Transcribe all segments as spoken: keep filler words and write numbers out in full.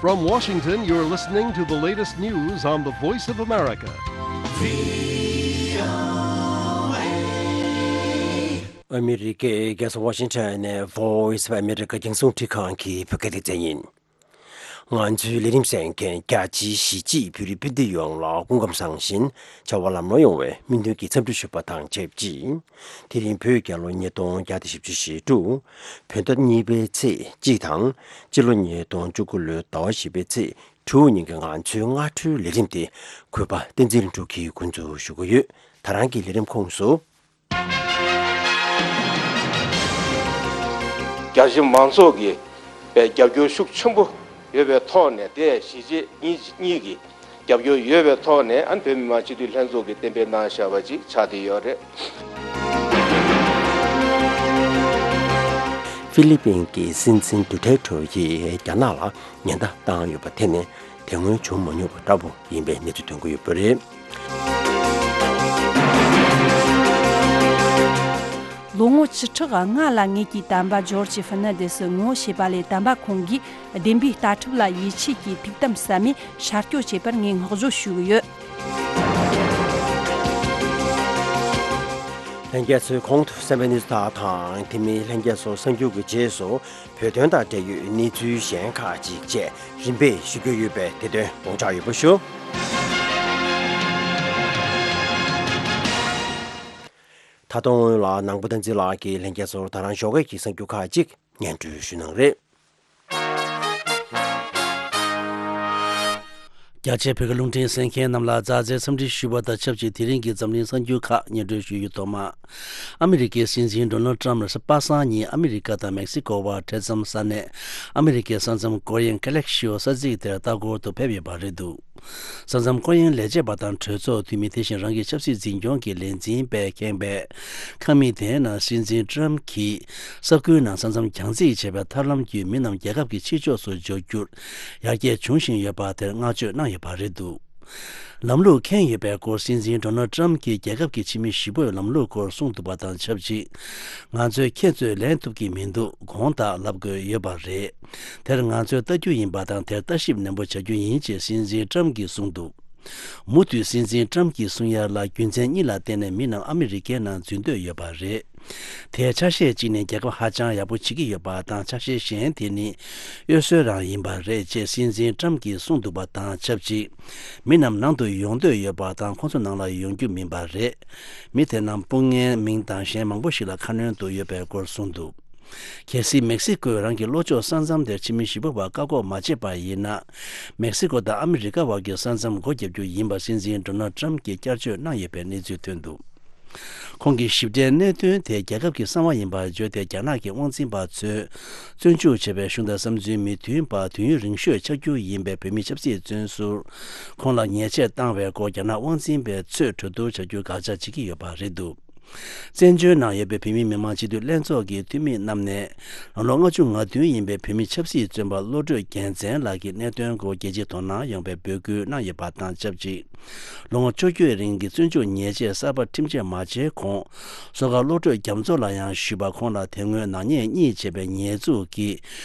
From Washington, you're listening to the latest news on the Voice of America. ཨ་མི་རི་ཀའི་རྒྱལ་ས་ཝ་ཤིང་ཊོན་ནས་Voice of America རྒྱང་སྲིང་རླུང་འཕྲིན་ཁང་གི་བོད་སྐད་སྡེ་ཚན་ཡིན། ང་ཚོའི་ལས་རིམ་གསན་མཁན་རྒྱ་ཆེའི་གཞིས་བྱེས་བོད་རིགས་སྤུན་ཟླ་ཡོངས་ལ་སྐུ་ཁམས་བཟང་ཞིང་བྱ་བ་ལམ་འགྲོ་ཡོང་བའི་སྨོན་འདུན་གྱི་འཚམས་འདྲི་ཞུ་བ་དང་ཆབས་ཅིག་དེ་རིང་བོད་རྒྱལ་ལོ་ཉིས་སྟོང་བརྒྱ་དང་བཞི་བཅུ་ཞེ་དྲུག་བོད་ཟླ་གཉིས་པའི་ཚེས་གཅིག་དང་། སྤྱི་ལོ་ཉིས་སྟོང་བཅུ་དགུ་ལོའི་ཟླ་བ་བཞི་པའི་ཚེས་དྲུག་ཉིན་གྱི་ང་ཚོའི་སྔ་དྲོའི་ལས་རིམ་དེ་གུས་པ་བསྟན་འཛིན་ལྷུན་གྲུབ་ཀྱིས་འགོ་འཛུགས་ཞུ་གི་ཡོད། ད་རང་གི་ལས་རིམ་ཁོངས་སུ། རྒྱ་ཆེ་མང་ཚོགས་ཀྱི་པའི་རྒྱབ་སྐྱོར་ཤུགས་ཆེན་པོ་ཡོད་པའི་ཐོག་ནས། དེ་གཞིས་བྱེས་གཉིས་གཉིས་ཀྱི་རྒྱབ་སྐྱོར་ཡོད་པའི་ཐོག་ནས། ཨ་ནི་བོད་མི་མང་སྤྱི་འཐུས་ལྷན་ཚོགས་ཀྱིས་གཏན་འབེབས་གནང་བཞག་པ་ཅིག་ཆགས་བསྡད་ཡོད་རེད། ཧྥི་ལི་པིན་གྱི་སྲིད་འཛིན་ཌུ་ཐེར་ཊེ་ཡིས་རྒྱ་ནག་ལ་ཉེན་བརྡ་བཏང་ཡོད་པ་དེ་ནི་དེ་སྔོན་བྱུང་མ་མྱོང་བ་འདྲ་པོ་ཡིན་པའི་གནས་ཚུལ་ཐོན་གྱི་ཡོད་པ་རེད། ལོ་ངོ་བཅུ་ཕྲག་ལྔ་ལ་ངེད་ཀྱི་དམ་པ་ཇོར་ཇི་ཧྥེར་ནན་དེ་སི་ངོ་ཤེས་པ་ལས། དམ་པ་ཁོང་གིས་བདེན་པའི་ལྟ་གྲུབ་ལ་ཡིད་ཆེས་ཀྱིས་ཐུགས་དམ་ཟབ་མོས་ཤར་སྐྱོད་བྱས་པར་ངས་བསྔགས་བརྗོད་ཞུ་གི་ཡོད། ལྷན་རྒྱས་ཚོས་གོང་དུ་གསན་པའི་གནས་ཚུལ་དག་དང་། དེ་མིན་ལྷན་རྒྱས་ཚོ་གསར་འགྱུར་གྱི་རྗེས་སུ་བོད་དོན་དང་འབྲེལ་ཡོད་གནས་ཚུལ་གཞན་ཁག་ཅིག་བཅས་རིམ་པས་ཞུ་རྒྱུ་ཡོད་པས། དེ་དོན་དགོངས་འཇགས་ཡོད་པ་ཞུ། ད་དུང་སྔོན་ལ་ནང་པ་བསྟན་འཛིན་ལགས་ཀྱིས་ལྷན་རྒྱས་ཚོར་ད་རང་ཞོགས་ཀས་ཀྱི་གསར་འགྱུར་ཁག་ཅིག་སྙན་སྒྲོན་ཞུ་གནང་རེད། རྒྱ་ཆེའི་བོད་ཀྱི་རླུང་འཕྲིན་གསན་མཁན་རྣམས་ལ་མཛའ་བརྩེའི་འཚམས་འདྲི་ཞུ་བ་དང་ཆབས་ཅིག་དེ་རིང་གི་འཛམ་གླིང་གསར་འགྱུར་ཁག་སྙན་སྒྲོན་ཞུ་རྒྱུ། ཐོག་མར། ཨ་མི་རི་ཀའི་སྲིད་འཛིན་ཌོ་ནལ་ཊམ་པ་སངས་ཉིན་ཨ་མི་རི་ཀ་དང་མེག་སི་ཀོ་བར་འཕྲད་མཚམས་ས་གནས་ཨ་མི་རི་ཀའི་ས་མཚམས་ཀོ་རི་ཡན་ཀ་ལེག་ཤི་ཡོ་ས་ཚིགས་དེར་ལྟ་སྐོར་དུ་ཕེབས་ཡོད་པ་རེད་འདུག་ས་མཚམས་ཀོ་རི་ཡན་ལས་བྱེད་པ་དང་གྲོས་ཚོགས་འཐུས་མི། དེ་བཞིན་རང་གི་ཆབ་སྲིད་འཛིན་སྐྱོང་གི་ལས་འཛིན་པས་ཁེངས་པའི་ཁང་མིག་དེའི་ནང་སྲིད་འཛིན་ཊམ་གྱིས་ས་ཁུལ་ནང་ས་མཚམས་གྱང་རྩིག་བྱས་པའི་ཐབས་ལམ་བརྒྱུད་མི་རྣམས་རྒྱལ་ཁབ་ཀྱི་ཕྱི་ཕྱོགས་སུ་འབྱོར་རྒྱུར་ཡར་རྒྱས་བྱུང་བཞིན་ཡོད་པ་དེར་བསྔགས་བརྗོད་གནང་ཡོད་པ་རེད་འདུག་ལམ་ལུགས་འཁེལ་ཡོད་པའི་སྐོར་སྲིད་འཛིན་ཌོ་ནལ་ཊམ་གྱིས་རྒྱལ་ཁབ་ཀྱི་ཕྱི་མི་བཞི་པོས་ལམ་ལུགས་སྐོར་གསུངས་འདུག་པ་དང་ཆབས་ཅིག་ང་ཚོས་ཁྱེད་ཚོས་ལན་ཐུབ་ཀྱི་མི་འདུག་དགོངས་དག་ལབ་དགོས་ཡོད་པ་རེད། དེར་ང་ཚོས་ལྟ་རྒྱུ་ཡིན་པ་དང་། དེར་ལྟ་ཞིབ་ནན་པོ་བྱ་རྒྱུ་ཡིན་ཅེས་སྲིད་འཛིན་ཊམ་གྱིས་གསུངས་འདུག་མུ་མཐུད་སྲིད་འཛིན་ཊམ་གྱིས་གསུང་ཡ་ལ། རྒྱུ་མཚན་གཉིས་ལ་བརྟེན་ནས་མི་རྣམས་ཨ་མི་རི་ཀའི་ནང་འཛུལ་འདོད་ཡོད་པ་རེད། དེའི་ཆ་ཤས་གཅིག་ནི་རྒྱལ་ཁབ་ཧ་ཅང་ཡག་པོ་བྱེད་ཀྱི་ཡོད་པ་དང་། ཆ་ཤས་གཞན་དེ་ནི་གཡོ་ཟོལ་རང་ཡིན་པ་རེད་ཅེས་སྲིད་འཛིན་ཊམ་གྱིས་གསུངས་འདུག་པ་དང་ཆབས་ཅིག་མི་རྣམས་ནང་དུ་ཡོང་འདོད་ཡོད་པ་དང་། ཁོང་ཚོ་ནང་ལ་ཡོང་རྒྱུ་མིན་པ་རེད། མི་དེ་རྣམས་སྤུན་ངའི་མིང་དང་གཞན་མང་པོ་ཞིག་ལ་ཁ་སྣོན་དུ་ཡོད་པའི་སྐོར་གསུངས་འདུག་གལ་སྲིད་མེག་སི་ཀོས་རང་གི་ལྷོ་ཕྱོགས་ས་མཚམས་དེར་ཕྱི་མི་བཞི་པོ་བར་བཀག་འགོག་མ་བྱས་པ་ཡིན་ན། མེག་སི་ཀོ་དང་ཨ་མི་རི་ཀ་བར་གྱི་ས་མཚམས་སྒོ་བརྒྱབ་རྒྱུ་ཡིན་པ་སྲིད་འཛིན་ཌོ་ནལ་ཊམ་གྱིས་བསྐྱར་བརྗོད་གནང་ཡོད་པའི་གནས་ཚུལ་ཐོན་འདུག་ཁོང་གིས་ཞིབ་ཕྲའི་གནད་དོན་དེ་རྒྱལ་ཁབ་ཀྱི་གསང་བ་ཡིན་པར་བརྗོད་དེ། རྒྱ་ནག་གི་དབང་འཛིན་པ་ཚོས་བཙོན་འཇུག་བྱས་པའི་གཞུང་དང་བསམ་ཚུལ་མི་མཐུན་པ་དུས་ཡུན་རིང་ཤོས་ཆགས་རྒྱུ་ཡིན་པའི་བོད་མི་ཆབ་སྲིད་བཙོན་ཟུར་ཁོང་ལ་ཉེས་ཆད་བཏང་བའི་སྐོར་རྒྱ་ནག་དབང་འཛིན་པས་ཚོད་གྲོས་བསྡུར་བྱ་རྒྱུའི་དགག་བྱ་བྱེད་ཀྱི་ཡོད་པ་རེད་འདུག་བཙན་བྱོལ་ནང་ཡོད་པའི་བོད་མིའི་མི་མང་སྤྱི་འཐུས་ལྷན་ཚོགས་ཀྱི་འཐུས་མི་རྣམས་ནས། ལོ་ངོ་ལྔ་བཅུ་ང་བདུན་ཡིན་པའི་བོད་མི་ཆབ་སྲིད་བཙོན་པ་བློ་གྲོས་རྒྱལ་མཚན་ལགས་ཀྱི་གནད་དོན་སྐོར་རྒྱལ་སྤྱིའི་དོ་སྣང་ཡོང་བའི་འབོད་སྐུལ་གནང་ཡོད་པ་དང་ཆབས་ཅིག་ལོ་ངོ་བཅོ་བརྒྱད་རིང་གི་བཙོན་འཇུག་ཉེས་ཆད་གསར་པ་ཁྲིམས་ཆད་མ་བཅད་གོང་། བཟོ་དཀར་བློ་གྲོས་རྒྱ་མཚོ་ལ་ཡང་ཞུས་པ། ཁོང་ལ་དེ་སྔོན་ནག་ཉེས་གཉིས་བྱས་པའི་ཉེས་འཛུགས་ཀྱིས་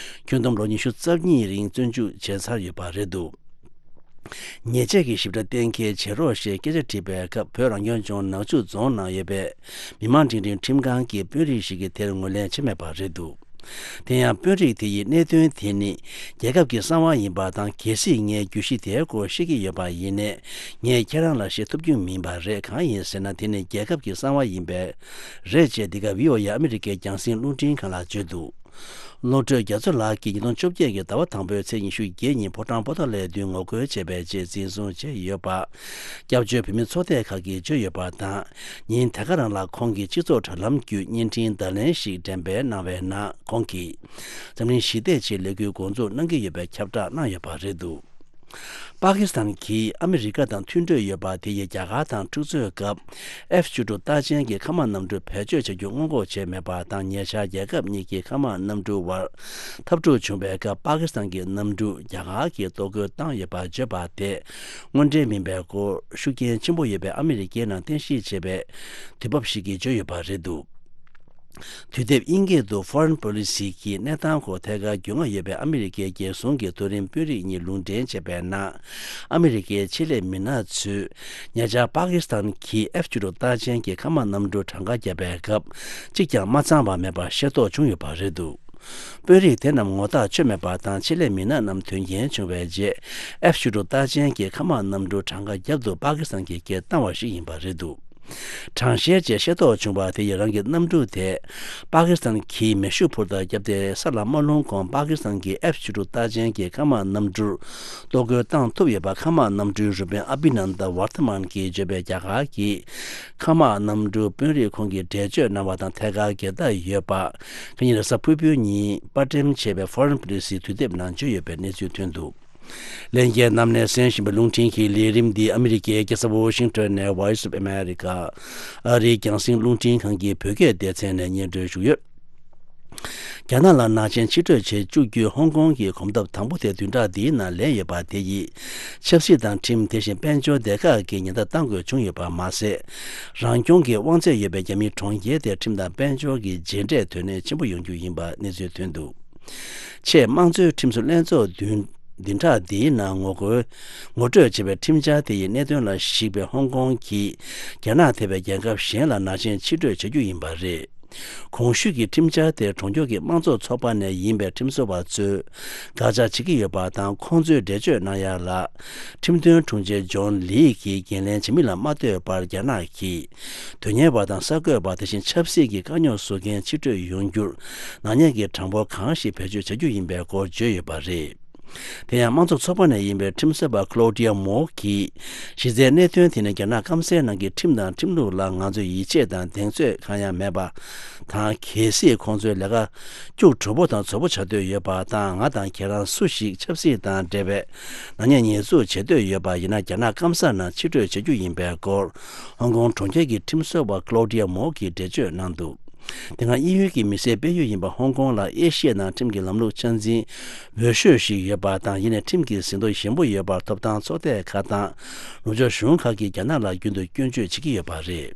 ཁྱོན་བསྡོམས་ལོ་ཉི་ཤུ་རྩ་གཉིས་རིང་བཙོན་འཇུག་བྱས་ཚར་ཡོད་པ་རེད་འདུག་ཉེས་ཆད་ཀྱི་ཞིབ་ཕྲ་གཏན་འཁེལ་བྱེད་རོགས་ཞེས་སྐད་ཆ་དྲིས་པའི་སྐབས། བོད་རང་སྐྱོང་ལྗོངས་ནག་ཆུ་རྫོང་ནང་ཡོད་པའི་མི་མང་སྒྲིག་ཁྲིམས་ཁང་གི་དཔོན་རིགས་ཤིག་གིས་དེར་ངོས་ལེན་བྱས་མེད་པ་རེད་འདུག་དེ་ཡང་དཔོན་རིགས་དེ་ཡིས་གནད་དོན་དེ་ནི་རྒྱལ་ཁབ་ཀྱི་གསང་བ་ཡིན་པ་དང་། གལ་སྲིད་ངས་བརྗོད་གཞི་དེའི་སྐོར་ཤེས་ཀྱི་ཡོད་པ་ཡིན་ནའི། ངས་ཁྱེད་རང་ལ་བཤད་ཐུབ་རྒྱུ་མིན་པ་རེད། གང་ཡིན་ཟེར་ན། དེ་ནི་རྒྱལ་ཁབ་ཀྱི་གསང་བ་ཡིན་པས་རེད་ཅེས་འདི་ག་བྷི་ཨོ་ཨེ་ཨ་མི་རི་ཀའི་རྒྱང་སྲིང་རླུང་འཕྲིན་ཁང་ལ་བརྗོད་འདུག་བློ་གྲོས་རྒྱ་མཚོ་ལགས་ཀྱིས་ཉིས་སྟོང་བཅོ་བརྒྱད་ཀྱི་ཟླ་བ་དང་པོའི་ཚེས་ཉི་ཤུ་བརྒྱད་ཉིན་ཕོ་བྲང་པོ་ཏཱ་ལའི་མདུན་ངོ་རྒོལ་བྱས་པའི་རྗེས་འཛིན་བཟུང་བྱས་ཡོད་པ། སྐྱབས་བཅོལ་བོད་མི་ཚོགས་སྡེ་ཁག་གིས་བརྗོད་ཡོད་པ་དང་། ཉིན་དེ་ག་རང་ལ་ཁོང་གིས་སྤྱི་ཚོགས་དྲ་ལམ་བརྒྱུད་བརྙན་འཕྲིན་བརྡ་ལན་ཞིག་འགྲེམས་སྤེལ་གནང་བའི་ནང་། ཁོང་གིས་འཛམ་གླིང་ཞི་བདེ་ཆེད་ལས་འགུལ་འགོ་འཛུགས་གནང་གི་ཡོད་པའི་ཁྱབ་བསྒྲགས་གནང་ཡོད་པ་རེད་འདུག་པ་ཀི་སི་ཐན་གྱིས་ཨ་མི་རི་ཀ་དང་མཐུན་གྲོས་ཡོད་པ་དེ་ཡིས་རྒྱ་གར་དང་འཁྲུག་རྩོད་སྐབས་ཨེཕ་བཅུ་དྲུག་རྟགས་ཅན་གྱི་མཁའ་དམག་གནམ་གྲུ་བེད་སྤྱོད་བྱ་རྒྱུ་སྔོན་འགོག་བྱས་མེད་པ་དང་། ཉེ་ཆར་རྒྱལ་ཁབ་གཉིས་ཀྱི་མཁའ་དམག་གནམ་གྲུ་བར་འཐབ་འཁྲུག་བྱུང་བའི་སྐབས། པ་ཀི་སི་ཐན་གྱི་གནམ་གྲུ་རྒྱ་གར་གྱིས་གཏོར་རྒོལ་བཏང་ཡོད་པར་བརྗོད་པ་དེ་དངོས་འབྲེལ་མིན་པའི་སྐོར་ཤུགས་རྐྱེན་ཆེན་པོ་ཡོད་པའི་ཨ་མི་རི་ཀའི་ནང་རྟེན་གཞི་བྱས་པའི་དུས་བབ་ཞིག་གིས་བརྗོད་ཡོད་པ་རེད་འདུག་དུས་དེབ་དབྱིན་སྐད་དུ་Foreign Policy གྱི་གནས་སྟངས་སྐོར་ཐད་ཀར་རྒྱུས་མངའ་ཡོད་པའི་ཨ་མི་རི་ཀའི་རྒྱལ་སྲུང་གི་མཐོ་རིམ་དཔོན་རིགས་གཉིས་ལུང་འདྲེན་བྱས་པའི་ནང་། ཨ་མི་རི་ཀའི་ཆེད་ལས་མི་སྣ་ཚོས་ཉེ་ཆར་པ་ཀི་སི་ཐན་གྱིས་ཨེཕ་བཅུ་དྲུག་རྟགས་ཅན་གྱི་མཁའ་དམག་གནམ་གྲུ་གྲངས་ཀ་བརྒྱབ་པའི་སྐབས་གཅིག་ཀྱང་མ་ཚང་བ་མེད་པར་ཤེས་རྟོགས་བྱུང་ཡོད་པ་རེད་འདུག་དཔོན་རིགས་དེ་རྣམས་ངོ་ཐག་ཆོད་མེད་པ་དང་། ཆེད་ལས་མི་སྣ་རྣམས་དོན་རྐྱེན་བྱུང་བའི་རྗེས་ཨེཕ་བཅུ་དྲུག་རྟགས་ཅན་གྱི་མཁའ་དམག་གནམ་གྲུ་གྲངས་ཀ་བརྒྱབ་འདུག་པ་ཀི་སི་ཐན་གྱིས་སྐད་བཏང་བ་ཞིག་ཡིན་པ་རེད་འདུག་གྲངས་བཤེར་བཅས་ཤེས་རྟོགས་བྱུང་བ་དེ་ཡིས་རང་གི་གནམ་གྲུ་དེ་པ་ཀི་སི་ཐན་གྱིས་མེ་ཤུགས་འཕུར་མདའ་བརྒྱབ་སྟེ་ས་ལ་མ་ལྷུང་གོང་པ་ཀི་སི་ཐན་གྱི་ཨེཕ་བཅུ་དྲུག་རྟགས་ཅན་གྱི་མཁའ་དམག་གནམ་གྲུར་གཏོར་རྒོལ་བཏང་ཐུབ་ཡོད་པ་མཁའ་དམག་གནམ་གྲུའི་རུ་དཔོན་ཨ་བྷི་ནན་ད་ཝར་ཐ་མན་གྱིས་བརྗོད་པའི་རྒྱ་གར་གྱི་མཁའ་དམག་གནམ་གྲུའི་དཔོན་རིགས་ཁོང་གིས་འགྲེལ་བརྗོད་གནང་བ་དང་ཐད་ཀར་འགལ་ཟླ་ཡོད་པ། ཁ་ཉིན་རེས་གཟའ་ཕུར་བུའི་ཉིན་པར་འགྲེམས་བྱས་པའི་Foreign Policy དུས་དེབ་ནང་བརྗོད་ཡོད་པའི་གནས་ཚུལ་ཐོན་འདུག་ལྷན་རྒྱས་རྣམས་ནས་གསན་བཞིན་པའི་རླུང་འཕྲིན་གྱི་ལས་རིམ་འདི་ཨ་མི་རི་ཀའི་རྒྱལ་ས་ཝོ་ཤིང་ཊོན་ནས་Voice of America ཨ་རིའི་རྒྱང་སྲིང་རླུང་འཕྲིན་ཁང་གི་བོད་སྐད་སྡེ་ཚན་ནས་སྙན་སྒྲོན་ཞུས་ཡོད། རྒྱ་ནག་ལ་ནག་ཆེན་ཕྱིར་སྤྲོད་བྱེད་བཅུག་རྒྱུའི་ཧོང་ཀོང་གི་གོམ་སྟབས་དང་པོ་དེ་བདུན་ཕྲག་འདིའི་ནང་ལེན་ཡོད་པ་དེ་ཡིས་ཆབ་སྲིད་དང་ཁྲིམས། དེ་བཞིན་དཔལ་འབྱོར་སྡེ་ཁག་གི་ཉེན་བརྡ་གཏང་དགོས་བྱུང་ཡོད་པ་མ་ཟད། རང་སྐྱོང་གི་དབང་ཚད་ཡོད་པའི་རྒྱ་མིའི་གྲོང་ཁྱེར་དེར་ཁྲིམས་དང་དཔལ་འབྱོར་གྱི་རྗེས་འབྲས་དོན་གནད་ཆེན་པོ་ཡོང་རྒྱུ་ཡིན་པ་གནས་ཚུལ་ཐོན་འདུག་ཆེས་དམངས་གཙོའི་ཁྲིམས་བཟོ་ལྷན་ཚོགས་བདུན་བདུན་ཕྲག་འདིའི་ནང་ངོ་རྒོལ་ངོ་སྤྲོད་བྱས་པའི་ཁྲིམས་འཆར་དེ་ཡི་གནད་དོན་ལ་གཞིགས་པའི་ཧོང་ཀོང་གིས་རྒྱ་ནག་ཐེ་བའི་རྒྱལ་ཁབ་གཞན་ལ་ནག་ཆེན་ཕྱིར་སྤྲོད་བྱ་རྒྱུ་ཡིན་པ་རེད། གོང་ཞུས་ཀྱི་ཁྲིམས་འཆར་དེ་གྲོང་ཁྱེར་གྱི་དམངས་གཙོ་ཚོགས་པ་ནས་ཡིན་པའི་ཁྲིམས་བཟོ་བ་ཚོས་དགག་བྱ་བྱེད་ཀྱི་ཡོད་པ་དང་། ཁོང་ཚོས་འགྲེལ་བརྗོད་གནང་ཡ་ལ། ཁྲིམས་དོན་དྲུང་ཆེ་ཇོན་ལི་གིས་འགན་ལེན་བྱེད་མིན་ལ་མ་ལྟོས་པར། རྒྱ་ནག་གིས་དོན་གཉེར་བ་དང་གསར་འགོད་པ། དེ་བཞིན་ཆབ་སྲིད་ཀྱི་དཀའ་རྙོག་བཟོ་མཁན་ཕྱིར་སྤྲོད་ཡོང་རྒྱུར་ནག་ཉེས་ཀྱི་གྲངས་འབོར་གང་ཞིག་བེད་སྤྱོད་བྱ་རྒྱུ་ཡིན་པའི་སྐོར་བརྗོད་ཡོད་པ་རེད། དེ་ཡང་དམངས་གཙོ་ཚོགས་པ་ནས་ཡིན་པའི་ཁྲིམས་བཟོ་བ་Claudia Moore གྱིས། གཞི་རྩའི་གནད་དོན་དེ་ནི་རྒྱ་ནག་སྐམ་སའི་ནང་གི་ཁྲིམས་དང་ཁྲིམས་ལུགས་ལ་ང་ཚོས་ཡིད་ཆེས་དང་གདེང་ཚོད་གང་ཡང་མེད་པ་དང་། གལ་སྲིད་ཁོང་ཚོའི་ལས་ཀ་སྐྱུག་བྲོ་པོ་དང་ཚོགས་པོ་བྱ་འདོད་ཡོད་པ་དང་། ང་དང་ཁྱེད་རང་སུ་ཞིག་ཆབ་སྲིད་དང་འབྲེལ་བའི་ནག་ཉེས་ཉེས་འཛུགས་བྱེད་འདོད་ཡོད་པ་ཡིན་ན། རྒྱ་ནག་སྐམ་ས་ནང་ཕྱིར་སྤྲོད་བྱ་རྒྱུ་ཡིན་པའི་སྐོར། ཧོང་ཀོང་གྲོང་ཁྱེར་གྱི་ཁྲིམས་བཟོ་བ་Claudia Moore གྱིས་འགྲེལ་བརྗོད་གནང་འདུག་དེ་སྔ་དབྱིན་ཡུལ་གྱི་མི་སེར་སྤེལ་ཡུལ་ཡིན་པ་ཧོང་ཀོང་ལ་ཨེ་ཤི་ཡའི་ནང་ཁྲིམས་ཀྱི་ལམ་ལུགས་ཆ་འཛིན་འོས་ཤོས་ཤིག་ཡོད་པ་དང་། ཡིན་ནའི་ཁྲིམས་ཀྱི་ཟིན་ཐོ་ཞན་པོ་ཡོད་པར་ཐོབ་ཐང་ཚོགས་སྡེ་ཁག་དང་ནུབ་ཕྱོགས་གཞུང་ཁག་གིས་རྒྱ་ནག་ལ་རྒྱུན་དུ་སྐྱོན་བརྗོད་བྱེད་ཀྱི་ཡོད་པ་རེད།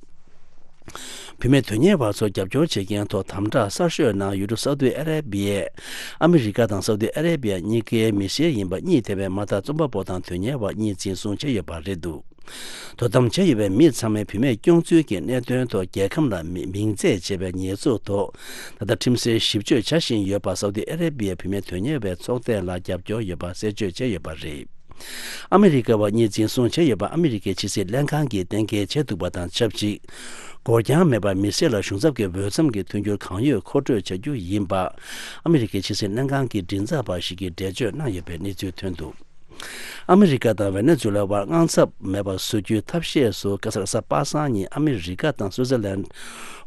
བུད་མེད་དོན་གཉེར་བ་ཚོར་རྒྱབ་སྐྱོར་བྱེད་མཁན་ཐོག་དམ་དྲག་གསར་ཤོས་ནང་ཡུལ་གྲུ་སའུ་ཏི་ཨ་རེ་བི་ཡས། ཨ་མི་རི་ཀ་དང་སའུ་ཏི་ཨ་རེ་བི་ཡ་གཉིས་ཀའི་མི་སེར་ཡིན་པ་གཉིས་ཐེ་བའི་དམར་ཐག་རྩོམ་པ་པོ་དང་དོན་གཉེར་བ་གཉིས་འཛིན་བཟུང་བྱས་ཡོད་པ་རེད་འདུག་དོ་དམ་བྱས་ཡོད་པའི་མི་ཚང་མས་བུད་མེད་སྐྱོང་ཚུལ་གྱི་གནད་དོན་ཐོག་རྒྱལ་ཁམས་ལ་མི་མིང་མཚན་བྱས་པའི་ཉེས་འཛུགས་ཐོག་ད་ལྟ་ཁྲིམས་སེལ་ཞིབ་དཔྱོད་བྱ་བཞིན་ཡོད་པ། སའུ་ཏི་ཨ་རེ་བི་ཡའི་བུད་མེད་དོན་གཉེར་བའི་ཚོགས་སྡེ་ལ་རྒྱབ་སྐྱོར་ཡོད་པ་གསལ་བརྗོད་བྱས་ཡོད་པ་རེད། ཨ་མི་རི་ཀ་བ་གཉིས་འཛིན་བཟུང་བྱས་ཡོད་པ་ཨ་མི་རི་ཀའི་ཕྱི་སྲིད་ལྷན་ཁང་གིས་གཏན་འཁེལ་བྱས་འདུག་པ་དང་ཆབས་ཅིག་འགོར་འགྱངས་མེད་པར་མི་སེར་ལ་གཞུང་ཚབ་ཀྱི་འོས་འཚམ་གྱི་མཐུན་འགྱུར་གང་ཡོད་མཁོ་སྤྲོད་བྱ་རྒྱུ་ཡིན་པ། ཨ་མི་རི་ཀའི་ཕྱི་སྲིད་ལྷན་ཁང་གི་མགྲིན་ཚབ་པ་ཞིག་གིས་འགྲེལ་བརྗོད་གནང་ཡོད་པའི་གནས་ཚུལ་ཐོན་འདུག་ཨ་མི་རི་ཀ་དང་ཝེ་ནེ་ཛུ་ལ་བར་དངངས་འཚབ་མེད་པར་བཟོ་རྒྱུའི་ཐབས་ཤེས་སུ། ཁ་སང་རེས་གཟའ་པ་སངས་ཉིན་ཨ་མི་རི་ཀ་དང་སུའུ་ཙེར་ལན་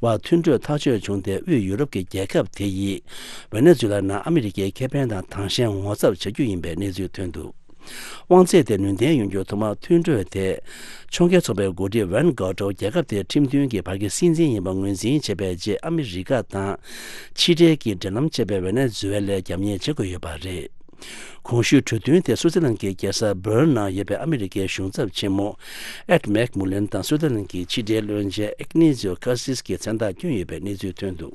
བར་མཐུན་གྲོས་ཐག་གཅོད་བྱུང་སྟེ། དབུས་ཡུ་རོབ་ཀྱི་རྒྱལ་ཁབ་དེ་ཡིས་ཝེ་ནེ་ཛུ་ལ་ནང་ཨ་མི་རི་ཀའི་ཁེ་ཕན་དང་དྭངས་ཤིང་ངོ་ཚབ་བྱ་རྒྱུ་ཡིན་པའི་གནས་ཚུལ་ཐོན་འདུག་དབང་ཚད་དེ་ནུས་ལྡན་ཡོང་རྒྱུར་ཐོག་མར་མཐུན་གྲོས་དེ་ཕྱོགས་འགལ་ཚོགས་པའི་འགོ་ཁྲིད་ཝན་གྷོ་ཀྲོ་རྒྱལ་ཁབ་དེའི་ཁྲིམས་མཐུན་གྱི་བར་གྱི་སྲིད་འཛིན་ཡིན་པ་ངོས་འཛིན་བྱས་པའི་རྗེས། ཨ་མི་རི་ཀ་དང་ཕྱི་འབྲེལ་གྱི་འབྲེལ་ལམ་བཅད་པའི་ཝེ་ནེ་ཛུ་ཝེ་ལའི་རྒྱབ་གཉེར་བྱེད་དགོས་ཡོད་པ་རེད། གོང་ཞུས་གྲོས་མཐུན་དེ་སུའུ་ཙེར་ལན་གྱི་རྒྱལ་ས་བྷར་ནང་ཡོད་པའི་ཨ་མི་རི་ཀའི་གཞུང་ཚབ་ཆེན་མོ་ཨེད་མེག་མུ་ལེན་དང་སུའུ་ཙེར་ལན་གྱི་ཕྱི་འབྲེལ་བློན་ཆེན་ཨིག་ནེ་ཛིའོ་ཁ་སིས་ཀྱིས་མཚན་རྟགས་བསྐྱོན་ཡོད་པའི་གནས་ཚུལ་ཐོན་འདུག་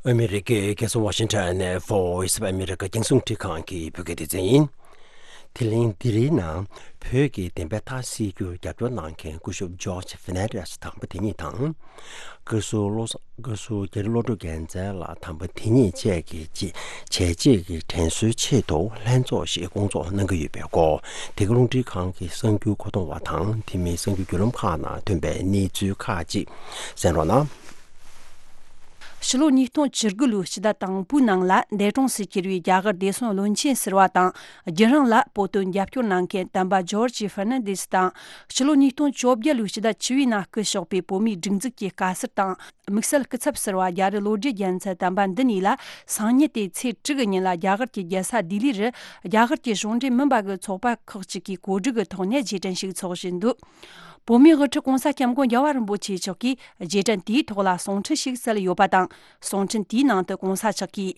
ཨ་མི་རི་ཀའི་རྒྱལ་ས་ཝ་ཤིང་ཊོན་ནས་Voice of America རྒྱང་སྲིང་རླུང་འཕྲིན་ཁང་གི་བོད་སྐད་སྡེ་ཚན་ཡིན། དེ་རིང་འདི་རིང་ནང་བོད་ཀྱི་བདེན་པའི་མཐའ་གསལ་རྒྱུར་རྒྱབ་སྐྱོར་གནང་མཁན་སྐུ་ཞབས་ཇོརྗ་ཧྥེར་ནན་ཌེ་སི་དམ་པ་དེ་ཉིད་དང་། བཀའ་ཟུར་བློ་བཟང་། བཀའ་ཟུར་རྒྱ་རི་བློ་གྲོས་རྒྱལ་མཚན་ལགས་དམ་པ་དེ་ཉིད་བཅས་ཀྱི་བྱས་རྗེས་ཀྱི་དྲན་གསོའི་ཆེད་དུ་ལྷན་ཚོགས་ཤིག་སྐོང་ཚོགས་གནང་གི་ཡོད་པའི་སྐོར། དེ་ག་རླུང་འཕྲིན་ཁང་གི་གསར་འགྱུར་མཁོ་གཏོང་བ་དང་། དེ་མིན་གསར་འགྱུར་བརྒྱུད་ལམ་ཁག་ནང་ཐོན་པའི་གནས་ཚུལ་ཁག་ཅིག་གསན་རོགས་གནང་། ཕྱི་ལོ་ཉིས་སྟོང་བཅུ་དགུ་ལོའི་ཕྱི་ཟླ་དང་པོའི་ནང་ལ་འདས་གྲོངས་སུ་གྱུར་བའི་རྒྱ་གར་བདེ་སྲུང་བློན་ཆེན་ཟུར་པ་དང་། རྒྱུན་རིང་ལ་བོད་དོན་རྒྱབ་སྐྱོར་གནང་མཁན་དམ་པ་ཇོརྗ་ཧྥེར་ནན་ཌེ་སི་དང་། ཕྱི་ལོ་ཉིས་སྟོང་བཅོ་བརྒྱད་ལོའི་ཕྱི་ཟླ་བཅུ་བའི་ནང་སྐུ་གཤེགས་པའི་བོད་མིའི་སྒྲིག་འཛུགས་ཀྱི་བཀའ་ཟུར་དང་། དམིགས་བསལ་སྐུ་ཚབ་ཟུར་པ་རྒྱ་རི་བློ་གྲོས་རྒྱལ་མཚན་དམ་པ་འདི་གཉིས་ལ་སང་ཉིན་ཏེ་ཚེས་དྲུག་གི་ཉིན་ལ་རྒྱ་གར་གྱི་རྒྱལ་ས་ལྡི་ལི་རུ་རྒྱ་གར་གྱི་གཞུང་འབྲེལ་མིན་པ་གི་ཚོགས་པ་ཁག་ཅིག་གིས་གོ་སྒྲིག་གི་ཐོག་ནས་རྗེས་དྲན་ཞིག་འཚོགས་བཞིན་འདུག་བོད་མིའི་དབུ་ཁྲིད་༸གོང་ས་༸སྐྱབས་མགོན་རྒྱལ་བ་རིན་པོ་ཆེ་མཆོག་གིས་རྗེས་དྲན་དེའི་ཐོག་ལ་གསུང་འཕྲིན་ཞིག་བསྩལ་ཡོད་པ་དང་། གསུང་འཕྲིན་དེའི་ནང་དུ་༸གོང་ས་མཆོག་གིས།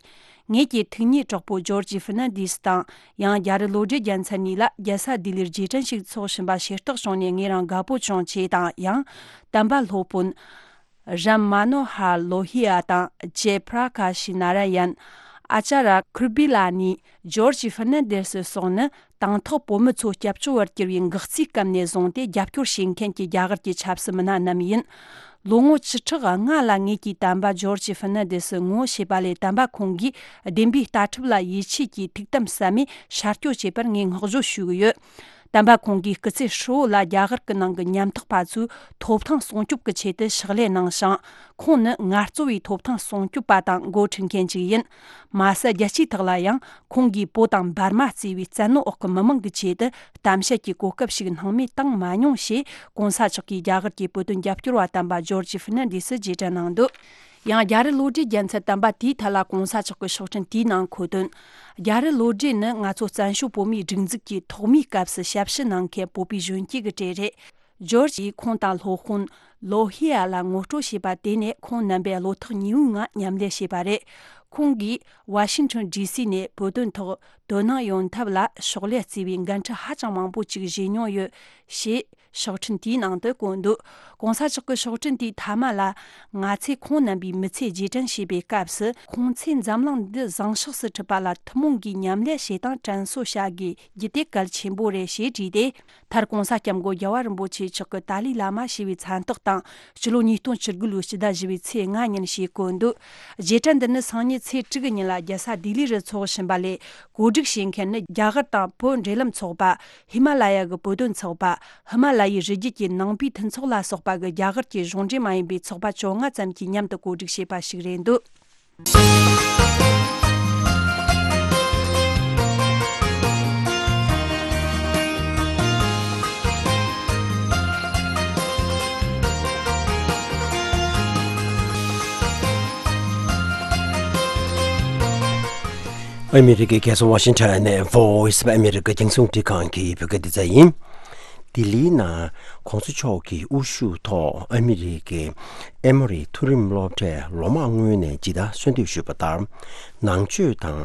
ངེད་ཀྱི་ཐུགས་ཉིད་གྲོགས་པོ་ཇོར་ཇི་ཧྥི་ནན་དིས་དང་ཡང་རྒྱལ་རི་བློ་གྲོས་རྒྱལ་མཚན་གཉིས་ལ་རྒྱལ་ས་ལྡི་ལིར་རྗེས་དྲན་ཞིག་འཚོགས་བཞིན་པ་ཤེས་རྟོགས་བྱུང་ནས་ངེད་རང་དགའ་པོ་བྱུང་ཆེད་དང་། ཡང་། དམ་པ་སློབ་དཔོན་རམ་མ་ནོ་ཧར་ལོ་ཧི་ཡ་དང་ཇེ་པྲ་ཀ་ཤི་ན་ར་ཡན། ཨ་ཅཱ་ར་ཁུར་བི་ལ་ནི། ཇོར་ཇི་ཧྥི་ནན་དེ་སི་སོགས་ནི་དང་ཐོག་བོད་མི་ཚོ་སྐྱབས་བཅོལ་བར་གྱུར་བའི་འགག་རྩའི་སྐབས་ནས་བཟུང་སྟེ་རྒྱབ་སྐྱོར་བྱེད་མཁན་གྱི་རྒྱ་གར་གྱི་ཆབ་སྲིད་མི་སྣ་རྣམས་ཡིན། ལོ་ངོ་བཅུ་ཕྲག་ལྔ་ལ་ངེད་ཀྱིས་དམ་པ་ཇོར་ཇི་ཧྥི་ནན་དེ་སི་ངོ་ཤེས་པ་ལས། དམ་པ་ཁོང་གིས་བདེན་པའི་ལྟ་གྲུབ་ལ་ཡིད་ཆེས་ཀྱིས་ཐུགས་དམ་ཟབ་མོས་ཤར་སྐྱོད་བྱས་པར་ངས་བསྔགས་བརྗོད་ཞུ་གི་ཡོད། དམ་པ་ཁོང་གིས་སྐུ་ཚེ་ཧྲིལ་བོ་ལ་རྒྱ་གར་གྱི་ནང་གི་ཉམ་ཐག་པ་ཚོའི་ཐོབ་ཐང་སྲུང་སྐྱོབ་ཀྱི་ཆེད་དུ་ཕྱག་ལས་གནང་ཞིང་། ཁོང་ནི་ངལ་རྩོལ་བའི་ཐོབ་ཐང་སྲུང་སྐྱོབ་པ་དང་འགོ་ཁྲིད་མཁན་ཅིག་ཡིན། མ་ཟད། རྒྱལ་སྤྱིའི་ཐོག་ལ་ཡང་ཁོང་གིས་བོད་དང་འབར་མ་གཙོས་པའི་བཙན་གནོན་འོག་གི་མི་མང་གི་ཆེད་དུ་གཏམ་བཤད་ཀྱི་གོ་སྐབས་ཤིག་སྣང་མེད་བཏང་མ་མྱོང་ཞེས། ༸གོང་ས་མཆོག་གིས་རྒྱ་གར་གྱི་བོད་དོན་རྒྱབ་སྐྱོར་བ་དམ་པ་ཇོར་ཇི་ཧྥི་ནན་དིས་སུ་རྗེས་དྲན་གནང་འདུག། ཡང་རྒྱལ་རི་བློ་གྲོས་རྒྱལ་མཚན་དམ་པ་དེའི་ཐད་ལ་༸གོང་ས་མཆོག་གི་ཕྱག་འཕྲིན་དེའི་ནང་འཁོད་དོན། རྒྱལ་རི་བློ་གྲོས་ནི་ང་ཚོ་བཙན་བྱོལ་བོད་མིའི་སྒྲིག་འཛུགས་ཀྱི་ཐོག་མའི་སྐབས་སུ་ཞབས་ཞུ་གནང་མཁན་བོད་པའི་གཞོན་སྐྱེས་ཀྱི་གྲས་རེད། ཇོར་ཇི་ཡིས་ཁོང་དང་སློབ་དཔོན་ལོ་ཧི་ཡ་ལ་ངོ་སྤྲོད་བྱས་པ་དེ་ནས་ཁོང་རྣམ་པས་བློ་ཐག་ཉེ་བོའི་ངང་མཉམ་ལས་བྱས་པ་རེད། ཁོང་གིས་ཝ་ཤིང་ཊོན་ཌི་སི་ནས་བོད་དོན་ཐོག་དོ་སྣང་ཡོང་ཐབས་ལ་ཕྱག་ལས་བརྩིས་པའི་འགན་འཁྲི་ཧ་ཅང་མང་པོ་ཅིག་བཞེས་མྱོང་ཡོད་ཞེས། ཕྱག་འཕྲིན་དེའི་ནང་དུ་བཀོད་འདུག། ༸གོང་ས་མཆོག་གི་ཕྱག་འཕྲིན་དེའི་མཐའ་མ་ལ། ང་ཚོས་ཁོང་རྣམ་པའི་མི་ཚེ་རྗེས་དྲན་བྱེད་པའི་སྐབས་སུ། ཁོང་ཚོས་འཛམ་གླིང་འདི་བཟང་ཕྱོགས་སུ་ཁྲིད་པ་ལ་ཐུན་མོང་གིས་མཉམ་ལས་བྱེད་སྟངས་དྲན་གསོ་བྱ་དགོས་རྒྱུ་དེ་གལ་ཆེན་པོ་རེད་ཞེས་བྲིས་ཏེ། མཐར་༸གོང་ས་༸སྐྱབས་མགོན་རྒྱལ་བ་རིན་པོ་ཆེ་མཆོག་གི་ཏཱ་ལའི་བླ་མ་ཞེས་པའི་མཚན་རྟགས་དང་། སྤྱི་ལོ་ཉིས་སྟོང་བཅུ་དགུ་ལོའི་སྤྱི་ཟླ་བཞི་པའི་ཚེས་ལྔ་ཉིན་ཞེས་བཀོད་འདུག། རྗེས་དྲན་འདི་ནི་སང་ཉིན་ཚེས་དྲུག་གི་ཉིན་ལ་རྒྱལ་ས་ལྡི་ལི་རུ་འཚོགས་བཞིན་པ་ལས། གོ་སྒྲིག་བྱེད་མཁན་ནི་རྒྱ་གར་དང་བོད་འབྲེལ་ལམ་ཚོགས་པ། ཧི་མ་ལ་ཡ་གི་བོད་དོན་ཚོགས་པ། ཧི་མ་ལ་ཡའི་རི་རྒྱུད་ཀྱི་ནང་པའི་མཐུན་ཚོགས་ལ་སོགས་པ་གི་རྒྱ་གར་གྱི་གཞུང་འབྲེལ་མ་ཡིན་པའི་ཚོགས་པ་བཅོ་ལྔ་ཙམ་གྱིས་མཉམ་དུ་གོ་སྒྲིག་བྱས་པ་ཞིག་རེད་འདུག། ཨ་མི་རི་ཀའི་རྒྱལ་ས་ཝ་ཤིང་ཊོན་ནས་Voice of America རྒྱང་སྲིང་རླུང་འཕྲིན་ཁང་གི་བོད་སྐད་སྡེ་ཚན་ཡིན། ལྡི་ལིའི་ནང་༸གོང་ས་མཆོག་གི་དབུ་བཞུགས་ཐོག་ཨ་མི་རི་ཀའི་ཨེ་མོ་རི་མཐོ་རིམ་སློབ་གྲྭས་ལོ་མང་སྔོན་ནས་ཇི་ལྟར་གསོལ་འདེབས་ཞུས་པ་ལྟར། ནང་ཆོས་དང་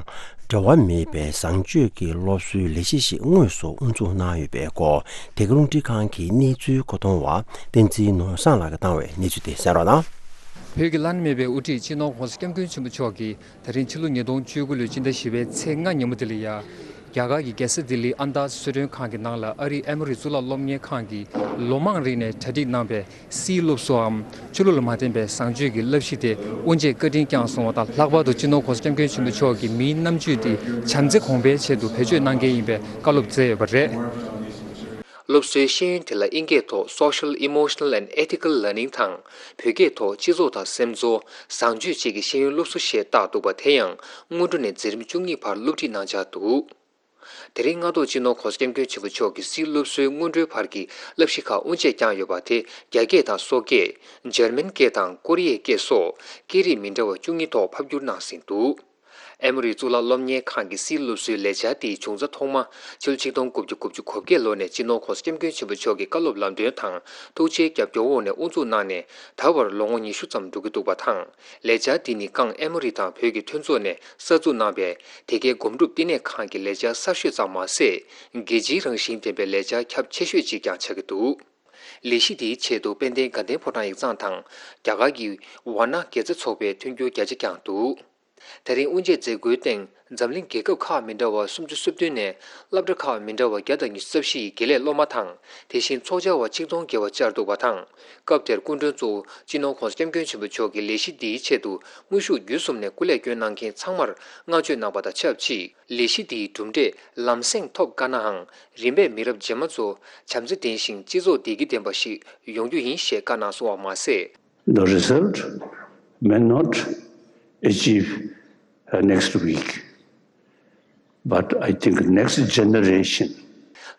འབྲེལ་བ་མེད་པའི་བཟང་སྤྱོད་ཀྱི་སློབ་གསོའི་ལས་གཞི་ཞིག་དངོས་སུ་དབུ་འཛུགས་གནང་ཡོད་པའི་སྐོར། བོད་སྐད་རླུང་འཕྲིན་ཁང་གི་གནས་ཚུལ་མཁོ་གཏོང་བ་བསྟན་འཛིན་ནོར་བཟང་ལགས་ཀྱིས་བཏང་བའི་གནས་ཚུལ་དེ་གསན་རོགས་གནང་། བོད་ཀྱི་བླ་ན་མེད་པའི་དབུ་ཁྲིད་སྤྱི་ནོར་༸གོང་ས་༸སྐྱབས་མགོན་ཆེན་པོ་མཆོག་གིས། ད་རིང་ཕྱི་ལོ་ཉིས་སྟོང་བཅུ་དགུ་ལོའི་སྤྱི་ཟླ་བཞི་པའི་ཚེས་ལྔ་ཉིན་མོ་དེ་ལ་ཡ། རྒྱ་གར་གྱི་རྒྱལ་ས་ལྡི་ལིའི་ཨན་དཱ་གསོལ་མགྲོན་ཁང་གི་ནང་ལ་ཨ་རིའི་ཨེ་མོ་རི་གཙུག་ལག་སློབ་གཉེར་ཁང་གིས་ལོ་མང་རིང་ནས་གྲ་སྒྲིག་གནང་པའི་སིལ་སློབ་གསོའམ་ཆོས་ལུགས་ལ་མ་བརྟེན་པའི་བཟང་སྤྱོད་ཀྱི་བསླབ་གཞི་དེ་དབུ་འབྱེད་བཀའ་དྲིན་བསྐྱངས་སོང་བ་དང་། ལྷག་པར་དུ་སྤྱི་ནོར་༸གོང་ས་༸སྐྱབས་མགོན་ཆེན་པོ་མཆོག་གིས་མིའི་རྣམ་དཔྱོད་དེ་བྱམས་བརྩེ་གོང་འཕེལ་ཆེད་དུ་བེད་སྤྱོད་གནང་གལ་ཡིན་པའི་བཀའ་སློབ་སྩལ་ཡོད་པ་རེད། སློབ་གསོའི་ཤེས་ཡོན་དེ་ལ་དབྱིན་སྐད་ཐོག་Social Emotional and Ethical Learning དང་། བོད་སྐད་ཐོག་སྤྱི་ཚོགས་དང་སེམས་ཚོར། བཟང་སྤྱོད་བཅས་ཀྱི་ཤེས་ཡོན་སློབ་གསོ་ཞེས་བཏགས་འདུག་པ། དེ་ཡང་སྔོན་འགྲོ་ནས་འཛིན་རིམ་བཅུ་གཉིས་བར་སློབ་ཁྲིད་གནང་འཆར་འདུག། དེ་རིང་སྔ་ཐོག་སྤྱི་ནོར་༸གོང་ས་༸སྐྱབས་མགོན་ཆེན་པོ་མཆོག་གིས་སིལ་སློབ་གསོའི་སྔོན་འགྲོའི་བར་གྱི་བསླབ་གཞི་ཁག་དབུ་འབྱེད་བསྐྱངས་ཡོད་པ། དེ་རྒྱ་སྐད་དང་སོག་སྐད། འཇར་མན་སྐད་དང་ཀོ་རི་ཡའི་སྐད་སོགས་སྐད་རིགས་མི་འདྲ་བ་བཅུ་གཉིས་ཐོག་ཕབ་བསྒྱུར་གནང་ཟིན་འདུག། ཨེ་མོ་རི་གཙུག་ལག་སློབ་གཉེར་ཁང་གི་སིལ་སློབ་གསོའི་ལས་འཆར་དེའི་བྱུང་རྩ་ཐོག་མ་ཕྱི་ལོ་ཆིག་སྟོང་དགུ་བརྒྱ་དགུ་བཅུ་གོ་བརྒྱད་ལོ་ནས་སྤྱི་ནོར་༸གོང་ས་༸སྐྱབས་མགོན་ཆེན་པོ་མཆོག་གི་བཀའ་སློབ་ལམ་སྟོན་དང་ཐུགས་རྗེའི་རྒྱབ་སྐྱོར་འོག་ནས་དབུ་འཛུགས་གནང་ནས། ད་བར་ལོ་ངོ་ཉི་ཤུ་ཙམ་འགྲོ་གི་འདུག་པ་དང་། ལས་འཆར་འདི་ནི་སྒང་ཨེ་མོ་རི་དང་བོད་ཀྱི་མཐུན་ཚོགས་ནས་གསར་འཛུགས་གནང་པའི་དེ་གའི་སྒོམ་སྒྲུབ་བསྟི་གནས་ཁང་གི་ལས་འཆར་གསར་ཤོས་ཙམ་མ་ཟད། རྒྱལ་སྤྱིའི་རང་བཞིན་ལྡན་པའི་ལས་འཆར་ཁྱབ་ཆེ་ཤོས་ཅིག་ཀྱང་ཆགས་ཀྱི་འདུག། ལས་གཞི་འདིའི་ཆེད་དུ་དཔལ་ལྡན་དགའ་ལྡན་ཕོ་བྲང་ཡིག་ཚང་དང་རྒྱ་གར་གྱི་ཝཱ་ཎ་དགེ་རྩ་ཚོགས་པས་མཐུན་འགྱུར་རྒྱ་ཆེ་བསྐྱངས་འདུག། དེ་རིང་དབུ་འབྱེད་མཛད་སྒོའི་སྟེང་འཛམ་གླིང་རྒྱལ་ཁབ་ཁག་མི་འདྲ་བ་སུམ་ཅུ་སོ་བདུན་ནས་སློབ་གྲྭ་ཁག་མི་འདྲ་བ་བརྒྱ་དང་ཉི་ཤུ་རྩ་བཞི་ཡི་དགེ་ལས་སློབ་མ་དང་། དེ་བཞིན་ཚོགས་བཅར་བ་ཆིག་སྟོང་བརྒལ་བ་བཅར་འདུག་པ་དང་། སྐབས་དེར་སྐུ་མགྲོན་གཙོ་བོ་སྤྱི་ནོར་༸གོང་ས་༸སྐྱབས་མགོན་ཆེན་པོ་མཆོག་གིས་ལས་གཞི་འདིའི་ཆེད་དུ་དངོས་ཤུགས་བརྒྱུད་གསུམ་ནས་སྐུ་ལས་བསྐྱོན་གནང་མཁན་ཚང་མར་བསྔགས་བརྗོད་གནང་པ་དང་ཆབས་ཅིག། ལས་གཞི་འདིའི་གྲུབ་འབྲས་ལམ་སེང་ཐོབ་དཀའ་ནའང་། རིམ་པས་མི་རབས་རྗེས་མ་ཚོ་བྱམས་བརྩེ་ལྡན་ཞིང་སྤྱི་ཚོགས་བདེ་སྐྱིད་ལྡན་པ་ཞིག་ཡོང་རྒྱུ་ཡིན་ཞེས་བཀའ་གནང་སོང་བ་མ་ཟད། The result may not achieve uh, next week, but I think next generation.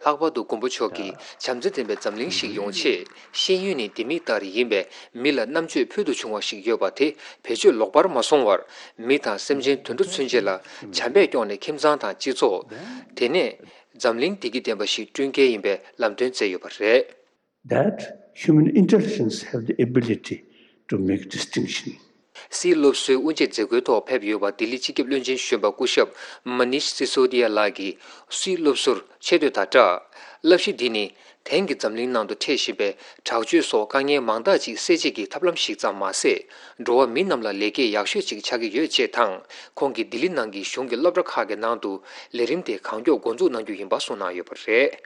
ལྷག་པར་དུ་མགོན་པོ་མཆོག་གིས་བྱམས་བརྩེ་ལྡན་པའི་འཛམ་གླིང་ཞིག་ཡོང་ཆེད། ཤེས་ཡོན་ནི་ལྡེ་མིག་ལྟར་ཡིན་པས། མི་ལ་རྣམ་དཔྱོད་ཕུལ་དུ་བྱུང་བ་ཞིག་ཡོད་པ་དེ་བེད་སྤྱོད་ལོག་པར་མ་སོང་བར། མི་དང་སེམས་ཅན་དུད་འགྲོ་ཚུན་ཆད་ལ་བྱམས་པས་སྐྱོང་ནས་ཁྱིམ་ཚང་དང་སྤྱི་ཚོགས། དེ་ནས་འཛམ་གླིང་བདེ་སྐྱིད་ལྡན་པ་ཞིག་བསྐྲུན་གལ་ཡིན་པའི་ལམ་སྟོན་བསྩལ་ཡོད་པ་རེད། that human intelligence have the ability to make distinction. སིའི་སློབ་གསོའི་དབུ་འབྱེད་མཛད་སྒོའི་ཐོག་ཕེབས་ཡོད་པ་ལྡི་ལི་སྤྱི་ཁྱབ་བློན་ཆེན་གཞོན་པ་སྐུ་ཞབས་མ་ནིཤ་སི་སོ་དི་ཡ་ལགས་ཀྱིས་སིའི་སློབ་གསོར་ཆེ་བསྟོད་དང་སྦྲགས། བསླབ་གཞི་འདི་ནི་དེང་གི་འཛམ་གླིང་ནང་དུ་འཕྲད་བཞིན་པའི་དྲག་སྤྱོད་སོགས་དཀའ་ངལ་མང་དག་ཅིག་སེལ་བྱེད་ཀྱི་ཐབས་ལམ་ཞིག་ཙམ་མ་ཟད། འགྲོ་བ་མི་རྣམས་ལ་ལེགས་སྐྱེས་ཡག་ཤོས་ཅིག་ཆགས་ཀྱི་ཡོད་ཅེས་དང་། ཁོང་གིས་ལྡི་ལི་ནང་གི་གཞུང་གི་སློབ་གྲྭ་ཁག་གི་ནང་དུ་ལས་རིམ་དེ་གང་མགྱོགས་འགོ་འཛུགས་གནང་རྒྱུ་ཡིན་པ་གསུངས་གནང་ཡོད་པ་རེད།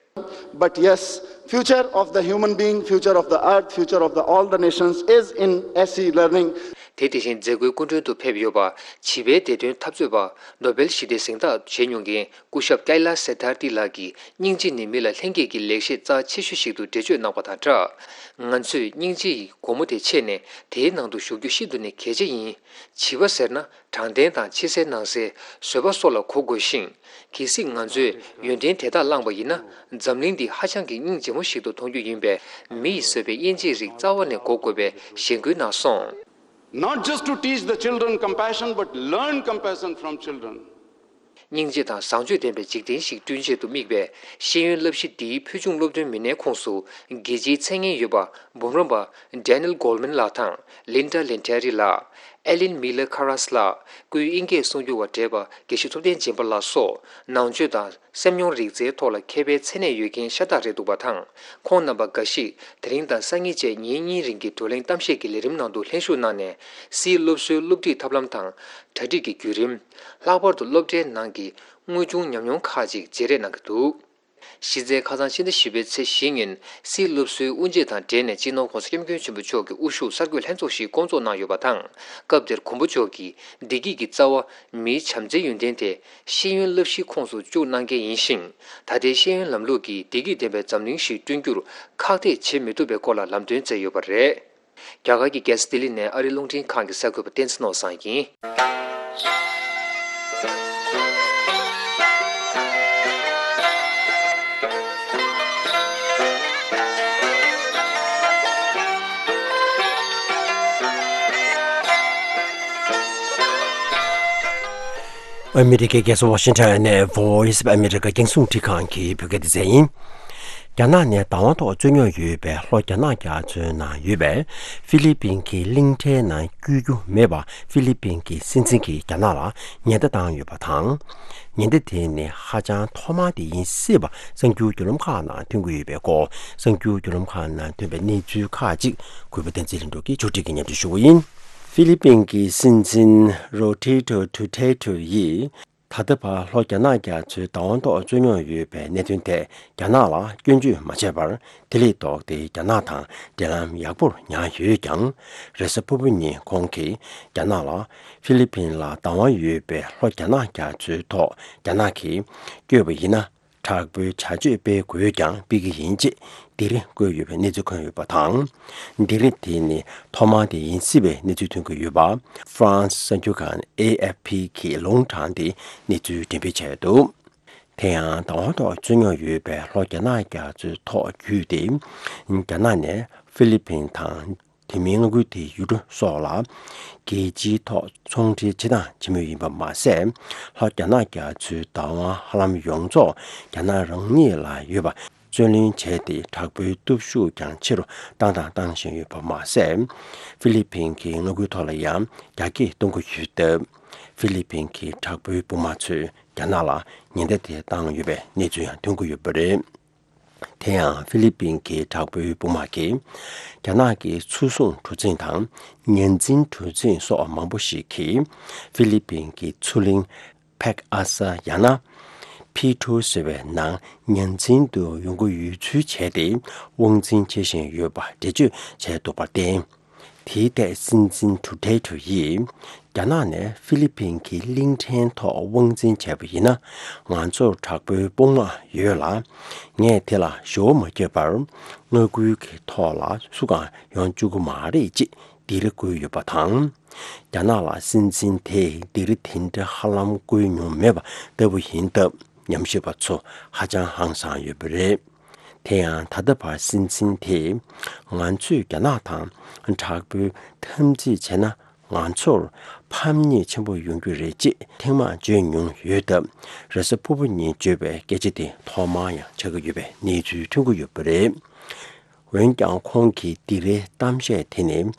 But yes, future of the human being, future of the earth, future of the all the nations is in S E learning. དེ་དེ་བཞིན་མཛད་སྒོའི་སྐུ་མགྲོན་དུ་ཕེབས་ཡོད་པ། བྱིས་པའི་བདེ་དོན་འཐབ་རྩོད་པ་ནོ་བེལ་ཞི་བདེའི་གཟེངས་རྟགས་བཞེས་མྱོང་མཁན་སྐུ་ཞབས་ཀའི་ལ་སེ་ཐར་ཏི་ལགས་ཀྱིས་སྙིང་རྗེ་ནི་མི་ལ་ལྷན་སྐྱེས་ཀྱི་ལེགས་བཤད་རྩ་ཆེ་ཤོས་ཤིག་ཏུ་འགྲེལ་བརྗོད་གནང་བ་དང་སྦྲགས། ང་ཚོས་སྙིང་རྗེ་ཡི་སྒོ་མོ་དེ་ཕྱེས་ནས་དེའི་ནང་དུ་ཞུགས་རྒྱུ་ཤིན་ཏུ་ནས་གལ་ཆེ་ཡིན། བྱིས་པ་ཟེར་ན། དྲང་བདེན་དང་ཕྱི་གསལ་ནང་གསལ་བཟོད་པ་སོགས་ལ་གོ་དགོས་ཤིང་། གལ་སྲིད་ང་ཚོས་ཡོན་ཏན་དེ་དག་བླངས་པ་ཡིན་ན། འཛམ་གླིང་འདི་ཧ་ཅང་གི་སྙིང་རྗེ་མོ་ཞིག་ཏུ་མཐོང་རྒྱུ་ཡིན་པས། མི་ཡིས་བཟོས་པའི་དབྱེ་འབྱེད་རིགས་རྩ་བ་ནས་འགོག་དགོས་པའི་གཞེན་སྐུལ་གནང་སོང་། Not just to teach the children compassion, but learn compassion from children. སྙིང་རྗེ་དང་བཟང་སྤྱོད་ལྡན་པའི་འཇིག་རྟེན་ཞིག་བསྐྲུན་ཆེད་དུ་དམིགས་པའི་ཤེས་ཡོན་བསླབ་གཞི་འདིའི་ཕུལ་བྱུང་སློབ་སྟོན་མི་སྣའི་ཁོངས་སུ་རྒྱལ་སྤྱིའི་མཚན་སྙན་ཡོད་པ་འབུམ་རམས་པ་Daniel Goleman ལགས་དང་Linda Lettieri ལགས། Ellen Miller Karas ལགས། སྐུའི་དབྱིན་སྐད་གསུང་སྒྱུར་བ་བགྲེས་པ་དགེ་བཤེས་ཐུབ་བསྟན་སྦྱིན་པ་ལགས་སོགས་ནང་ཆོས་དང་སེམས་མྱོང་རིག་རྩལ་ཐོག་ལ་མཁས་པའི་མཚན་གནས་ཡོད་མཁན་ཤ་སྟག་རེད་འདུག་པ་དང་། ཁོང་རྣམ་པ་འགའ་ཞིག་དེ་རིང་དང་སང་ཉིན་བཅས་ཉིན་གཉིས་རིང་གི་བགྲོ་གླེང་གཏམ་བཤད་ཀྱི་ལས་རིམ་ནང་དུ་ལྷན་ཞུགས་གནང་ནས། སིའི་སློབ་གསོའི་སློབ་ཁྲིད་ཐབས་ལམ་དང་། གྲ་སྒྲིག་གི་བརྒྱུད་རིམ། ལྷག་པར་དུ་སློབ་གྲྭའི་ནང་གི་དངོས་བྱུང་ཉམས་མྱོང་ཁག་ཅིག་བརྗེ་རེས་གནང་གི་འདུག་གཞི་རྩའི་ཁ་སང་ཕྱི་ཟླ་བཞི་པའི་ཚེས་བཞི་ཉིན་སིའི་སློབ་གསོའི་དབུ་འབྱེད་དང་འབྲེལ་ནས་སྤྱི་ནོར་༸གོང་ས་༸སྐྱབས་མགོན་ཆེན་པོ་མཆོག་གི་དབུ་བཞུགས་གསར་འགོད་ལྷན་ཚོགས་ཤིག་བསྐོང་ཚོགས་གནང་ཡོད་པ་དང་། སྐབས་དེར་མགོན་པོ་མཆོག་གིས་བདེ་སྐྱིད་ཀྱི་རྩ་བ་མིའི་བྱམས་བརྩེའི་ཡོན་ཏན་དེ་ཤེས་ཡོན་བསླབ་གཞིའི་ཁོངས་སུ་བཅུག་གནང་གལ་ཡིན་ཞིང་། ད་ལྟའི་ཤེས་ཡོན་ལམ་ལུགས་ཀྱིས་བདེ་སྐྱིད་ལྡན་པའི་འཛམ་གླིང་ཞིག་བསྐྲུན་རྒྱུར་ཁག་ཐེག་བྱེད་མི་ཐུབ་པའི་སྐོར་ལ་ལམ་སྟོན་མཛད་ཡོད་པ་རེད། རྒྱ་གར་གྱི་རྒྱལ་ས་ལྡི་ལི་ནས་ཨ་རིའི་རླུང་འཕྲིན་ཁང་གི་གསར་འགོད་པ་བསྟན་འཛིན་ནོར་བཟང་ཡིན། ཨ་མི་རི་ཀའི་རྒྱལ་ས་ཝ་ཤིང་ཊོན་ནས་Voice of America རྒྱང་སྲིང་འཕྲིན་ཁང་གི་བོད་སྐད་སྡེ་ཚན་ཡིན། རྒྱ་ནག་ནས་བདག་དབང་ཐོག་རྩོད་རྙོག་ཡོད་པའི་ལྷོ་རྒྱ་ནག་རྒྱ་མཚོའི་ནང་ཡོད་པའི་ཧྥི་ལི་པིན་གྱི་གླིང་ཕྲན་ནང་བསྐྱོད་རྒྱུ་མེད་པ་ཧྥི་ལི་པིན་གྱི་སྲིད་འཛིན་གྱིས་རྒྱ་ནག་ལ་ཉེན་བརྡ་བཏང་ཡོད་པ་དང་། ཉེན་བརྡ་དེ་ནི་ཧ་ཅང་ཐོག་མ་དེ་ཡིན་སྲིད་པ་གསར་འགྱུར་བརྒྱུད་ལམ་ཁག་ནང་ཐོན་གྱི་ཡོད་པའི་སྐོར། གསར་འགྱུར་བརྒྱུད་ལམ་ཁག་ནང་ཐོན་པའི་གནས་ཚུལ་ཁག་ཅིག་གུས་པ་བསྟན་འཛིན་ལྷུན་གྲུབ་ཀྱིས་ཕྱོགས་སྒྲིག་གིས་སྙན་སྒྲོན་ཞུ་བ་ཡིན། ཧྥི་ལི་པིན་གྱི་སྲིད་འཛིན་རོ་ཏྲི་ཏོ་ཏུ་ཏེ་ཏུ་ཡིས། ད་ལྟ་བར་ལྷོ་རྒྱ་ནག་རྒྱ་མཚོའི་བདག་དབང་ཐོག་རྩོད་རྙོག་ཡོད་པའི་གནད་དོན་ཐད་རྒྱ་ནག་ལ་སྐྱོན་བརྗོད་མ་བྱས་པར། དེ་ལས་ལྡོག་སྟེ་རྒྱ་ནག་དང་འབྲེལ་ལམ་ཡག་པོར་ཉར་ཡོད་ཀྱང་། རེས་གཟའ་ཕུར་བུ་ཉིན་ཁོང་གིས་རྒྱ་ནག་ལ་ཧྥི་ལི་པིན་ལ་བདག་དབང་ཡོད་པའི་ལྷོ་རྒྱ་ནག་རྒྱ་མཚོའི་ཐོག་རྒྱ་ནག་གིས་བསྐྱོད་པ་ཡིན་ན། དྲག་པོའི་བྱ་སྤྱོད་སྤེལ་དགོས་ཀྱང་སྤེལ་གྱི་ཡིན་ཅེས་སྡིགས་ར་བསྐུལ་ཡོད་པའི་གནས་ཚུལ་ཐོན་ཡོད་པ་དང་། སྡིགས་ར་དེ་ནི་ཐོག་མ་དེ་ཡིན་སྲིད་པའི་གནས་ཚུལ་ཐོན་གྱི་ཡོད་པ། ཧྥ་རན་སི་གསར་འགྱུར་ཁང་ཨེ་ཨེཕ་ཕི་གིས་ལུང་དྲངས་ཏེ་གནས་ཚུལ་འགྲེམས་སྤེལ་བྱས་འདུག་དེ་ཡང་བདག་དབང་ཐོག་རྩོད་རྙོག་ཡོད་པའི་ལྷོ་རྒྱ་ནག་རྒྱ་མཚོའི་ཐོག་བརྒྱུད་དེ། རྒྱ་ནག་ནས་ཧྥི་ལི་པིན་དང་། དེ་མིན་མངའ་ཁུལ་དེའི་ཡུལ་གྲུ་སོགས་ལ་རྒྱལ་སྤྱིའི་ཐོག་ཚོང་འབྲེལ་བྱེད་སྟངས་བྱེད་མུས་ཡིན་པ་མ་ཟད། ལྷོ་རྒྱ་ནག་རྒྱ་མཚོའི་བདག་དབང་ཧ་ལམ་ཡོངས་རྫོགས་རྒྱ་ནག་རང་ཉིད་ལ་ཡོད་པ་རྩོད་ལེན་བྱས་ཏེ། དྲག་པོའི་སྟོབས་ཤུགས་ཀྱང་ཆེ་རུ་བཏང་དང་བཏང་བཞིན་ཡོད་པ་མ་ཟད། ཧྥི་ལི་པིན་གྱི་མངའ་ཁུལ་ཐོག་ལ་ཡང་རྒྱ་སྐྱེད་གཏོང་གི་ཡོད་སྟབས། ཧྥི་ལི་པིན་གྱི་དྲག་པོའི་དཔུང་དམག་ཚོས་རྒྱ་ནག་ལ་ཉེན་བརྡ་དེ་བཏང་ཡོད་པའི་གནས་ཚུལ་ཡང་ཐོན་གྱི་ཡོད་པ་རེད། དེ་ཡང་ཧྥི་ལི་པིན་གྱི་དྲག་པོའི་དཔུང་དམག་གིས། རྒྱ་ནག་གི་མཚོ་སྲུང་གྲུ་གཟིངས་དང་ཉ་འཛིན་གྲུ་གཟིངས་སོགས་མང་པོ་ཞིག་གིས། ཧྥི་ལི་པིན་གྱི་མཚོ་གླིང་ཕེག་ཨ་ས་ཡང་ན་ཕི་ཐུ་ཟེར་བའི་ནང་ཉ་འཛིན་དུ་ཡོང་གི་ཡོད་ཚུལ་བྱས་ཏེ། དབང་འཛིན་བྱེད་བཞིན་ཡོད་པ་འགྲེལ་བརྗོད་བྱས་འདུག་པར་བརྟེན། དེའི་ཐད་སྲིད་འཛིན་ཏུ་ཏེ་ཏུ་ཡིས། རྒྱ་ནག་ནས་ཧྥི་ལི་པིན་གྱི་གླིང་ཕྲན་ཐོག་དབང་འཛིན་བྱས་པ་ཡིན་ན། ང་ཚོར་དྲག་པོའི་དཔུང་དམག་ཡོད་ལ། ངས་དེ་ལ་ཞུ་བ་མ་བརྒྱབ་པར། མངའ་ཁུལ་གྱི་ཐོག་ལ་སུ་གང་ཡོང་བཅུག་གི་མ་རེད་ཅེས་སྡིགས་ར་བསྐུལ་ཡོད་པ་དང་། རྒྱ་ནག་ལ་སྲིད་འཛིན་དེས་སྡིགས་ར་དེ་འདྲ་ཧ་ལམ་བསྐུལ་མྱོང་མེད་པ་ལྟ་བུ་ཡིན་སྟབས། ཉམས་ཞིབ་པ་ཚོ་ཧ་ཅང་ཧང་སངས་ཡོད་པ་རེད། དེ་ཡང་ད་ལྟ་བར་སྲིད་འཛིན་དེས། ང་ཚོས་རྒྱ་ནག་དང་དྲག་པོའི་འཐབ་འཛིང་བྱས་ན། ང་ཚོར་ཕམ་ཉེས་ཆེན་པོ་ཡོང་རྒྱུ་རེད་ཅེས་ཐེངས་མང་བརྗོད་མྱོང་ཡོད་སྟབས། རེས་གཟའ་ཕུར་བུ་ཉིན་བརྗོད་པའི་སྐད་ཆ་དེ་ཐོག་མར་ཡང་ཆགས་ཀྱི་ཡོད་པའི་གནས་ཚུལ་ཐོན་གྱི་ཡོད་པ་རེད། འོན་ཀྱང་ཁོང་གི་སྡིགས་རའི་གཏམ་བཤད་དེ་ནི།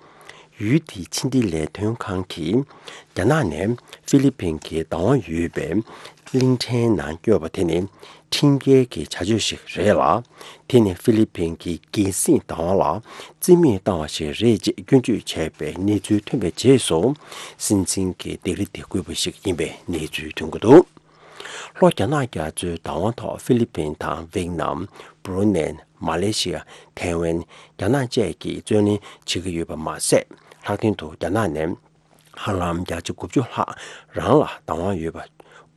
ཡུལ་དེའི་ཕྱི་འབྲེལ་ལས་དོན་ཁང་གིས་རྒྱ་ནག་ནས་ཧྥི་ལི་ཕིན་གྱི་བདག་དབང་ཡོད་པའི་གླིང་ཕྲན་ནང་བསྐྱོད་པ་དེ་ནི་ཁྲིམས་འགལ་གྱི་བྱ་སྤྱོད་ཞིག་རེད་ལ། དེ་ནི་ཧྥི་ལི་ཕིན་གྱི་རྒྱལ་སྲིད་བདག་དབང་ལ་རྩིས་མེད་བཏང་བ་ཞིག་རེད་ཅེས་སྐྱོན་བརྗོད་བྱས་པའི་གནས་ཚུལ་ཐོན་པའི་རྗེས་སུ། སྲིད་འཛིན་གྱི་སྡིགས་ར་དེ་བསྐུལ་བ་ཞིག་ཡིན་པའི་གནས་ཚུལ་ཐོན་གྱི་འདུག་ལྷོ་རྒྱ་ནག་རྒྱ་མཚོའི་བདག་དབང་ཐོག་ཧྥི་ལི་ཕིན་དང་ཝེ་ནམ། བྷུ་རུ་ནེ། མ་ལེ་ཤི་ཡ། ཐའེ་ཝན། རྒྱ་ནག་བཅས་ཀྱིས་བརྩོན་ལེན་བྱེད་ཀྱི་ཡོད་པ་མ་ཟད། ལྷག་དོན་དུ་རྒྱ་ནག་ནས་ཧ་ལམ་བརྒྱ་ཆ་དགུ་བཅུ་ལྷག་རང་ལ་བདག་དབང་ཡོད་པ་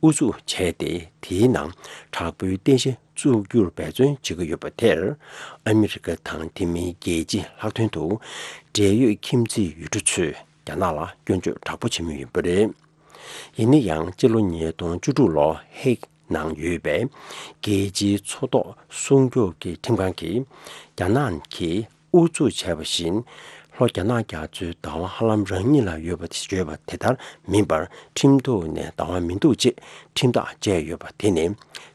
ཨུ་ཚུགས་བྱས་ཏེ། དེའི་ནང་དྲག་པོའི་རྟེན་གཞི་བཙུགས་རྒྱུར་འབད་བརྩོན་བྱེད་ཀྱི་ཡོད་པ་དེར། ཨ་མི་རི་ཀ་དང་དེ་མིན་རྒྱལ་སྤྱི་ལྷག་དོན་དུ་འབྲེལ་ཡོད་ཁྱིམ་མཚེས་ཡུལ་གྲུ་ཚོས་རྒྱ་ནག་ལ་སྐྱོན་བརྗོད་དྲག་པོ་བྱེད་མུས་ཡིན་པ་རེད། ཡིན་ན་ཡང་། སྤྱི་ལོ་ཉིས་སྟོང་བཅུ་དྲུག་ལོ་ཧེག་ནང་ཡོད་པའི་རྒྱལ་སྤྱིའི་མཚོ་ཐོག་སྲུང་སྐྱོབ་ཀྱི་ཁྲིམས་ཁང་གིས། རྒྱ་ནག་གིས་ཨུ་ཚུགས་བྱས་པ་བཞིན། ལྷོ་རྒྱ་ནག་རྒྱ་མཚོའི་བདག་དབང་ཧ་ལམ་རང་ཉིད་ལ་ཡོད་པ་བརྗོད་པ་དེ་ལྟར་མིན་པར། ཁྲིམས་ཐོག་ནས་བདག་དབང་མི་འདུག་ཅེས་ཁྲིམས་ཐག་བཅད་ཡོད་པ་དེ་ནི་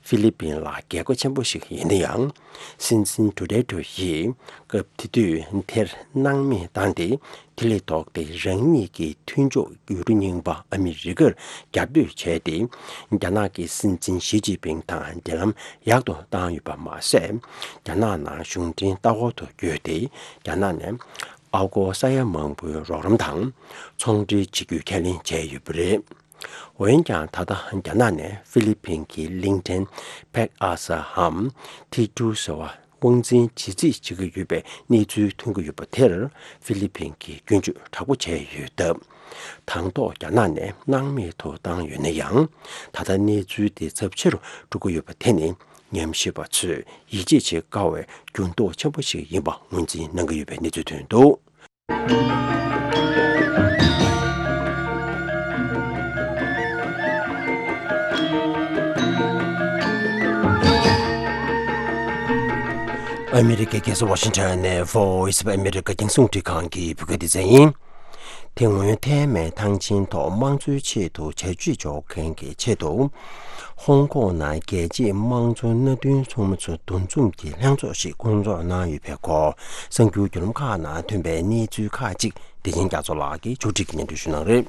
ཧྥི་ལི་ཕིན་ལ་རྒྱལ་ཁ་ཆེན་པོ་ཞིག་ཡིན་ན་ཡང་། སྲིད་འཛིན་ཌུ་ཏེར་ཏེ་ཡིས་སྐབས་དེ་དུས་དེར་སྣང་མེད་བཏང་སྟེ། དེ་ལས་ལྡོག་སྟེ་རང་ཉིད་ཀྱི་མཐུན་ཕྱོགས་ཡུལ་གྲུ་རྙིང་པ་ཨ་མི་རི་ཀར་རྒྱབ་གཏོད་བྱས་ཏེ། རྒྱ་ནག་གི་སྲིད་འཛིན་ཞི་ཅིན་ཕིང་དང་འབྲེལ་ལམ་ཡག་ཏུ་བཏང་ཡོད་པ་མ་ཟད། རྒྱ་ནག་ནང་གཞུང་འབྲེལ་ལྟ་སྐོར་དུ་བསྐྱོད་དེ། རྒྱ་ནག་ནས་ཨ་སྒོར་ས་ཡ་མང་པོའི་རོགས་རམ་དང་ཚོང་འབྲེལ་བྱེད་རྒྱུའི་ཁས་ལེན་བྱས་ཡོད་པ་རེད། འོན་ཀྱང་། ད་ལྟ་རྒྱ་ནག་ནས་ཧྥི་ལི་ཕིན་གྱི་གླིང་ཕྲན་ཕེག་ཨ་སའམ་ཐི་ཀྲུ་ཟེར་བ་དབང་འཛིན་བྱེད་རྩིས་བྱེད་ཀྱི་ཡོད་པའི་གནས་ཚུལ་ཐོན་གྱི་ཡོད་པ་དེར། ཧྥི་ལི་ཕིན་གྱིས་སྐྱོན་བརྗོད་དྲག་པོ་བྱས་ཡོད་སྟབས། དང་ཐོག་རྒྱ་ནག་ནས་སྣང་མེད་དུ་བཏང་ཡོད་ན་ཡང་། ད་ལྟ་གནས་ཚུལ་དེ་ཚབས་ཆེ་རུ་འགྲོ་གི་ཡོད་པ་དེ་ནི་ཉམས་ཞིབ་པ་ཚོས་ཡིད་ཆེས་བྱེད་དཀའ་བའི་འགྱུར་ལྡོག་ཆེན་པོ་ཞིག་ཡིན་པ་ངོས་འཛིན་གནང་གི་ཡོད་པའི་གནས་ཚུལ་ཐོན་འདུག་ཨ་མི་རི་ཀའི་རྒྱལ་ས་ཝ་ཤིང་ཊོན་ནས་Voice of America རྒྱང་སྲིང་རླུང་འཕྲིན་ཁང་གི་བོད་སྐད་སྡེ་ཚན་ཡིན། དེ་སྔོན་ཐའེ་མེན་ཐང་ཆེན་ཐོག་དམངས་གཙོའི་ཆེད་དུ་བྱ་སྤྱོད་འཇོག་མཁན་གྱི་ཆེད་དུ། ཧོང་ཀོང་ནང་རྒྱལ་གཅེས་དམངས་གཙོ་མནའ་མཐུན་ཚོགས་མི་ཚོ་འདུ་འཛོམས་ཀྱི་ལྷན་ཚོགས་ཤིག་བསྐོང་ཚོགས་གནང་ཡོད་པའི་སྐོར། གསར་འགྱུར་བརྒྱུད་ལམ་ཁག་ནང་ཐོན་པའི་གནས་ཚུལ་ཁག་ཅིག་བདེ་ཆེན་རྒྱ་མཚོ་ལགས་ཀྱིས་ཕྱོགས་སྒྲིག་གིས་སྙན་སྒྲོན་ཞུ་གནང་རེད།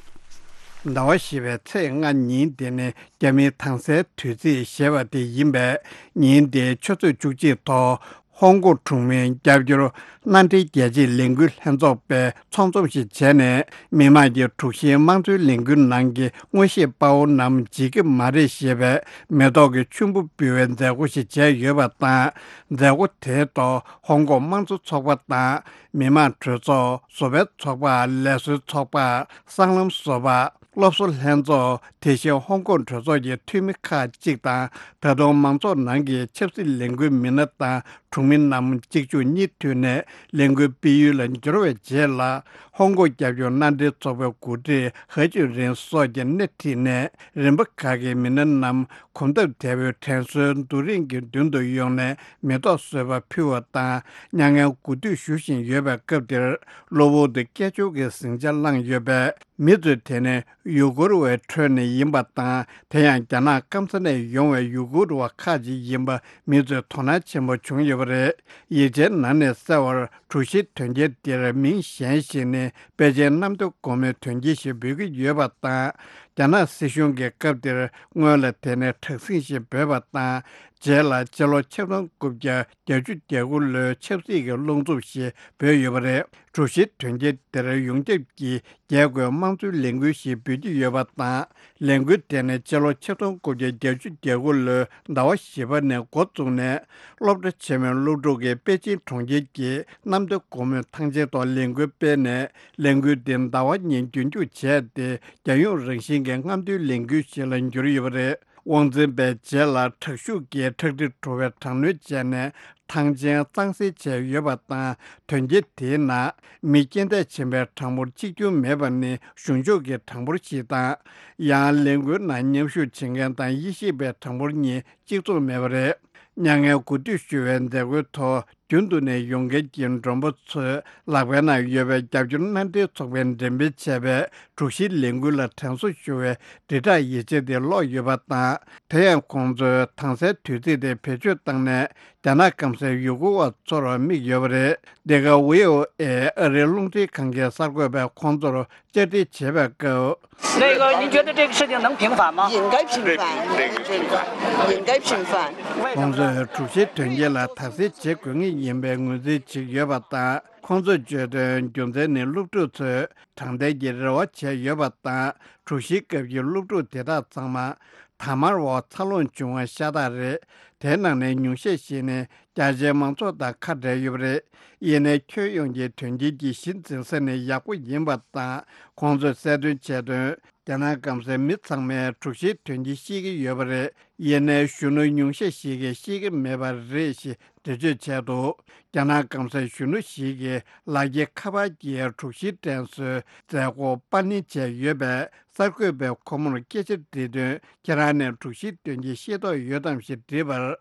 ཟླ་བ་བཞི་པའི་ཚེས་ལྔ་ཉིན་དེ་ནི་རྒྱ་མིའི་དྭངས་གསལ་དུས་ཚིགས་ཞེས་པ་དེ་ཡིན་པས། ཉིན་དེའི་ཆུ་ཚོད་བཅུ་གཅིག་ཐོག་ཧོང་ཀོང་གྲོང་མིའི་རྒྱབ་སྐྱོར་མནའ་འབྲེལ་རྒྱལ་སྤྱིའི་ལས་འགུལ་ལྷན་ཚོགས་པས་ཚོགས་འཛོམས་ཤིག་བྱས་ནས། མི་དམངས་ཀྱི་དྲུག་བཞིའི་དམངས་གཙོའི་ལས་འགུལ་ནང་གི་མངོན་ཤེས་དཔའ་བོ་རྣམས་བརྗེད་ཀྱི་མ་རེད་ཞེས་པའི་མེ་ཏོག་གི་ཆུན་པོ་འབུལ་བའི་མཛད་སྒོ་ཞིག་བྱས་ཡོད་པ་དང་། མཛད་སྒོ་དེའི་ཐོག་ཧོང་ཀོང་དམངས་གཙོ་ཚོགས་པ་དང་། མི་དམངས་གྲོས་ཚོགས། བཟོ་པའི་ཚོགས་པ། ལས་བཟོའི་ཚོགས་པ། སྲང་ལམ་བཟོ་པ། སློབ་གསོ་ལྷན་ཚོགས། དེ་བཞིན་ཧོང་ཀོང་གྲོས་ཚོགས་ཀྱི་འཐུས་མི་ཁག་ཅིག་དང་། ད་དུང་མང་ཚོགས་ནང་གི་ཆབ་སྲིད་ལས་འགུལ་མི་སྣ་དང་གྲོང་མི་རྣམས་གཅིག་མཇུག་གཉིས་མཐུད་ནས་ལས་འགུལ་སྤེལ་ཡུལ་ལ་འབྱོར་བའི་རྗེས་ལ། ཧོང་ཀོང་རྒྱབ་སྐྱོར་མནའ་འབྲེལ་ཚོགས་པའི་འགོ་ཁྲིད་ཧེ་ཅུན་རིན་སོགས་ཀྱིས་སྣེ་ཁྲིད་ནས། རིམ་པ་ཁག་གི་མི་སྣ་རྣམས་གོམ་སྟབས་བདེ་བོའི་དྲན་གསོའི་རྡོ་རིང་གི་མདུན་དུ་ཡོང་ནས་མེ་ཏོག་བཟོད་པ་ཕུལ་བ་དང་། མྱ་ངན་གུས་འདུད་ཞུ་བཞིན་ཡོད་པའི་སྐབས་དེར། གློ་བུར་དུ་སྐད་ཅོར་གྱི་ཟིང་ཆ་བསླངས་ཡོད་པས། མི་ཚོས་དེ་ནི་ཡུ་གུར་བའི་ཁྲོད་ནས་ཡིན་པ་དང་། དེ་ཡང་རྒྱ་ནག་སྐམ་ས་ནས་ཡོང་བའི་ཡུ་གུར་བ་ཁག་ཅིག་ཡིན་པ་མི་ཚོས་དོ་སྣང་ཆེན་པོ་བྱུང་ཡོད་པ་རེད། ཡིག་ཆའི་ནང་ནས་གསལ་བར། གྲོས་གཞིའི་དོན་རྐྱེན་འདིར་མིང་གཞན་ཞིག་ནི་པེ་ཅིན་གནམ་བདེ་སྒོ་མོའི་དོན་རྐྱེན་ཞེས་འབོད་ཀྱི་ཡོད་པ་དང་། རྒྱ་ནག་སྲིད་གཞུང་གིས་སྐབས་དེར་སྔོན་ལ་དེ་ནི་དྲག་ཟིང་ཞེས་འབོད་པ་དང་། རྗེས་ལ་ཕྱི་ལོ་ཆིག་སྟོང་དགུ་བརྒྱ་བརྒྱད་ཅུ་གྱ་དགུ་ལོའི་ཆབ་སྲིད་ཀྱི་རླུང་འཚུབ་ཞེས་འབོད་ཡོད་པ་རེད། གྲོས་གཞིའི་དོན་རྐྱེན་དེར་ཡོངས་ཁྱབ་ཀྱིས་རྒྱལ་སྒོའི་དམངས་གཙོའི་ལས་འགུལ་ཞེས་འབོད་ཀྱི་ཡོད་པ་དང་། ལས་འགུལ་དེ་ནི་ཕྱི་ལོ་ཆིག་སྟོང་དགུ་བརྒྱ་བརྒྱད་ཅུ་གྱ་དགུ་ལོའི་ཟླ་བ་བཞི་པ་ནས་འགོ་བཙུགས་ནས། སློབ་གྲྭ་ཆེན་མོའི་སློབ་ཕྲུག་གིས་པེ་ཅིན་གྲོང་ཁྱེར་གྱི་གནམ་བདེ་སྒོ་མོའི་ཐང་ཆེན་ཐོག་ལས་འགུལ་སྤེལ་ནས། ལས་འགུལ་འདི་ཟླ་བ་གཉིས་རྒྱུན་འཁྱོངས་བྱས་ཏེ། རྒྱལ་ཡོངས་རང་བཞིན་གྱི་རྔམ་སྟོན་ལས་འགུལ་ཞིག་ལ་འགྱུར་ཡོད་པ་རེད། དབང་འཛིན་པས་རྗེས་ལ་དྲག་ཤུགས་ཀྱིས་ཁྲག་དྲི་བྲོ་བའི་དྲག་གནོན་བྱས་ནས། ཐང་ཆེན་གཙང་སེལ་བྱས་ཡོད་པ་དང་། དོན་རྐྱེན་དེའི་ནང་མི་རྐྱེན་འདས་ཕྱིན་པའི་གྲངས་འབོར་གཅིག་ཀྱང་མེད་པ་ནི་གཞུང་ཕྱོགས་ཀྱི་གྲངས་འབོར་ཞིག་དང་། ཡང་ལས་འགུལ་ནང་མཉམ་ཞུགས་བྱེད་མཁན་དང་དབྱེ་ཞིབ་པའི་གྲངས་འབོར་གཉིས་གཅིག་མཚུངས་མེད་པ་རེད། མྱ་ངན་གུས་འདུད་ཞུ་བའི་མཛད་སྒོའི་ཐོག་རྒྱུན་དུ་ནས་ཡོང་མཁན་གྱི་མགྲོན་པོ་ཚོས་ལག་པའི་ནང་ཡོད་པའི་རྒྱབ་སྐྱོར་མནའ་འབྲེལ་ཚོགས་པས་འགྲེམས་སྤེལ་བྱས་པའི་དྲུག་བཞིའི་ལས་འགུལ་ལ་དྲན་གསོ་ཞུ་བའི་དྲིལ་བསྒྲགས་ཡིག་ཆ་དེ་ཀློག་ཡོད་པ་དང་། དེ་ཡང་ཁོང་ཚོས་དྭངས་གསལ་དུས་ཚིགས་དེ་བེད་སྤྱོད་བཏང་ནས། རྒྱ་ནག་སྐམ་སའི་ཡུ་གུར་བ་ཚོར་དམིགས་ཡོད་པ་རེད། འདི་ག་ཝི་ཨོ་ཨེ་ཨ་རིའི་རླུང་འཕྲིན་ཁང་གི་གསར་འགོད་པས་ཁོང་ཚོར་བཅར་འདྲི་བྱེད་པའི་སྐབས། 那个，您觉得这个事情能平反吗？应该平反，应该平反。 ཁོང་ཚོས་དྲུག་བཞིའི་དོན་རྐྱེན་ལ་དག་སེལ་བྱེད་དགོས་ངེས་ཡིན་པའི་ངོས་འཛིན་བྱེད་ཀྱི་ཡོད་པ་དང་། ཁོང་ཚོས་བརྗོད་དོན་རྒྱུ་མཚན་ནི་སློབ་ཕྲུག་ཚོས་དྲང་བདེན་གྱི་རེ་བ་བྱས་ཡོད་པ་དང་། དྲུག་བཞིའི་སྐབས་ཀྱི་སློབ་ཕྲུག་དེ་དག་ཚང་མ་དར་དམར་འོག་འཚར་ལོངས་བྱུང་བ་ཤ་སྟག་རེད། དེའི་ནང་ནས་ཉུང་ཤས་ཤིག་ནི་རྒྱ་ཆེའི་མང་ཚོགས་དང་ཁ་བྲལ་ཡོད་པ་རེད། ཡིན་ནའི་ཁྱོན་ཡོངས་ཀྱི་དོན་རྐྱེན་གྱི་གཞི་འཛིན་ས་ནི་ཡག་པོ་ཡིན་པ་དང་། ཁོང་ཚོས་གསལ་སྟོན་བྱས་དོན། རྒྱ་ནག་སྐམ་སའི་མི་ཚང་མས་དྲུག་བཞིའི་དོན་རྐྱེན་ཤེས་ཀྱི་ཡོད་པ་རེད། ཡིན་ནའི་གཞོན་ནུ་ཉུང་ཤས་ཤིག་གིས་ཤེས་ཀྱི་མེད་པ་རེད་ཞེས་འགྲེལ་བརྗོད་བྱས་འདུག་རྒྱ་ནག་སྐམ་སའི་གཞོན་ནུ་ཞིག་གིས་ལག་འཁྱེར་ཁ་པར་གྱིས་དྲུག་བཞིའི་དྲན་གསོའི་མཛད་སྒོ་པར་ལེན་བྱས་ཡོད་པས། གསར་འགོད་པས་ཁོ་མོར་སྐད་ཆ་དྲིས་དོན། ཁྱེད་རང་ནས་དྲུག་བཞིའི་དོན་རྐྱེན་ཤེས་རྟོགས་ཡོད་དམ་ཞེས་དྲིས་པར།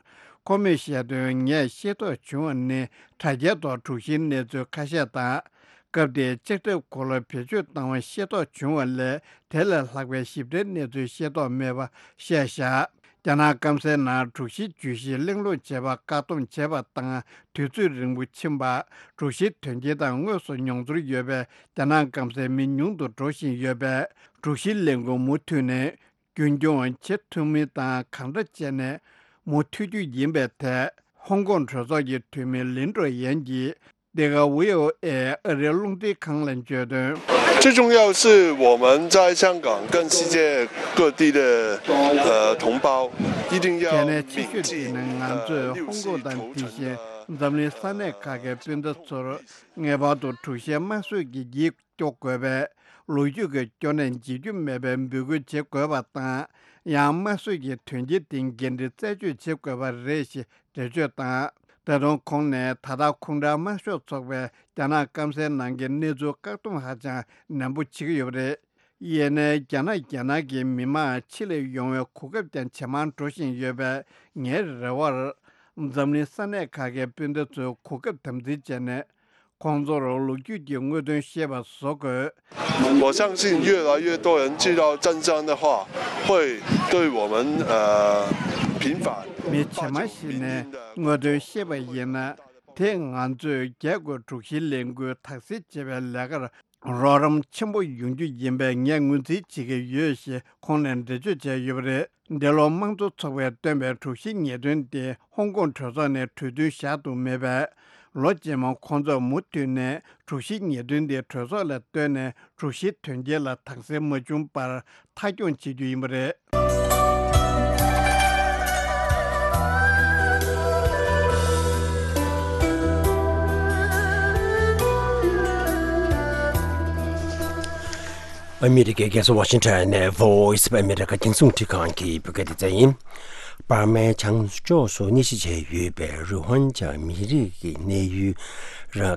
ཁོ་མོས་བཤད་དོན། ངས་ཤེས་རྟོགས་བྱུང་བ་ནི་དྲ་རྒྱའི་ཐོག་དྲུག་བཞིའི་གནས་ཚུལ་ཁ་ཤས་དང་། སྐབས་དེའི་ལྕགས་ཁྲབ་གོ་ལ་བེད་སྤྱོད་བཏང་བ་ཤེས་རྟོགས་བྱུང་བ་ལས། དེ་ལས་ལྷག་པའི་ཞིབ་ཕྲའི་གནས་ཚུལ་ཤེས་རྟོགས་མེད་པ་བཤད་བཞག་རྒྱ་ནག་སྐམ་སའི་ནང་དྲུག་བཞིའི་བརྗོད་གཞི་གླེང་སློང་བྱེད་པར་བཀག་སྡོམ་བྱས་པ་དང་། དུས་ཚོད་རིང་པོ་ཕྱིན་པ། དྲུག་བཞིའི་དོན་རྐྱེན་དང་དངོས་སུ་མྱོང་ཚོར་ཡོད་པའི་རྒྱ་ནག་སྐམ་སའི་མི་ཉུང་དུ་འགྲོ་བཞིན་ཡོད་པས། དྲུག་བཞིའི་ལས་འགུལ་མུ་མཐུད་ནས་རྒྱུན་འཁྱོངས་བྱེད་ཐུབ་མིན་དང་། གང་འདྲ་བྱས་ནས་མུ་མཐུད་རྒྱུ་ཡིན་པའི་ཐད། ཧོང་ཀོང་གྲོས་ཚོགས་ཀྱི་འཐུས་མི་ལིན་ཀྲོ་ཡན་གྱིས། འདི་ག་ཝི་ཨོ་ཨེ་ཨ་རིའི་རླུང་འཕྲིན་ཁང་ལ་བརྗོད་དོན། 最重要是我们在香港跟世界各地的呃同胞一定要 དེ་ནས་ཆེ་ཤོས་དེ་ནི་ང་ཚོས་ཧོང་ཀོང་དང་དེ་བཞིན་འཛམ་གླིང་ས་གནས་ཁག་གི་སྤུན་ཟླ་ཚོར་ངེས་པར་དུ་དྲུག་བཞིའི་དམར་གསོད་ཀྱི་འགྱིག་སྐྱོ་དགོས་པས། ལོ་རྒྱུས་ཀྱི་སྐྱོ་གནས་བརྗེད་རྒྱུ་མེད་པའི་འབོད་སྐུལ་བྱེད་དགོས་པ་དང་། ཡང་དམར་གསོད་ཀྱི་དོན་རྐྱེན་དེ་འགན་འཁྲི་རྩད་གཅོད་བྱེད་དགོས་པ་རེད་ཞེས་འགྲེལ་བརྗོད་དང་། ད་དུང་ཁོང་ནས་ད་ལྟ་ཁོང་ཁྲོའི་དམར་ཤོག་ཚོགས་པས་རྒྱ་ནག་སྐམ་སའི་ནང་གི་གནས་ཚུལ་བཀག་སྡོམ་ཧ་ཅང་ནན་པོ་བྱེད་ཀྱི་ཡོད་པ་རེད། ཡིན་ནའི་རྒྱ་ནག་རྒྱལ་ནང་གི་མི་མང་ཕྱི་ལ་ཡོང་བའི་གོ་སྐབས་ཀྱང་ཇེ་མང་འགྲོ་བཞིན་ཡོད་པས། ངའི་རེ་བར། འཛམ་གླིང་ས་གནས་ཁག་གི་སྤུན་ཟླ་ཚོས་གོ་སྐབས་དམ་འཛིན་བྱས་ནས། ཁོང་ཚོར་ལོ་རྒྱུས་ཀྱི་དངོས་དོན་ཤེས་པ་བཟོ་དགོས། 我相信越来越多人知道真相的话，会对我们呃平反。 མི་ཇེ་མང་ཞིག་ནས་དངོས་དོན་ཤེས་པ་ཡིན་ན། དེས་ང་ཚོས་རྒྱལ་སྒོས་དྲུག་བཞིའི་ལས་འགུལ་དག་སེལ་བྱེད་པའི་ལས་ཀར་རོགས་རམ་ཆེན་པོ་ཡོང་རྒྱུ་ཡིན་པས་ངས་ངོས་འཛིན་བྱེད་ཀྱི་ཡོད་ཞེས་ཁོང་ནས་འགྲེལ་བརྗོད་བྱས་ཡོད་པ་རེད། འདི་ལོ་དམངས་གཙོ་ཚོགས་པས་བཏོན་པའི་དྲུག་བཞིའི་ཉེས་དོན་དེ་ཧོང་ཀོང་གྲོས་ཚོགས་ནས་གྲོས་མཐུན་བཞག་ཐུབ་མེད་པས། ལོ་རྗེས་མ་ཁོང་ཚོས་མུ་མཐུད་ནས་དྲུག་བཞིའི་ཉེས་དོན་དེ་གྲོས་ཚོགས་ལ་བཏོན་ནས་དྲུག་བཞིའི་དོན་རྐྱེན་ལ་དག་སེལ་མ་བྱུང་བར་མཐའ་འཁྱོངས་བྱེད་རྒྱུ་ཡིན་པ་རེད། ཨ་མི་རི་ཀའི་རྒྱལ་ས་ཝ་ཤིང་ཊོན་ནས་Voice of America རྒྱང་སྲིང་འཕྲིན་ཁང་གི་བོད་སྐད་སྡེ་ཚན་ཡིན། འབར་མའི་བྱང་ཕྱོགས་སུ་གནས་གཞི་བྱས་ཡོད་པའི་རུ་ཧོན་ཇཱ་མི་རིགས་ཀྱི་གནས་ཡུལ་ར་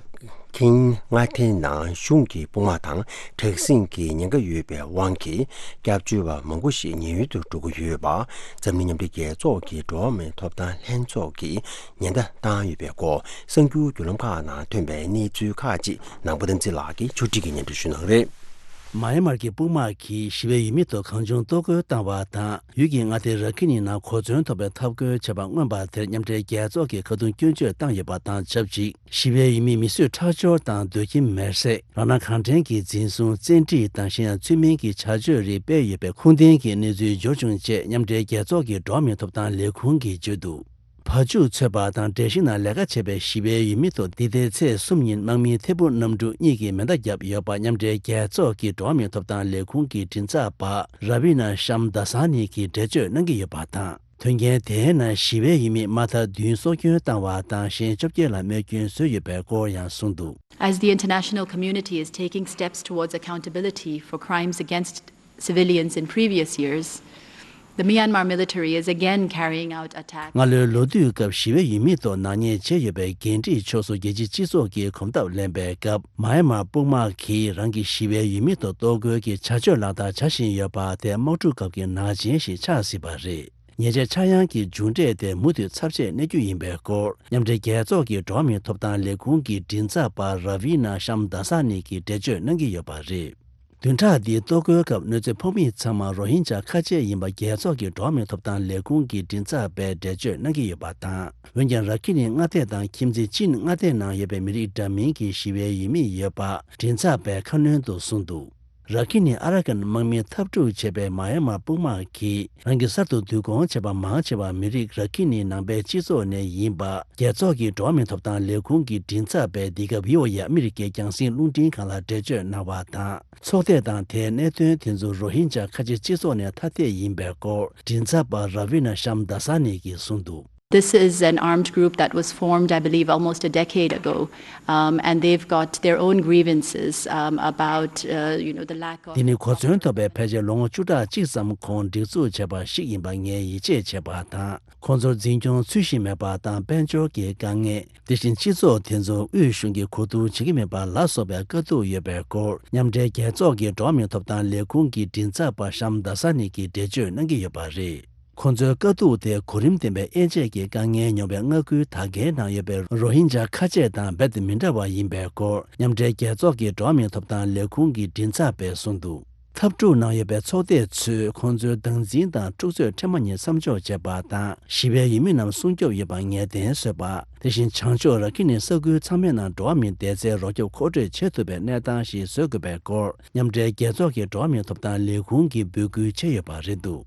ཁིན་མངའ་སྡེའི་ནང་གཞུང་གི་དཔུང་དམག་དང་དྲག་ཟིང་གི་ཉེན་ཁ་ཡོད་པའི་དབང་གིས། སྐྱབས་བཅོལ་བ་མང་པོ་ཞིག་ཉེན་གཡོལ་དུ་འགྲོ་གི་ཡོད་པ། འཛམ་གླིང་མཉམ་འབྲེལ་རྒྱལ་ཚོགས་ཀྱི་འགྲོ་བ་མིའི་ཐོབ་ཐང་ལྷན་ཚོགས་ཀྱིས་ཉེན་བརྡ་བཏང་ཡོད་པའི་སྐོར། གསར་འགྱུར་བརྒྱུད་ལམ་ཁག་ནང་ཐོན་པའི་གནས་ཚུལ་ཁག་ཅིག་ནང་པ་དམ་ཚིག་ལགས་ཀྱིས་ཕྱོགས་སྒྲིག་གིས་སྙན་སྒྲོན་ཞུ་གནང་གི་རེད། མཱ་ཡན་མར་གྱི་དཔུང་དམག་གིས་ཞི་བའི་ཡུལ་མི་ཐོག་གང་བྱུང་གཏོར་རྒོལ་བཏང་བ་དང་། ཡུལ་གྱི་མངའ་སྡེ་ར་ཁི་ནི་ནང་གོ་མཚོན་ཐོབ་པའི་འཐབ་རྒོལ་བྱས་པ་མངོན་པ་དེར་མཉམ་འབྲེལ་རྒྱལ་ཚོགས་ཀྱིས་ཁ་རྡུང་སྐྱོན་བརྗོད་བཏང་ཡོད་པ་དང་ཆབས་ཅིག་ཞི་བའི་ཡུལ་མི་མི་གསོད་ཁྲག་སྦྱོར་དང་སྡོད་ཁྱིམ་མེར་སྲེག་རང་སྣང་གང་དྲན་གྱིས་འཛིན་བཟུང་བཙན་ཁྲིད་དང་གཞན་ཡང་ཚུལ་མིན་གྱི་བྱ་སྤྱོད་རིགས་སྤེལ་ཡོད་པའི་ཁུངས་ལྡན་གྱི་གནས་ཚུལ་འབྱོར་བྱུང་ཅེས་མཉམ་འབྲེལ་རྒྱལ་ཚོགས་ཀྱི་འགྲོ་བ་མིའི་ཐོབ་ཐང་ལས་ཁུངས་ཀྱིས་བརྗོད་འདུག་བ་ཕྱུགས་འཚོས་པ་དང་འབྲས་ཞིང་ནང་ལས་ཀ་བྱེད་པའི་ཞི་བའི་ཡུལ་མི་ཐོག་འདི་ཟླའི་ཚེས་གསུམ་ཉིན་དམག་མིའི་ཐད་འཕུར་གནམ་གྲུ་གཉིས་ཀྱིས་མེ་མདའ་བརྒྱབ་ཡོད་པ་མཉམ་འབྲེལ་རྒྱལ་ཚོགས་ཀྱི་འགྲོ་བ་མིའི་ཐོབ་ཐང་ལས་ཁུངས་ཀྱི་མགྲིན་ཚབ་པ་ར་བི་ན་ཤམ་དཱ་ས་ནི་གིས་འགྲེལ་བརྗོད་གནང་གི་ཡོད་པ་དང་། དོན་རྐྱེན་དེའི་ནང་ཞི་བའི་ཡུལ་མི་མ་མཐའ་བདུན་སྲོག་སྐྱོན་བཏང་བ་དང་གཞན་བཅོ་བརྒྱད་ལ་རྨས་སྐྱོན་བཟོས་ཡོད་པའི་སྐོར་ཡང་གསུངས་འདུག As the international community is taking steps towards accountability for crimes against civilians in previous years, the Myanmar military is again carrying out attacks. སྔ་ལོའི་ལོ་དུས་སྐབས་ཞི་བའི་ཡུལ་མི་ཐོག་ནག་ཉེས་བྱས་ཡོད་པའི་འགན་འཁྲིའི་ཕྱོགས་སུ་རྒྱལ་སྤྱིའི་སྤྱི་ཚོགས་ཀྱིས་གོམ་སྟབས་ལེན་པའི་སྐབས། མཱ་ཡན་མར་དཔུང་དམག་གིས་རང་གི་ཞི་བའི་ཡུལ་མི་ཐོག་གཏོར་རྒོལ་གྱི་བྱ་སྤྱོད་ལག་བསྟར་བྱ་བཞིན་ཡོད་པ་དེ་དམག་འཁྲུག་སྐབས་ཀྱི་ནག་ཅན་ཞིག་ཆགས་སྲིད་པ་རེད། ཉེས་ཆད་ཆག་ཡང་གི་མཇུག་འབྲས་དེ་མུ་མཐུད་ཚབས་ཆེར་གནས་རྒྱུ་ཡིན་པའི་སྐོར། མཉམ་འབྲེལ་རྒྱལ་ཚོགས་ཀྱི་འགྲོ་བ་མིའི་ཐོབ་ཐང་ལས་ཁུངས་ཀྱི་མགྲིན་ཚབ་པ་ར་བི་ན་ཤམ་དཱ་ས་ནི་གིས་འགྲེལ་བརྗོད་གནང་གི་ཡོད་པ་རེད། བདུན་ཕྲག་འདིའི་གཏོར་རྒོལ་སྐབས་གནོད་འཚེ་ཕོག་མི་ཚང་མ་རོ་ཧིན་ཇཱ་ཁ་ཆེ་ཡིན་པ་རྒྱལ་ཚོགས་ཀྱི་འགྲོ་བ་མིའི་ཐོབ་ཐང་ལས་ཁུངས་ཀྱི་མགྲིན་ཚབ་པས་འགྲེལ་བརྗོད་གནང་གི་ཡོད་པ་དང་། འོན་ཀྱང་ར་ཁི་ནི་མངའ་སྡེ་དང་ཁྱིམ་མཚེས་ཅིན་མངའ་སྡེའི་ནང་ཡོད་པའི་མི་རིགས་འདྲ་མིན་གྱི་ཞི་བའི་ཡུལ་མི་ཡོད་པ་མགྲིན་ཚབ་པས་ཁ་སྣོན་དུ་གསུངས་འདུག་ར་ཁི་ནི་ཨ་ར་ཀན་དམག་མིས་འཐབ་འཁྲུག་བྱས་པའི་མ་ཡན་མར་དཔུང་དམག་གིས་རང་གི་གསར་དུ་བསྡུ་སྐོང་བྱས་པ་མང་ཆེ་བ་མི་རིགས་ར་ཁི་ནི་ནང་པའི་སྤྱི་ཚོགས་ནས་ཡིན་པ། རྒྱལ་ཚོགས་ཀྱི་འགྲོ་བ་མིའི་ཐོབ་ཐང་ལས་ཁུངས་ཀྱི་མགྲིན་ཚབ་པས་འདི་སྐབས་བྷི་ཨོ་ཨེ་ཨ་མི་རི་ཀའི་རྒྱང་སྲིང་རླུང་འཕྲིན་ཁང་ལ་འགྲེལ་བརྗོད་གནང་བ་དང་། ཚོགས་སྡེ་དང་དེའི་གནད་དོན་དེ་ཚོ་རོ་ཧིན་ཇཱ་ཁ་ཆེ་སྤྱི་ཚོགས་ནས་ཐ་དད་ཡིན་པའི་སྐོར་མགྲིན་ཚབ་པ་ར་བི་ན་ཤམ་དཱ་ས་ནི་གིས་གསུངས་འདུག This is an armed group that was formed, I believe, almost a decade ago, um, and they've got their own grievances, um, about, uh, you know, the lack of འདི་ནི་གོ་མཚོན་ཐོབ་པའི་ཕལ་ཆེར་ལོ་ངོ་བཅུ་ཕྲག་གཅིག་ཙམ་གོང་སྒྲིག་འཛུགས་བྱས་པ་ཞིག་ཡིན་པ་ངས་ཡིད་ཆེས་བྱེད་པ་དང་། ཁོང་ཚོར་འཛིན་སྐྱོང་ཚུལ་བཞིན་མེད་པ་དང་དཔལ་འབྱོར་གྱི་དཀའ་ངལ། དེ་བཞིན་སྤྱི་ཚོགས་དེ་ཚོར་དབུས་གཞུང་གིས་གོ་བསྡུར་བྱེད་ཀྱི་མེད་པ་ལ་སོགས་པའི་དཀའ་སྡུག་ཡོད་པའི་སྐོར་མཉམ་འབྲེལ་རྒྱལ་ཚོགས་ཀྱི་འགྲོ་བ་མིའི་ཐོབ་ཐང་ལས་ཁུངས་ཀྱི་མགྲིན་ཚབ་པ་ཤམ་དཱ་ས་ནི་གིས་འགྲེལ་བརྗོད་གནང་གི་ཡོད་པ་རེད། ཁོང་ཚོའི་དཀའ་སྡུག་དེ་གོ་རིམ་ལྡན་པའི་དབྱེ་འབྱེད་ཀྱི་དཀའ་ངལ་མྱོང་བའི་མངའ་ཁུལ་དག་གའི་ནང་ཡོད་པའི་རོ་ཧིན་ཇཱ་ཁ་ཆེ་དང་རྦད་དེ་མི་འདྲ་བ་ཡིན་པའི་སྐོར་མཉམ་འབྲེལ་རྒྱལ་ཚོགས་ཀྱི་འགྲོ་བ་མིའི་ཐོབ་ཐང་ལས་ཁུངས་ཀྱི་མགྲིན་ཚབ་པས་གསུངས་འདུག་འཐབ་འཁྲུག་ནང་ཡོད་པའི་ཚོགས་སྡེ་ཚོས་ཁོང་ཚོའི་སྡང་འཛིན་དང་འཁྲུག་རྩོད་ཕྲན་བུ་གཉིས་མཚམས་འཇོག་བྱེད་པ་དང་། ཞི་བའི་ཡུལ་མི་རྣམས་སྲུང་སྐྱོབ་ཡོད་པ་ངེས་གཏན་བཟོས་པ། དེ་བཞིན་བྱང་ཕྱོགས་ར་ཁི་ནི་ས་ཁུལ་ཚང་མའི་ནང་འགྲོ་བ་མིའི་བདེ་རྩའི་རོགས་སྐྱོབ་མཁོ་སྤྲོད་བྱེད་ཐུབ་པའི་གནས་སྟངས་ཤིག་བཟོ་དགོས་པའི་སྐོར་མཉམ་འབྲེལ་རྒྱལ་ཚོགས་ཀྱི་འགྲོ་བ་མིའི་ཐོབ་ཐང་ལས་ཁུངས་ཀྱིས་འབོད་སྐུལ་བྱས་ཡོད་པ་རེད་འདུག་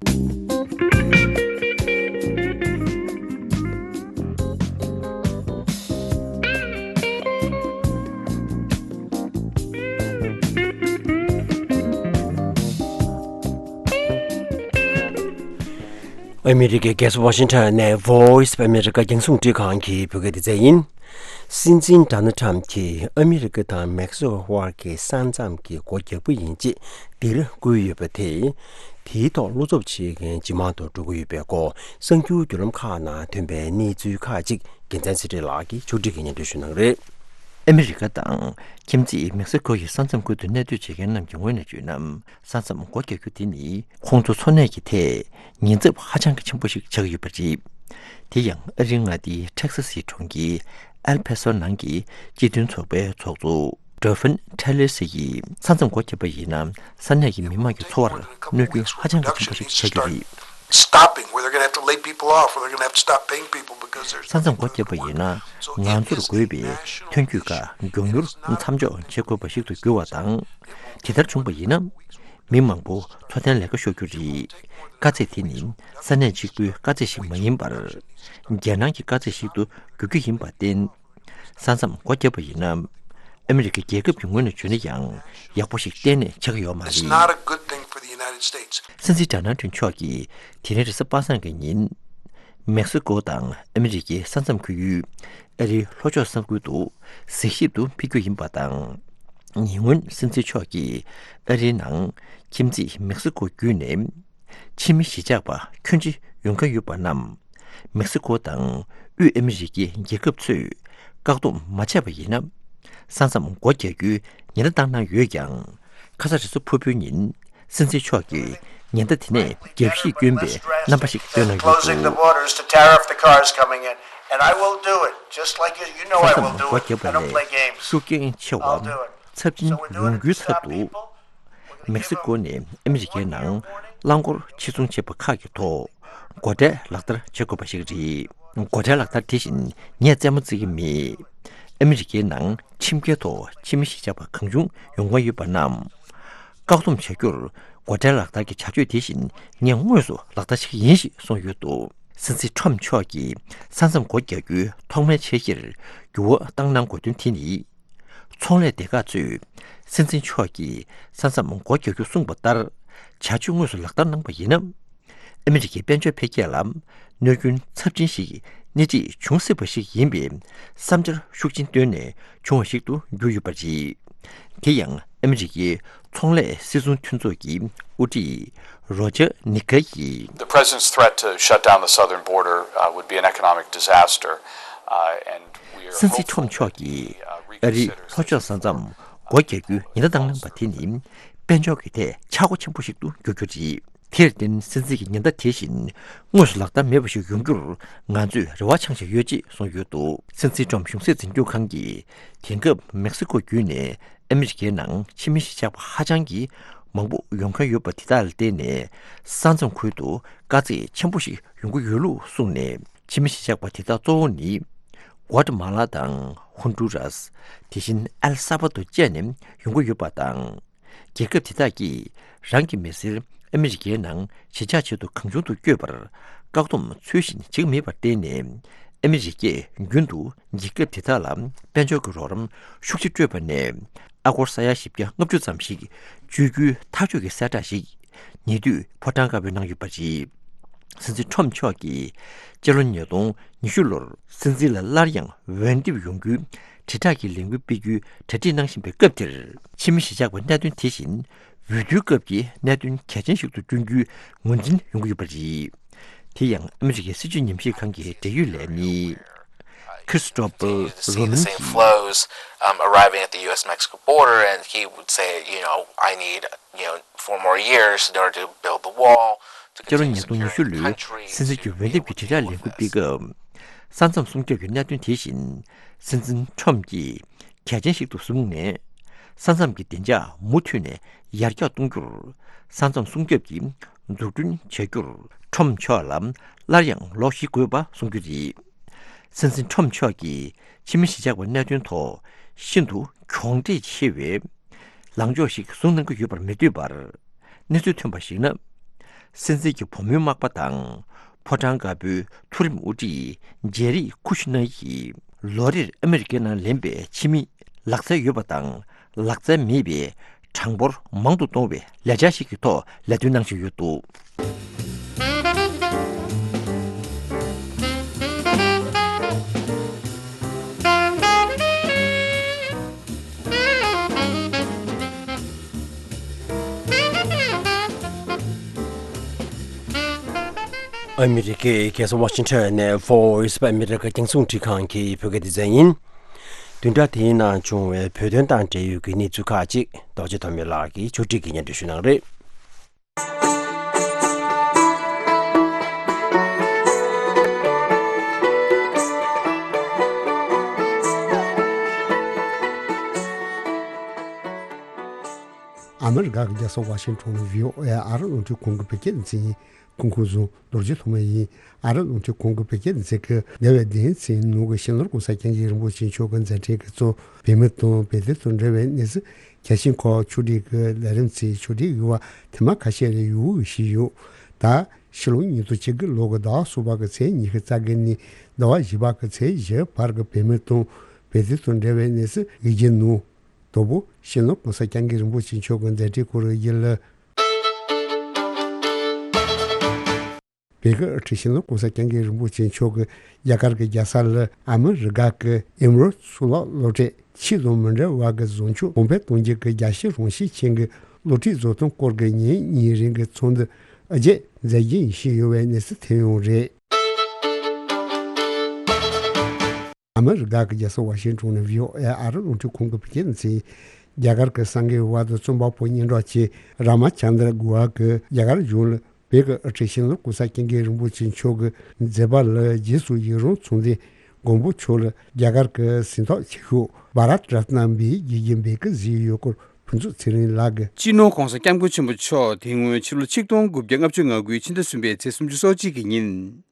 ཨ་མི་རི་ཀའི་རྒྱལ་ས་ཝ་ཤིང་ཊོན་ནས་Voice of America རྒྱང་སྲིང་རླུང་འཕྲིན་ཁང་གི་བོད་སྐད་སྡེ་ཚན་ཡིན། སྲིད་འཛིན་ཌོ་ནལ་ཊམ་གྱིས་ཨ་མི་རི་ཀ་དང་མེག་སི་ཀོ་དབར་གྱི་ས་མཚམས་ཀྱི་སྒོ་རྒྱག་པ་ཡིན་ཅེས་འདིར་བསྐུལ་ཡོད་པ་དེས། དེའི་ཐོག་བློ་འཚབ་བྱེད་མཁན་ཇེ་མང་དུ་འགྲོ་གི་ཡོད་པའི་སྐོར་གསར་འགྱུར་བརྒྱུད་ལམ་ཁག་ནང་ཐོན་པའི་གནས་ཚུལ་ཁག་ཅིག་རྒྱལ་མཚན་ཚེ་རིང་ལགས་ཀྱིས་ཕྱོགས་སྒྲིག་གིས་སྙན་སྒྲོན་ཞུ་གནང་གི་རེད། ཨ་མི་རི་ཀ་དང་ཁྱིམ་མཚེས་མེག་སི་ཀོ་ཡི་ས་མཚམས་ཁུལ་དུ་གནས་སྡོད་བྱེད་མཁན་རྣམས་ཀྱི་ངོས་ནས་བརྗོད་ན། ས་མཚམས་སྒོ་རྒྱག་རྒྱུ་དེ་ནི་ཁོང་ཚོ་འཚོ་གནས་ཀྱི་ཐད་ཉེན་ཚབས་ཧ་ཅང་གི་ཆེན་པོ་ཞིག་ཆགས་ཀྱི་ཡོད་པ་རེད། དེ་ཡང་ཨ་རིའི་མངའ་སྡེའི་ཊེག་སཱ་སིའི་གྲོང་ཁྱེར་ཨེལ་པེ་སོ་ནང་གི་སྤྱི་མཐུན་ཚོགས་པའི་ཚོགས་གཙོ་ཌོ་ཕིན་ཊེ་ལེ་སི་ཡིས་ས་མཚམས་སྒོ་བརྒྱབ་པ་ཡིན་ན་ས་གནས་ཀྱི་མི་མང་གི་འཚོ་བར་གནོད་སྐྱོན་ཧ་ཅང་གི་ཆེན་པོ་ཞིག་ཆགས་ཀྱི་རེད། Stopping, where they're going to have to lay people off, or they're going to have to stop paying people because there's ས་མཚམས་སྒོ་བརྒྱབ་པ་ཡིན་ན་ང་ཚོར་དགོས་པའི་ཐོན་སྐྱེད་ཁག་མགྱོགས་མྱུར་མཚམས་འཇོག་བྱེད་དགོས་པ་ཞིག་ཏུ་འགྱུར་བ་དང་། དེ་ལྟར་བྱུང་བ་ཡིན་ན། མི་མང་པོ་འཚོ་རྟེན་ལས་ཀ་ཤོར་རྒྱུ་རེད། དཀའ་ཚེགས་དེ་ནི་ས་གནས་གཅིག་པུའི་དཀའ་ཚེགས་ཤིག་མ་ཡིན་པར། རྒྱལ་ནང་གི་དཀའ་ཚེགས་ཤིག་ཏུ་འགྱུར་རྒྱུ་ཡིན་པར་བརྟེན། ས་མཚམས་སྒོ་བརྒྱབ་པ་ཡིན་ན། ཨ་མི་རི་ཀའི་རྒྱལ་ཁབ་ཀྱི་ངོས་ནས་བརྗོད་ན་ཡང་ཡག་པོ་ཞིག་གཏན་ནས་ཆགས་ཀྱི་ཡོད་མ་It's རེད། Not a good thing for the United States. སྲིད་འཛིན་ཌོ་ནལ་ཊམ་མཆོག་གིས་དེ་རིང་རེས་གཟའ་པ་སངས་ཀྱི་ཉིན། མེག་སི་ཀོ་དང་ཨ་མི་རི་ཀའི་ས་མཚམས་ཁུལ་ཡུལ་ཨ་རིའི་ལྷོ་ཕྱོགས་ས་ཁུལ་དུ་གཟིགས་ཞིབ་ཏུ་ཕེབས་རྒྱུ་ཡིན་པ་དང་། ཉེ་སྔོན་སྲིད་འཛིན་མཆོག་གིས་ཨ་རིའི་ནང་ཁྱིམ་མཚེས་མེག་སི་ཀོ་བརྒྱུད་ནས་ཕྱི་མི་གཞིས་ཆགས་པ་ཁྱོན་ཆེ་ཡོང་མཁན་ཡོད་པ་རྣམས་མེག་སི་ཀོ་དང་དབུས་ཨ་མི་རི་ཀའི་རྒྱལ་ཁབ་ཚོས་བཀག་སྡོམ་མ་བྱས་པ་ཡིན་ན། ས་མཚམས་སྒོ་རྒྱག་རྒྱུའི་ཉེན་བརྡ་བཏང་གནང་ཡོད་ཀྱང་། ཁ་ས་རེས་གཟའ་ཕུར་བུའི་ཉིན་སྲིད་འཛིན་མཆོག་གིས་ཉེན་བརྡ་དེ་ནས་རྒྱབ་བཤིག་བསྐྱོན་པའི་རྣམ་པ་ཞིག་སྟོན་གནང་ཡོད་འདུག Closing the borders to tariff the cars coming in, and I will do it, just like you, you know I will do it. ས་མཚམས་སྒོ་རྒྱབ་པ་ལས་ཤུགས་རྐྱེན་ཆེ་བ་ཚབས་ཆེན་ཡོང་རྒྱུའི་ཚབ་ཏུ། མེག་སི་ཀོ་ནས་ཨ་མི་རི་ཀའི་ནང་རླངས་འཁོར་ཕྱིར་ཚོང་བྱེད་པ་ཁག་གི་ཐོག་སྒོ་ཁྲལ་ལག་བསྟར་བྱེད་དགོས་པ་ཞིག་རེད། སྒོ་ཁྲལ་ལག་བསྟར་དེ་བཞིན་ངས་རྩེད་མོ་རྩེ་གི་མེད། ཨ་མི་རི་ཀའི་ནང་ཁྱིམ་སྐྱེལ་ཐོག་ཕྱི་མི་གཞིས་ཆགས་པ་གང་བྱུང་ཡོང་གི་ཡོད་པ་རྣམས། བཀག་སྡོམ་བྱ་རྒྱུར་སྒོ་ཁྲལ་ལག་བསྟར་གྱི་བྱ་སྤྱོད་དེ་བཞིན་ངས་དངོས་སུ་ལག་བསྟར་བྱེད་ཀྱི་ཡིན་ཞེས་གསུངས་ཡོད་འདུག་སྲིད་འཛིན་ཊམ་མཆོག་གིས་ས་མཚམས་སྒོ་རྒྱག་རྒྱུའི་ཐོག་མའི་འཆར་གཞིར་འགྱུར་བ་བཏང་གནང་དགོས་དོན་དེ་ནི། ཚོང་ལས་སྡེ་ཁག་ཚོས་སྲིད་འཛིན་མཆོག་གིས་ས་མཚམས་སྒོ་རྒྱག་རྒྱུ་གསུངས་པ་ལྟར་བྱ་སྤྱོད་དངོས་སུ་ལག་བསྟར་གནང་པ་ཡིན་ན། ཨ་མི་རི་ཀའི་དཔལ་འབྱོར་འཕེལ་རྒྱས་ལ་གནོད་སྐྱོན་ཚབས་ཆེན་ཞིག་སྣེ་ཁྲིད་འབྱུང་སྲིད་པ་ཞིག་ཡིན་པའི་བསམ་འཆར་ཤུགས་ཆེན་བཏོན་ནས་བྱུང་བ་ཞིག་ཏུ་གྱུར་ཡོད་པ་རེད། དེ་ཡང་ཨ་མི་རི་ཀའི་ཚོང་ལས་སྲིད་ཚོང་མཐུན་ཚོགས་ཀྱི་དབུ་ཁྲིད་རོ་ཇར་ནི་ཀ་ཡིས། The president's threat to shut down the southern border, uh, would be an economic disaster, uh, and we are སྲིད་འཛིན་ཊམ་མཆོག་གིས་ཨ་རིའི་ལྷོ་ཕྱོགས་ས་མཚམས་སྒོ་རྒྱག་རྒྱུའི་ཉེན་བརྡ་བཏང་གནང་པ་དེ་ནི་དཔལ་འབྱོར་གྱི་ཐད་ཆག་སྒོ་ཆེན་པོ་ཞིག་ཏུ་འགྱུར་རྒྱུ་རེད། དེར་བརྟེན་སྲིད་འཛིན་གྱི་ཉེན་བརྡ་དེ་བཞིན་དངོས་སུ་ལག་བསྟར་མེད་པ་ཞིག་ཡོང་རྒྱུར་ང་ཚོས་རེ་བ་འཆང་བཞིན་ཡོད་ཅེས་གསུངས་ཡོད་འདུག་སྲིད་འཛིན་ཊམ་གཞུང་སྲིད་འཛིན་སྐྱོང་ཁང་གིས་དེང་སྐབས་མེག་སི་ཀོ་བརྒྱུད་ནས་ཨ་མི་རི་ཀའི་ནང་ཕྱི་མི་གཞིས་ཆགས་པ་ཧ་ཅང་གི་མང་པོ་ཡོང་མཁན་ཡོད་པ་དེ་དག་ལ་བརྟེན་ནས་ས་མཚམས་ཁུལ་དུ་དཀའ་ཚེགས་ཆེན་པོ་ཞིག་ཡོང་གི་ཡོད་ལུགས་གསུངས་ནས། ཕྱི་མི་གཞིས་ཆགས་པ་དེ་དག་གཙོ་བོ་ནི་གོ་ཏ་མ་ལ་དང་ཧོན་ཌུ་རཱས། དེ་བཞིན་ཨེལ་ས་བ་དོ་བཅས་ནས་ཡོང་གི་ཡོད་པ་དང་། རྒྱལ་ཁབ་དེ་དག་གིས་རང་གི་མི་སེར་ཨ་མི་རི་ཀའི་ནང་གཞིས་ཆགས་ཆེད་དུ་གང་བྱུང་དུ་བསྐྱོད་པར་བཀག་སྡོམ་ཚུལ་བཞིན་བྱེད་ཀྱི་མེད་པར་བརྟེན་ནས། ཨ་མི་རི་ཀས་རྒྱུན་དུ་རྒྱལ་ཁབ་དེ་དག་ལ་དཔལ་འབྱོར་གྱི་རོགས་རམ་ཤུགས་ཆེ་སྤྲོད་པ་ནས། ཨ་སྒོར་ས་ཡ་བཞི་བརྒྱ་ལྔ་བཅུ་ཙམ་ཞིག་བཅོལ་རྒྱུའི་ཐག་གཅོད་ཀྱི་གསལ་བསྒྲགས་ཤིག་ཉེ་དུས་ཕོ་བྲང་དཀར་པོས་གནང་ཡོད་པ་རེད། སྲིད་འཛིན་ཊམ་མཆོག་གིས་སྤྱི་ལོ་ཉིས་སྟོང་ཉི་ཤུ་ལོར་སྲིད་འཛིན་ལ་སླར་ཡང་འོས་འདེམས་ཡོང་རྒྱུའི་དྲིལ་བསྒྲགས་ཀྱི་ལས་འགུལ་སྤེལ་རྒྱུའི་གྲ་སྒྲིག་གནང་བཞིན་པའི་སྐབས་དེར། ཕྱི་མི་གཞིས་ཆགས་པ་གནད་དོན་དེ་བཞིན་འོས་བསྡུའི་སྐབས་ཀྱི་གནད་དོན་གལ་ཆེན་ཞིག་ཏུ་བསྐྲུན་རྒྱུའི་ངོས་འཛིན་ཡོང་གི་ཡོད་པ་རེད། དེ་ཡང་ཨ་མི་རི་ཀའི་སྲིད་བྱུས་ཉམས་ཞིབ་ཁང་གི་འབྲེལ་ཡོད་ལས་མི་Christopher Roman གྱིས། Um, arriving at the U S Mexico border, and he would say, you know, I need, you know, four more years in order to build the wall, to སྤྱི་ལོ་continue ཉིས་སྟོང་ཉི་ཤུ་securing the ལོའི་country, སྲིད་འཛིན་གྱི་འོས་འདེམས་ཀྱི་དྲིལ་བསྒྲགས་ལས་འགུལ་སྤེལ་སྐབས། ས་མཚམས་སྲུང་སྐྱོབ་ཀྱི་གནད་དོན་དེ་བཞིན་སྲིད་འཛིན་ཊམ་གྱིས་གལ་ཆེན་ཞིག་ཏུ་བཟུང་ནས། ས་མཚམས་ཀྱི་བདེ་འཇགས་མུ་མཐུད་ནས་ཡར་རྒྱས་གཏོང་རྒྱུར། ས་མཚམས་སྲུང་སྐྱོབ་ཀྱི་འཛུགས་སྐྲུན་བྱ་རྒྱུར་ཊམ་མཆོག་ལ་སླར་ཡང་ལོ་བཞི་དགོས་པ་གསུང་རྒྱུ་རེད། སྲིད་འཛིན་ཊམ་མཆོག་གིས་ཕྱི་མི་གཞིས་ཆགས་པ་གནད་དོན་ཐོག་ཤིན་ཏུ་གྱོང་འབྲས་ཆེ་བའི་ལངས་ཕྱོགས་ཤིག་བཟུང་གནང་གི་ཡོད་པར་མི་འདོད་པར། གནས་ཚུལ་ཐོན་པར་གཞིགས་ན། སྲིད་འཛིན་གྱི་བུ་མོའི་མག་པ་དང་ཕོ་བྲང་དཀར་པོའི་མཐོ་རིམ་དབུ་ཁྲིད་ཇེ་རི་ཁུ་ཤི་ནར་གྱིས་ལོ་རེར་ཨ་མི་རི་ཀའི་ནང་ལེན་པའི་ཕྱི་མི་ལག་རྩལ་ཡོད་པ་དང་ལག་རྩལ་མེད་པའི་གྲངས་འབོར་མང་དུ་གཏོང་བའི་ལས་འཆར་ཞིག་གི་ཐོག་ལས་དོན་གནང་བཞིན་ཡོད་འདུག་ཨ་མི་རི་ཀའི་རྒྱལ་ས་ཝ་ཤིང་ཊོན་ནས་Voice of America རྒྱང་སྲིང་འཕྲིན་ཁང་གི་བོད་སྐད་སྡེ་ཚན་ཡིན། བདུན་ཕྲག་དེའི་ནང་བྱུང་བའི་བོད་དོན་དང་འབྲེལ་ཡོད་ཀྱི་གནས་ཚུལ་ཁག་ཅིག་རྡོ་རྗེ་ཐོགས་མེད་ལགས་ཀྱིས་ཕྱོགས་སྒྲིག་གིས་སྙན་སྒྲོན་ཞུ་གནང་རེད། ཨ་མི་རི་ཀ་གི་རྒྱལ་ས་ཝ་ཤིང་ཊོན་ནས་བྷི་ཨོ་ཨེ་ཨ་རི་རླུང་འཕྲིན་ཁང་གི་བོད་སྐད་སྡེ་ཚན་ཡིན། སྐུ་ཁམས་བཟང་། རྡོ་རྗེ་ཐོགས་མེད་ཡིན། ཨ་རི་རླུང་འཕྲིན་ཁང་གི་བོད་སྐད་སྡེ་ཚན་གྱིས་འདས་པའི་བདུན་ཚན་ནང་གི་སྤྱི་ནོར་༸གོང་ས་༸སྐྱབས་མགོན་རིན་པོ་ཆེ་མཆོག་གི་མཛད་འཕྲིན་གྱི་གཙོ་བོད་མི་དང་བོད་དོན་དང་འབྲེལ་བའི་གནས་ཚུལ་གལ་ཆེན་ཁག་ཕྱོགས་སྒྲིག་གི་ལས་རིམ་ཚོའི་ཕྱོགས་སྒྲིག་ཡོད་པ་ཐེངས་མ་ཁ་ཤས་ལ་ཡོད་པའི་ཞུས་ཡོད། ད་ཕྱི་ལོ་ཉིས་སྟོང་ཉི་ཤུ་རྩ་དགུ་ལོ་གི་ཟླ་བ་གསུམ་པ་གི་ཚེས་ཉི་ཤུ་རྩ་དགུ་ནས་ཟླ་བ་བཞི་པ་གི་ཚེས་བཞི་བར་གྱི་བོད་མི་དང་བོད་དོན་དང་འབྲེལ་བའི་གནས་ཚུལ་གི་རྒྱུན་ནང་དང་པོ་སྤྱི་ནོར་༸གོང་ས་༸སྐྱབས་མགོན་རིན་པོ་ཆེ་མཆོག་གི་མཛད་འཕྲིན་སྐོར་གྱི་རྒྱུན་ལ། བོད་ཀྱི་དབུ་ཁྲིད་སྤྱི་ནོར་༸གོང་ས་༸སྐྱབས་མགོན་རིན་པོ་ཆེ་མཆོག་གིས་རྒྱ་གར་གྱི་རྒྱལ་ས་ལ་ཨ་མི་རི་ཀ་གི་ཨེ་མོ་རལ་གཙུག་ལག་སློབ་གྲྭས་ཆོས་དང་མི་འབྲལ་བ་གི་བཟང་སྤྱོད་གོང་འཕེལ་གཏོང་རྒྱུ་གི་རྒྱལ་སྤྱིའི་རང་བཞིན་ཅན་གྱི་སློབ་ཁྲིད་བཟོ་སྟངས་སྐོར་གྱི་ཉིན་གཉིས་རིང་གི་ཚོགས་འདུ་ཨ་རྒྱས་མཛད་རྒྱུ་ཡིན་ཞུས་ཡོད་པའི་གནས་ཚུལ་ཐོན་ཡོད་རེད། ཨ་མི་རི་ཀ་གི་རྒྱལ་ས་ཝ་ཤིང་ཊོན་ནས་བྷི་ཨོ་ཨེ་ཨ་རི་རླུང་འཕྲིན་ཁང་གི་བོད་སྐད་སྡེ་ཚན་རྒྱ་གར་གྱི་གསར་འགོད་པ་དང་རྩོམ་པ་པོ་སྙན་གྲགས་ཅན་རཱ་མ་ཅན་དྲ་གུ་ཧ་གིས་རྒྱ་གར་གཞུང་ལ་བོད་ཀྱི་དབུ་ཁྲིད་སྤྱི་ནོར་༸གོང་ས་༸སྐྱབས་མགོན་རིན་པོ་ཆེ་མཆོག་གི་མཛད་པ་ལ་རྗེས་སུ་ཡི་རང་མཚོན་ཏེ་མགོན་པོ་མཆོག་ལ་རྒྱ་གར་གྱི་གཟེངས་རྟགས་ཆེ་ཤོས་བྷ་རཏ་རཏ་ན་འབུལ་རྒྱུ་ཡིན་པའི་སྐུ་གཟིགས་ཡོད་སྐོར་ཕུན་ཚོགས་ཚེ་རིང་ལགས་ཀྱིས། སྤྱི་ནོར་༸གོང་ས་༸སྐྱབས་མགོན་ཆེན་པོ་མཆོག་དེ་སྔོན་ཕྱི་ལོ་ཆིག་སྟོང་དགུ་བརྒྱ་ལྔ་བཅུ་ང་དགུའི་ཕྱི་ཟླ་གསུམ་པའི་ཚེས་སུམ་ཅུ་སོ་གཅིག་གི་ཉིན།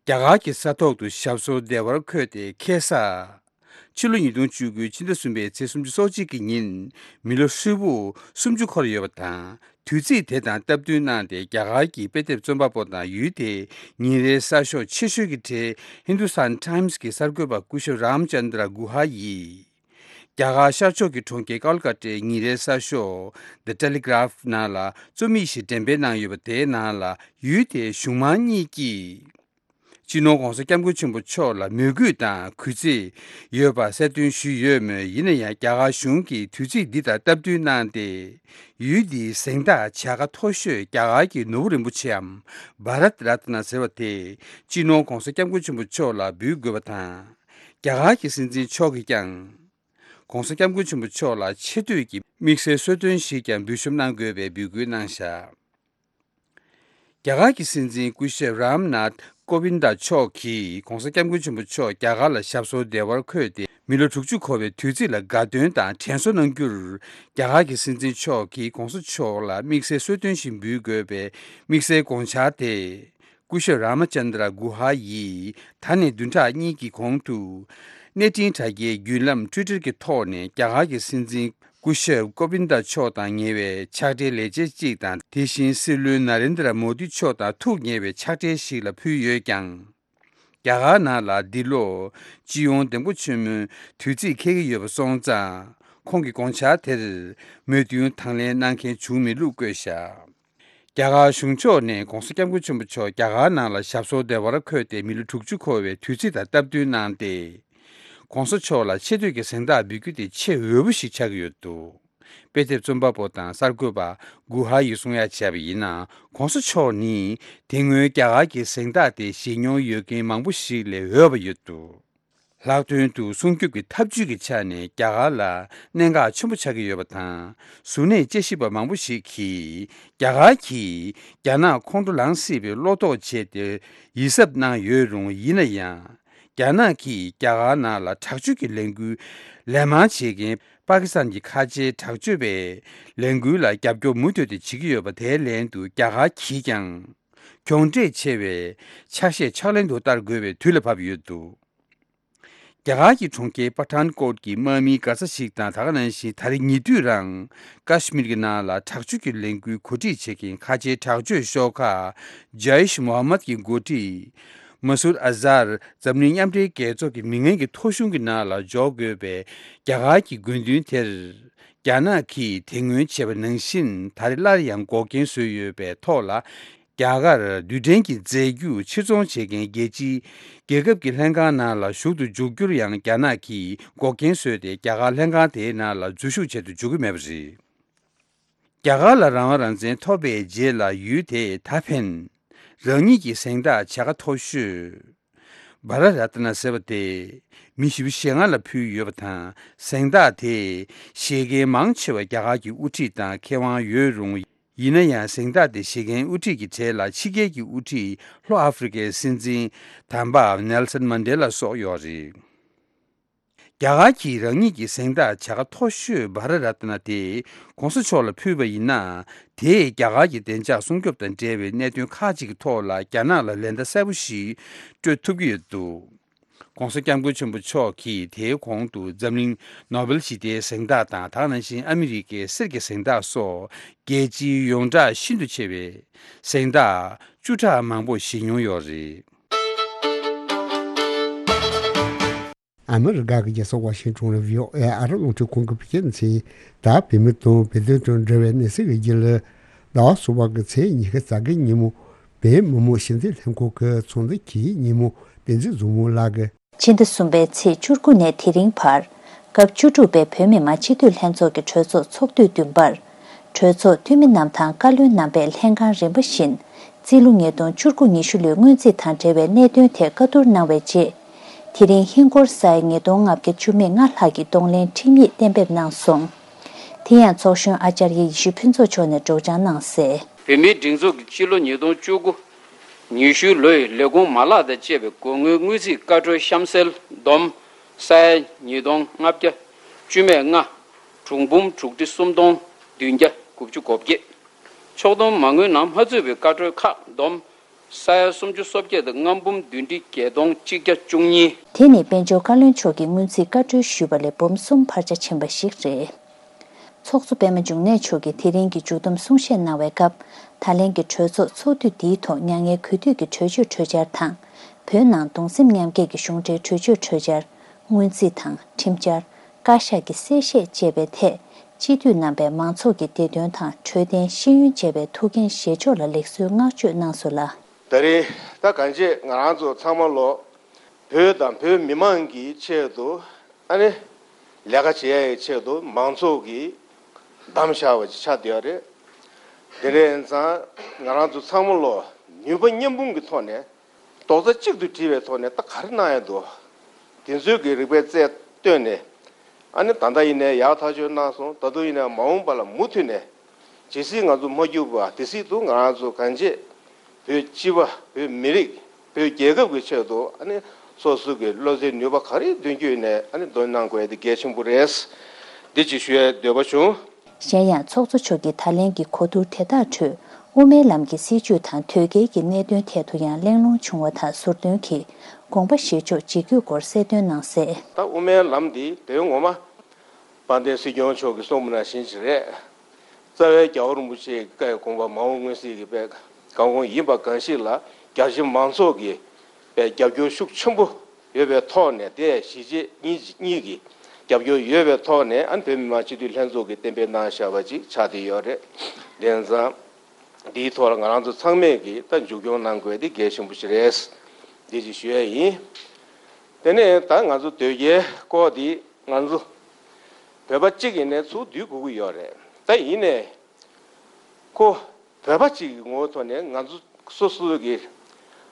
རྒྱ་གར་གྱི་ས་ཐོག་ཏུ་ཞབས་སོར་བདེ་བར་འཁོད་དེ་ཁ་སང་། ཕྱི་ལོ་ཉིས་སྟོང་བཅུ་དགུའི་ཕྱི་ཟླ་གསུམ་པའི་ཚེས་སུམ་ཅུ་སོ་གཅིག་གི་ཉིན་མི་ལོ་ཧྲིལ་པོ་སུམ་ཅུ་འཁོར་ཡོད་པ་དང་། དུས་ཚིགས་དེ་དང་སྟབས་བསྟུན་གནང་སྟེ་རྒྱ་གར་གྱི་དཔེ་དེབ་རྩོམ་པ་པོ་དང་ཡུལ་དེའི་ཉིན་རེའི་གསར་ཤོག་ཆེ་ཤོས་ཀྱི་གྲས་Hindustan Times གྱི་གསར་འགོད་པ་སྐུ་ཞབས་རཱམ་ཅན་དྲ་གུ་ཧ་ཡིས། རྒྱ་གར་ཤར་ཕྱོགས་ཀྱི་གྲོང་ཁྱེར་ཀལ་ཀ་ཏའི་ཉིན་རེའི་གསར་ཤོག་The Telegraph ནང་ལ་རྩོམ་ཡིག་ཞིག་འགྲེམས་སྤེལ་གནང་ཡོད་པ་དེའི་ནང་ལ་ཡུལ་དེའི་གཞུང་མང་གཉིས་ཀྱིས། སྤྱི་ནོར་༸གོང་ས་༸སྐྱབས་མགོན་ཆེན་པོ་མཆོག་ལ་མོས་གུས་དང་གུས་བརྩི་ཡོད་པ་གསལ་སྟོན་ཞུས་ཡོད་མོད། ཡིན་ན་ཡང་རྒྱ་གར་གཞུང་གིས་དུས་ཚིགས་འདི་དང་སྟབས་བསྟུན་གནང་སྟེ། ཡུལ་འདིའི་གཟེངས་རྟགས་བྱ་དགའ་མཐོ་ཤོས་རྒྱ་གར་གྱི་ནོར་བུ་རིན་པོ་ཆེའམ་བྷ་རཏ་རཏ་ན་ཟེར་བ་དེ་སྤྱི་ནོར་༸གོང་ས་༸སྐྱབས་མགོན་ཆེན་པོ་མཆོག་ལ་འབུལ་དགོས་པ་དང་། རྒྱ་གར་གྱི་སྲིད་འཛིན་མཆོག་གིས་ཀྱང་༸གོང་ས་༸སྐྱབས་མགོན་ཆེན་པོ་མཆོག་ལ་ཆེ་བསྟོད་ཀྱི་དམིགས་བསལ་གསོལ་སྟོན་ཞིག་ཀྱང་འབུལ་ཞུ་གནང་དགོས་པའི་འབོད་སྐུལ་གནང་བཞག་རྒྱ་གར་གྱི་སྲིད་འཛིན་སྐུ་ཞབས་རམ་ནཱཐ་ཀོ་བིན་ད་མཆོག་གིས་༧གོང་ས་༧སྐྱབས་མགོན་ཆེན་པོ་མཆོག་རྒྱ་གར་ལ་ཞབས་སོར་བདེ་བར་འཁོད་དེ་མི་ལོ་དྲུག་ཅུ་འཁོར་བའི་དུས་ཚིགས་ལ་དགའ་སྟོན་དང་དྲན་གསོ་གནང་རྒྱུར། རྒྱ་གར་གྱི་སྲིད་འཛིན་མཆོག་གིས་༧གོང་ས་མཆོག་ལ་དམིགས་བསལ་གསོལ་སྟོན་ཞིག་འབུལ་དགོས་པའི་དམིགས་བསལ་དགོངས་འཆར་དེ། སྐུ་ཞབས་རཱ་མ་ཅན་དྲ་གུ་ཧ་ཡིས་ད་ནས་བདུན་ཕྲག་གཉིས་ཀྱི་གོང་དུ། གནས་འཕྲིན་དྲ་རྒྱའི་བརྒྱུད་ལམ་ཊུའི་ཊར་གྱི་ཐོག་ནས་རྒྱ་གར་གྱི་སྲིད་འཛིན་སྐུ་ཞབས་ཀོ་བིན་ད་མཆོག་དང་ཉེ་བའི་ཕྱག་སྦྲེལ་ལས་བྱེད་ཅིག་དང་དེ་བཞིན་སྲིད་བློན་ན་རེན་དྲ་མོ་དི་མཆོག་དང་ཐུགས་ཉེ་བའི་ཕྱག་སྦྲེལ་ཞིག་ལ་ཕུལ་ཡོད་ཀྱང་། རྒྱ་གར་ནང་ལ་འདི་ལོ་སྤྱི་ཡོངས་འདེམས་བསྐོ་ཆེན་མོའི་དུས་ཚིགས་འཁེལ་གྱི་ཡོད་པ་སོང་ཙང་། ཁོང་གི་དགོངས་འཆར་དེར་མོས་མཐུན་དང་ལེན་གནང་མཁན་བྱུང་མེད་ལུགས་བཀོད་བཞག་རྒྱ་གར་གཞུང་ཕྱོགས་ནས་༧གོང་ས་༧སྐྱབས་མགོན་ཆེན་པོ་མཆོག་རྒྱ་གར་ནང་ལ་ཞབས་སོར་བདེ་བར་འཁོད་དེ་མི་ལོ་དྲུག་ཅུ་འཁོར་བའི་དུས་ཚིགས་དང་སྟབས་བསྟུན་གནང་སྟེ། ༸གོང་ས་མཆོག་ལ་ཆེ་བསྟོད་ཀྱི་གཟེངས་རྟགས་འབུལ་རྒྱུ་དེ་ཆེས་འོས་པ་ཞིག་ཆགས་ཀྱི་ཡོད་འདུག་དཔེ་དེབ་རྩོམ་པ་པོ་དང་གསར་འགོད་པ་གུ་ཧ་ཡིས་གསུང་ཡ་བྱས་པ་ཡིན་ན། ༸གོང་ས་མཆོག་ནི་དེ་སྔོན་རྒྱ་གར་གྱི་གཟེངས་རྟགས་དེ་བཞེས་མྱོང་ཡོད་མཁན་མང་པོ་ཞིག་ལས་འོས་པ་ཡོད་འདུག་ལྷག་དོན་དུ་སྲུང་སྐྱོབ་ཀྱི་ཐབས་ཇུས་ཀྱི་ཆ་ནས་རྒྱ་གར་ལ་གནད་འགག་ཆེན་པོ་ཆགས་ཀྱི་ཡོད་པ་དང་། གཟུར་གནས་དཔྱད་ཞིབ་པ་མང་པོ་ཞིག་གིས་རྒྱ་གར་གྱིས་རྒྱ་ནག་ཁོང་ཁྲོ་ལངས་སྲིད་པའི་བློ་དོགས་བྱས་ཏེ་ཡིད་གཟབ་གནང་ཡོད་རུང་། ཡིན་ན་ཡང་། རྒྱ་ནག་གིས་རྒྱ་གར་ནང་ལ་དྲག་སྤྱོད་ཀྱི་ལས་འགུལ་ལན་མང་བྱེད་མཁན་པ་ཀི་སི་ཐན་གྱི་ཁ་ཆེའི་དྲག་སྤྱོད་པའི་ལས་འགུལ་ལ་རྒྱབ་སྐྱོར་མུ་མཐུད་དེ་བྱེད་ཀྱི་ཡོད་པ། དེའི་ལན་དུ་རྒྱ་གར་གྱིས་ཀྱང་གྱོང་འབྲས་ཆེ་བའི་ཆ་ཤས་ཕྱག་ལེན་དུ་བསྟར་དགོས་པའི་དུས་ལ་བབ་ཡོད་འདུག་རྒྱ་གར་གྱི་གྲོང་ཁྱེར་པ་ཐན་ཀོཊ་གྱི་དམག་མིའི་སྒར་ས་ཞིག་དང་། ད་ག་ནང་བཞིན་ད་རེས་ཉེ་དུས་རང་ཀ་ཤི་མིར་གྱི་ནང་ལ་དྲག་སྤྱོད་ཀྱི་ལས་འགུལ་གོ་སྒྲིག་བྱེད་མཁན་ཁ་ཆེའི་དྲག་སྤྱོད་ཤོག་ཁག་ཇཱ་ཡིཤ་མོ་ཧམ་མད་ཀྱི་འགོ་ཁྲིད་མ་སུར་ཨ་ཟར་འཛམ་གླིང་མཉམ་འབྲེལ་རྒྱལ་ཚོགས་ཀྱི་མི་ངན་གྱི་ཐོ་གཞུང་གི་ནང་ལ་འཇོག་དགོས་པའི་རྒྱ་གར་གྱི་དགོས་འདུན་དེར། རྒྱ་ནག་གིས་དེ་སྔོན་བྱས་པ་ནང་བཞིན་ད་རེས་སླར་ཡང་འགོག་རྐྱེན་བཟོས་ཡོད་པའི་ཐོག་ལ། རྒྱ་གར་རྡུལ་ཕྲན་གྱི་རྫས་འགྱུར་ཕྱིར་ཚོང་བྱེད་མཁན་རྒྱལ་སྤྱིའི་རྒྱལ་ཁབ་ཀྱི་ལྷན་ཁང་ནང་ལ་ཞུགས་ཏུ་འཇུག་རྒྱུར་ཡང་རྒྱ་ནག་གིས་འགོག་རྐྱེན་བཟོས་ཏེ། རྒྱ་གར་ལྷན་ཁང་དེའི་ནང་ལ་འཛུལ་ཞུགས་བྱེད་དུ་འཇུག་གི་མེད་པ་རེད། རྒྱ་གར་ལ་རང་དབང་རང་བཙན་ཐོབ་པའི་རྗེས་ལ་ཡུལ་དེས་ད་ཕན་རང་ཉིད་ཀྱི་གཟེངས་རྟགས་བྱ་དགའ་མཐོ་ཤོས་བྷ་ར་ར་ཏི་ན་ཟེར་བ་དེ་མི་བཞི་བཅུ་ཞེ་ལྔ་ལ་ཕུལ་ཡོད་པ་དང་། གཟེངས་རྟགས་དེ་བཞེས་མཁན་མང་ཆེ་བ་རྒྱ་གར་གྱི་དབུ་ཁྲིད་དང་མཁས་དབང་ཡོད་རུང་། ཡིན་ན་ཡང་། གཟེངས་རྟགས་དེ་བཞེས་མཁན་དབུ་ཁྲིད་ཀྱི་གྲས་ལ་ཕྱི་རྒྱལ་གྱི་དབུ་ཁྲིད་ལྷོ་ཨ་ཧྥེ་རི་ཀའི་སྲིད་འཛིན་དམ་པ་ནེལ་སན་མན་ཌེ་ལ་སོགས་ཡོད་རེད། རྒྱ་གར་གྱིས་རང་ཉིད་ཀྱི་གཟེངས་རྟགས་བྱ་དགའ་མཐོ་ཤོས་བྷ་ར་ར་ཏི་ན་དེ་༸གོང་ས་མཆོག་ལ་ཕུལ་བ་ཡིན་ན། དེས་རྒྱ་གར་གྱི་བདེ་འཇགས་སྲུང་སྐྱོབ་དང་འབྲེལ་བའི་གནད་དོན་ཁག་ཅིག་གི་ཐོག་ལ་རྒྱ་ནག་ལ་ལན་བརྡ་གསལ་པོ་ཞིག་སྤྲོད་ཐུབ་ཀྱི་ཡོད་འདུག ༸གོང་ས་༸སྐྱབས་མགོན་ཆེན་པོ་མཆོག་གིས་དེའི་གོང་དུ་འཛམ་གླིང་ནོ་བེལ་ཞི་བདེའི་གཟེངས་རྟགས་དང་། ད་ག་ནང་བཞིན་ཨ་མི་རི་ཀའི་གསེར་གྱི་གཟེངས་རྟགས་སོགས་རྒྱལ་སྤྱིའི་ཡོངས་གྲགས་ཤིན་ཏུ་ཆེ་བའི་གཟེངས་རྟགས་བཅུ་ཕྲག་མང་པོ་བཞེས་མྱོང་ཡོད་རེད། ཨ་མི་རི་ཀ་གི་རྒྱལ་ས་ཝ་ཤིང་ཊོན་ལ་བྷི་ཨོ་ཨེ་ཨ་རི་རླུང་འཕྲིན་ཁང་གི་བོད་སྐད་སྡེ་ཚན་དང་བོད་མི་དང་བོད་དོན་དང་འབྲེལ་བའི་གནས་ཚུལ་གྱི་རྒྱུན་ལས། ཟླ་བ་གསུམ་པ་གི་ཚེས་ཉི་ཤུ་རྩ་དགུ་ཉིན་མོ། བོད་མི་མང་སྤྱི་འཐུས་ལྷན་ཁང་གི་ཚོགས་འདུ་གི་ཉིན་མོ། བསྟན་འཛིན་བཟང་མོ་ལགས་ཀྱིས། ཕྱི་ཟླ་གསུམ་པའི་ཚེས་བཅུ་དགུ་ནས་དེ་རིང་བར། སྐབས་བཅུ་དྲུག་པའི་བོད་མི་མང་སྤྱི་འཐུས་ལྷན་ཚོགས་ཀྱི་གྲོས་ཚོགས་ཚོགས་དུས་བདུན་པར། གྲོས་ཚོགས་འཐུས་མི་རྣམས་དང་བཀའ་བློན་རྣམ་པས་ལྷན་ཁང་རིམ་པ་བཞིན་རྩིས་ལོ་ཉིས་སྟོང་བཅུ་དགུ་ཉི་ཤུ་ལོའི་སྔོན་རྩིས་དང་འབྲེལ་བའི་གནད་དོན་ཐད་བཀའ་བསྡུར་གནང་བའི་རྗེས། དེ་རིང་ཧིན་སྒོར་ས་ཡ་ཉིས་སྟོང་ལྔ་བརྒྱ་བཅུ་མེད་ལྔ་ལྷག་གི་གདོང་ལེན་ཁྲིམས་ཡིག་གཏན་འབེབས་གནང་སོང་། དེ་ཡང་ཚོགས་གཞོན་ཨ་ཙརྱ་ཡེ་ཤེས་ཕུན་ཚོགས་མཆོག་ནས་སྒྲོག་སྦྱང་གནང་གསལ། བོད་མིའི་སྒྲིག་འཛུགས་ཀྱི་སྤྱི་ལོ་ཉིས་སྟོང་བཅུ་དགུ་ཉི་ཤུ་ལོའི་ལས་ཁུངས་མ་ལག་དང་བཅས་པའི་སྒོར་དངུལ་དངུལ་རྩིས་བཀའ་འཁྲོལ་གཤམ་གསལ་བསྡོམས་ས་ཡ་ཉིས་སྟོང་ལྔ་བརྒྱ་བཅུ་མེད་ལྔ། དྲུག་འབུམ་དྲུག་ཁྲི་སུམ་སྟོང་བདུན་བརྒྱ་དགུ་བཅུ་གོ་བརྒྱད། ཕྱོགས་བསྡོམས་མ་དངུལ་ནང་མ་ཚུད་པའི་བཀའ་འཁྲོལ་ཁག་བསྡོམས་ས་ཡ་སུམ་ཅུ་སོ་བརྒྱད་དང་ལྔ་འབུམ་བདུན་ཁྲི་བརྒྱད་སྟོང་གཅིག་བརྒྱ་བཅུ་གཉིས། དེ་ནི་དཔལ་འབྱོར་བཀའ་བློན་མཆོག་གིས་སྔོན་རྩིས་བཀའ་འཁྲོལ་ཞུས་པ་ལས་འབུམ་གསུམ་འཕར་ཆ་ཕྱིན་པ་ཞིག་རེད། ཚོགས་གཙོ་པད་མ་འབྱུང་གནས་མཆོག་གིས་དེ་རིང་གི་མཇུག་བསྡོམས་གསུང་བཤད་གནང་བའི་སྐབས། ད་ལན་གྱི་གྲོས་ཚོགས་ཚོགས་དུས་འདིའི་ཐོག་མྱ་ངན་གུས་འདུད་ཀྱི་གྲོས་ཆོད་གྲོས་འཆར་དང་། བོད་ནང་གདུང་སེམས་མཉམ་སྐྱེད་ཀྱི་གཞུང་འབྲེལ་གྲོས་ཆོད་གྲོས་འཆར། སྔོན་རྩིས་དང་ཁྲིམས་འཆར། བཀའ་ཤག་གི་གསལ་བཤད་བཅས་པའི་ཐད། སྤྱི་འཐུས་རྣམ་པས་མང་ཚོགས་ཀྱི་བདེ་དོན་དང་འཕྲོད་བསྟེན་ཤེས་ཡོན་བཅས་པའི་ཐུགས་འགན་བཞེས་ཕྱོགས་ལ་ལེགས་གསོའི་བསྔགས་བརྗོད་གནང་སོང་ལ། ད་རེས་ད་གང་ཅི་ང་རང་ཚོ་ཚང་མ་ལོ། བོད་དང་བོད་མི་མང་གི་ཆེད་དུ་ཨ་ནི་ལས་ཀ་བྱེད་ཡ་ཡི་ཆེད་དུ་མང་ཚོགས་ཀྱིས་བདམས་བཞག་པ་ཅིག་ཆགས་བསྡད་ཡོད་རེད། དེ་འདྲ་ཡིན་ཙང་ང་རང་ཚོ་ཚང་མ་ལོ་ནུས་པ་མཉམ་སྤུངས་ཀྱི་ཐོག་ནས་རྡོག་རྩ་གཅིག་ཏུ་སྒྲིལ་བའི་ཐོག་ནས་ད་ག་རེ་གནང་ཡ་འདུག་དེ་ཚོའི་གི་རིགས་པའི་རྩལ་བཏོན་ནས་ཨ་ནི་ད་ལྟ་ཡིན་ནའི་ཡག་ཐག་ཆོད་གནང་སོང་། ད་དུང་ཡིན་ནའི་མ་འོངས་པ་ལ་མུ་མཐུད་ནས་ཇི་སྲིད་ང་ཚོ་མ་བསྐྱུར་བ་དེ་སྲིད་དུ་ང་རང་ཚོ་གང་ཅི་ བོད་སྤྱི་པ། བོད་མི་རིགས། བོད་རྒྱལ་ཁབ་ཀྱི་ཆེད་དུ་ཨ་ནི་སོ་སོ་གི་བློ་རྩེ་ནུས་པ་ག་རེ་འདོན་རྒྱུ་ཡིན་ནའི་ཨ་ནི་འདོན་གནང་དགོས་ཡ་དེ་གལ་ཆེན་པོ་རེད། འདི་ཅིག་ཞུ་ཡ་འདོད་པ་བྱུང་། གཞན་ཡང་ཚོགས་གཙོ་མཆོག་གིས་ད་ལན་གྱི་གོ་བསྡུར་དེ་དག་ཁྲོད་དབུ་མའི་ལམ་གྱི་སྲིད་བྱུས་དང་དོལ་རྒྱལ་གྱི་གནད་དོན་ཐད་དུ་ཡང་གླེང་སློང་བྱུང་བ་དང་ཟུར་འདོན་གྱིས་དགོངས་པ་བཞེས་ཕྱོགས་ཇི་དགོས་སྐོར་གསལ་སྟོན་གནང་གསལ། ད་དབུ་མའི་ལམ་འདི་དོན་ངོ་མ་དཔལ་ལྡན་སྲིད་སྐྱོང་མཆོག་གིས་གསུངས་པ་ནང་བཞིན་ཅིག་རེད། རྩ་བའི་རྒྱལ་བ་རིན་པོ་ཆེའི་བཀའི་དགོངས་པ་མ་འོངས་མངོན་གསལ་གྱི་དཔེ་གང་གོང་ཡིན་པ་གང་ཞིག་ལ་རྒྱ་ཆེ་མང་ཚོགས་ཀྱི་དཔེ་རྒྱབ་སྐྱོར་ཤུགས་ཆེན་པོ་ཡོད་པའི་ཐོག་ནས། དེ་གཞིས་བྱེས་གཉིས་གཉིས་ཀྱི་རྒྱབ་སྐྱོར་ཡོད་པའི་ཐོག་ནས་ཨ་ནི་བོད་མི་མང་སྤྱི་འཐུས་ལྷན་ཚོགས་ཀྱིས་གཏན་འབེབས་གནང་བཞག་པ་ཅིག་ཆགས་བསྡད་ཡོད་རེད། དེ་ཙང་འདིའི་ཐོག་ལ་ང་རང་ཚོ་ཚང་མས་ཀྱིས་ད་མཇུག་སྐྱོང་གནང་དགོས་དེ་གལ་ཆེན་པོ་ཞིག་རེད། འདི་ཅིག་ཞུ་ཡ་ཡིན། དེ་ནས་ད་ང་ཚོ་དོལ་རྒྱལ་སྐོར་འདི་ང་ཚོ་བོད་པ་གཅིག་ཡིན་ནའི་ཚུར་བསྡུ་དགོས་ཀྱི་ཡོད་རེད། ད་ཡིན་ནའི་ཁོ་བོད་པ་གཅིག་གི་ངོ་བོའི་ཐོག་ནས་ང་ཚོ་སོ་སོ་གི་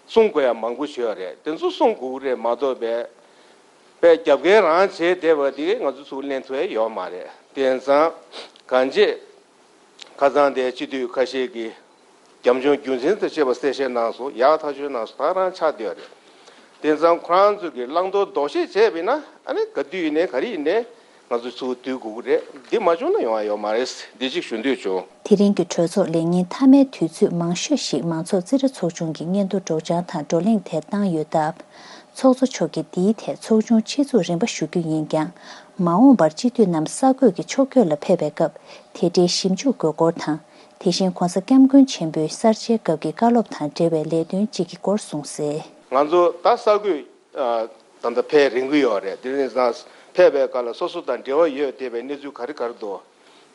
གསུང་དགོས་ཡ་མང་པོ་ཞིག་ཡོད་རེད། དེ་ཚོ་གསུང་དགོས་ཀྱི་རེད་མ་གཏོགས་པའི་པའི་རྒྱབ་འགལ་རང་བྱས་བསྡད་པ་དེ་ང་ཚོ་ཚུར་ལེན་ཐུབ་ཡ་ཡོད་མ་རེད། དེ་ཙང་གང་བྱེད། ཁ་སང་དེ་སྤྱི་འཐུས་ཁ་ཤས་ཀྱིས་རྒྱབ་ལྗོངས་རྒྱུ་མཚན་དང་བཅས་པ་གསལ་བཤད་གནང་སོང་། ཡག་ཐག་ཆོད་གནང་སོང་། ད་རང་ཆགས་བསྡད་ཡོད་རེད། དེ་ཙང་ཁོ་རང་ཚོ་གིས་བླང་དོར་ལྡོག་ཤེས་བྱས་པ་ཡིན་ན་ཨ་ནི་ག་དུས་ཡིན་ནའི་ག་རེ་ཡིན་ནའི་ང་ཚོ་ཚུར་བསྡུ་དགོས་ཀྱི་རེད། འདི་མ་བྱུང་ན་ཡོང་ཡ་ཡོད་མ་རེད། འདི་གཅིག་ཞུ་འདོད་བྱུང་། དེ་རིང་གི་གྲོས་ཚོགས་ལས་ཉིན་མཐའ་མའི་དུས་ཚོད་མང་ཤོས་ཤིག་མང་ཚོགས་རྩིས་ཁྲ་ཚོགས་ཆུང་གི་སྙན་ཐོ་སྒྲོག་སྦྱང་དང་བགྲོ་གླེང་ཐད་བཏང་ཡོད་སྟབས། ཚོགས་གཙོ་མཆོག་གིས་འདིའི་ཐད་ཚོགས་ཆུང་ཆེད་འཛུགས་རིམ་པ་ཞུ་རྒྱུ་ཡིན་ཀྱང་། མ་འོངས་པར་སྤྱི་འཐུས་རྣམས་གསར་འགོད་ཀྱི་ཕྱོགས་བསྐྱོད་ལ་ཕེབས་པའི་སྐབས་དེ་འབྲེལ་ཞིབ་འཇུག་དགོས་སྐོར་དང་། དེ་བཞིན་༸གོང་ས་༸སྐྱབས་མགོན་ཆེན་པོའི་གསར་བརྗེའི་སྐབས་ཀྱི་བཀའ་སློབ་དང་འབྲེལ་བའི་ལས་དོན་གཅིག་གི་སྐོར་གསུངས་གསལ། ང་ཚོ་ད་གསར་འགོད་ད་ལྟ་ཕེབས་རན་གྱི་ཡོད་རེད། དེ་རིང་སང་ཕེབས་པའི་སྐབས་ལ་སོ་སོ་དང་འབྲེལ་བ་ཡོད་བསྡད་པའི་གནས་ཚུལ་ག་རེ་ག་རེ་འདུག་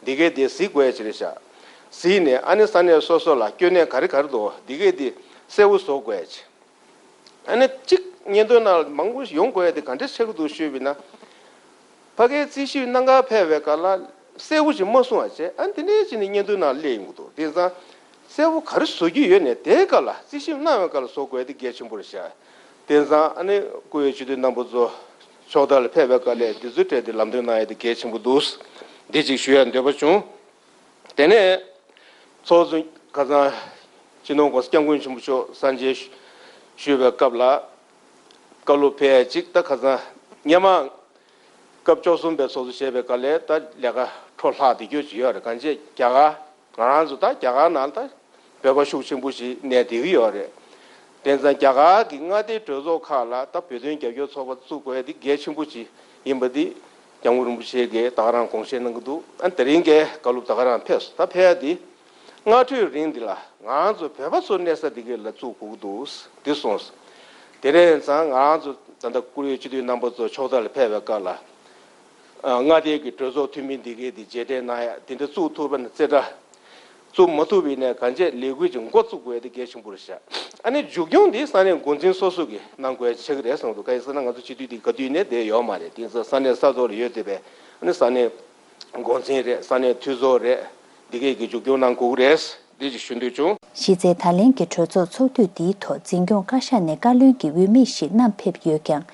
འདི་གས་དེ་གཟིགས་དགོས་ཡ་ཅིག་རེད་ཤག་གཟིགས་ནས་ཨ་ནི་ས་གནས་སོ་སོ་ལ་སྐྱོན་གནས་ག་རེ་ག་རེ་འདུག་འདི་གས་དེ་གསལ་བོ་བཟོ་དགོས་ཡ་ཅིག་ཨ་ནི་གཅིག་སྙན་ཐོའི་ནང་ལ་མང་པོ་ཞིག་ཡོང་དགོས་ཡ་དེ་ག་འདྲ་ཆགས་ཀྱི་འདུག་ཞུས་པ་ཡིན་ན། ཕ་གིའི་རྩིས་ཞིབ་གནང་གར་ཕེབས་པའི་སྐབས་ལ་གསལ་བོ་ཞིག་མ་གསུང་བ་བྱས། ཨ་ནི་དེ་འདྲའི་ཅིག་ནས་སྙན་ཐོའི་ནང་སླེབས་ཡོང་གི་འདུག་དེང་སང་གསལ་བོ་ག་རེ་བཟོ་རྒྱུ་ཡོད་ནས་དེའི་སྐབས་ལ་རྩིས་ཞིབ་གནང་བའི་སྐབས་ལ་བཟོ་དགོས་ཡ་དེ་གལ་ཆེན་པོ་རེད་ཤག་དེང་སང་ཨ་ནི་བཀུར་འོས་སྤྱི་འཐུས་རྣམ་པ་ཚོ་ཕྱོགས་མཐའ་ལ་ཕེབས་པའི་སྐབས་ལ་འདི་ཚོའི་གྲས་དེ་ལམ་སྟོན་གནང་ཡ་དེ་གལ་ཆེན་པོ་འདུག་འདི་ཅིག་ཞུ་ཡ་འདོད་པ་བྱུང་། དེ་ནས་ཚོགས་གཙོ་ཁ་སང་སྤྱི་ནོར་༸གོང་ས་༸སྐྱབས་མགོན་ཆེན་པོ་མཆོག་གསར་མཇལ་ཞུས་པའི་སྐབས་ལ་བཀའ་སློབ་ཕེབས་ཡ་གཅིག་ད་ཁ་སང་སྔོན་མ་སྐབས་བཅུ་གསུམ་པའི་ཚོགས་གཙོ་བྱས་པའི་སྐབས་ལ་ད་ལས་ཀ་འཕྲོ་བརླག་བསྡད་རྒྱུ་ཅིག་ཡོད་རེད། གང་ཅི་རྒྱ་གར་ང་རང་ཚོ་ད་རྒྱ་གར་ནང་ད་བོད་པ་ཤུགས་ཆེན་པོ་ཞིག་གནས་བསྡད་ཀྱི་ཡོད་རེད། དེ་ཙང་རྒྱ་གར་གྱི་མངའ་སྡེའི་གྲོས་ཚོགས་ཁག་ལ་ད་བོད་དོན་རྒྱབ་སྐྱོར་ཚོགས་པ་བཙུགས་དགོས་ཡ་དེ་གལ་ཆེན་པོ་ཅིག་ཡིན་པ་དེ་སྐྱབས་མགོན་རིན་པོ་ཆེ་གིས་ད་ག་རང་དགོངས་བཞེས་གནང་གི་འདུག་ཨ་དེ་རིང་གའི་བཀའ་སློབ་ད་ག་རང་ཕེབས་སོང་། ད་ཕེབས་ཡ་དེ་སྔ་འཕྲོས་རིང་འདི་ལ་ང་རང་ཚོ་བོད་པ་ཚོ་གནས་ས་འདི་གའི་ལ་བཙུགས་དགོས་ཀྱི་འདུག་འདི་གསུངས་སོང་། དེ་རིང་ཙང་ང་རང་ཚོ་ད་ལྟ་བཀུར་འོས་སྤྱི་འཐུས་རྣམ་པ་ཚོ་ཕྱོགས་མཐའ་ལ་ཕེབས་པའི་སྐབས་ལ། ཨ་མངའ་སྡེ་གི་གྲོས་ཚོགས་འཐུས་མི་འདི་གའི་འདི་རྗེས་དྲན་གནང་ཡ་དེ་འདྲ་བཙུགས་ཐུབ་པ་ན་རྩེ་གྲ། བཙུགས་མ་ཐུབ་པ་ཡིན་ནའི་གང་ཅི་ལས་འགུལ་ཅིག་འགོ་བཙུགས་དགོས་ཡ་དེ་གལ་ཆེན་པོ་རེད་ཤག་ཨ་ནི་མཇུག་སྐྱོང་འདི་ས་གནས་འགོ་འཛིན་སོ་སོ་གིས་གནང་དགོས་ཡ་ཆགས་ཀྱི་རེད་བསམ་གྱི་འདུག་གང་ཡིན་ཟེར་ན་ང་ཚོ་སྤྱི་འཐུས་འདི་ག་དུས་ནས་བསྡད་ཡོད་མ་རེད། དེ་ཡིན་ཙང་ས་གནས་ས་ཐོག་ལ་ཡོད་བསྡད་པའི་ཨ་ནི་ས་གནས་འགོ་འཛིན་རེད། ས་གནས་འཐུས་ཚོགས་རེད། འདི་གས་ཀྱིས་མཇུག་སྐྱོང་གནང་དགོས་ཀྱི་རེད། འདི་ཅིག་ཞུ་འདོད་བྱུང་། གཞི་རྩའི་ད་ལན་གྱི་གྲོས་ཚོགས་ཚོགས་དུས་འདིའི་ཐོག་འཛིན་སྐྱོང་བཀའ་ཤག་ནས་བཀའ་བློན་གྱི་འོས་མི་ཞིག་བསྣམས་ཕེབས་ཡོད་ཀྱང་།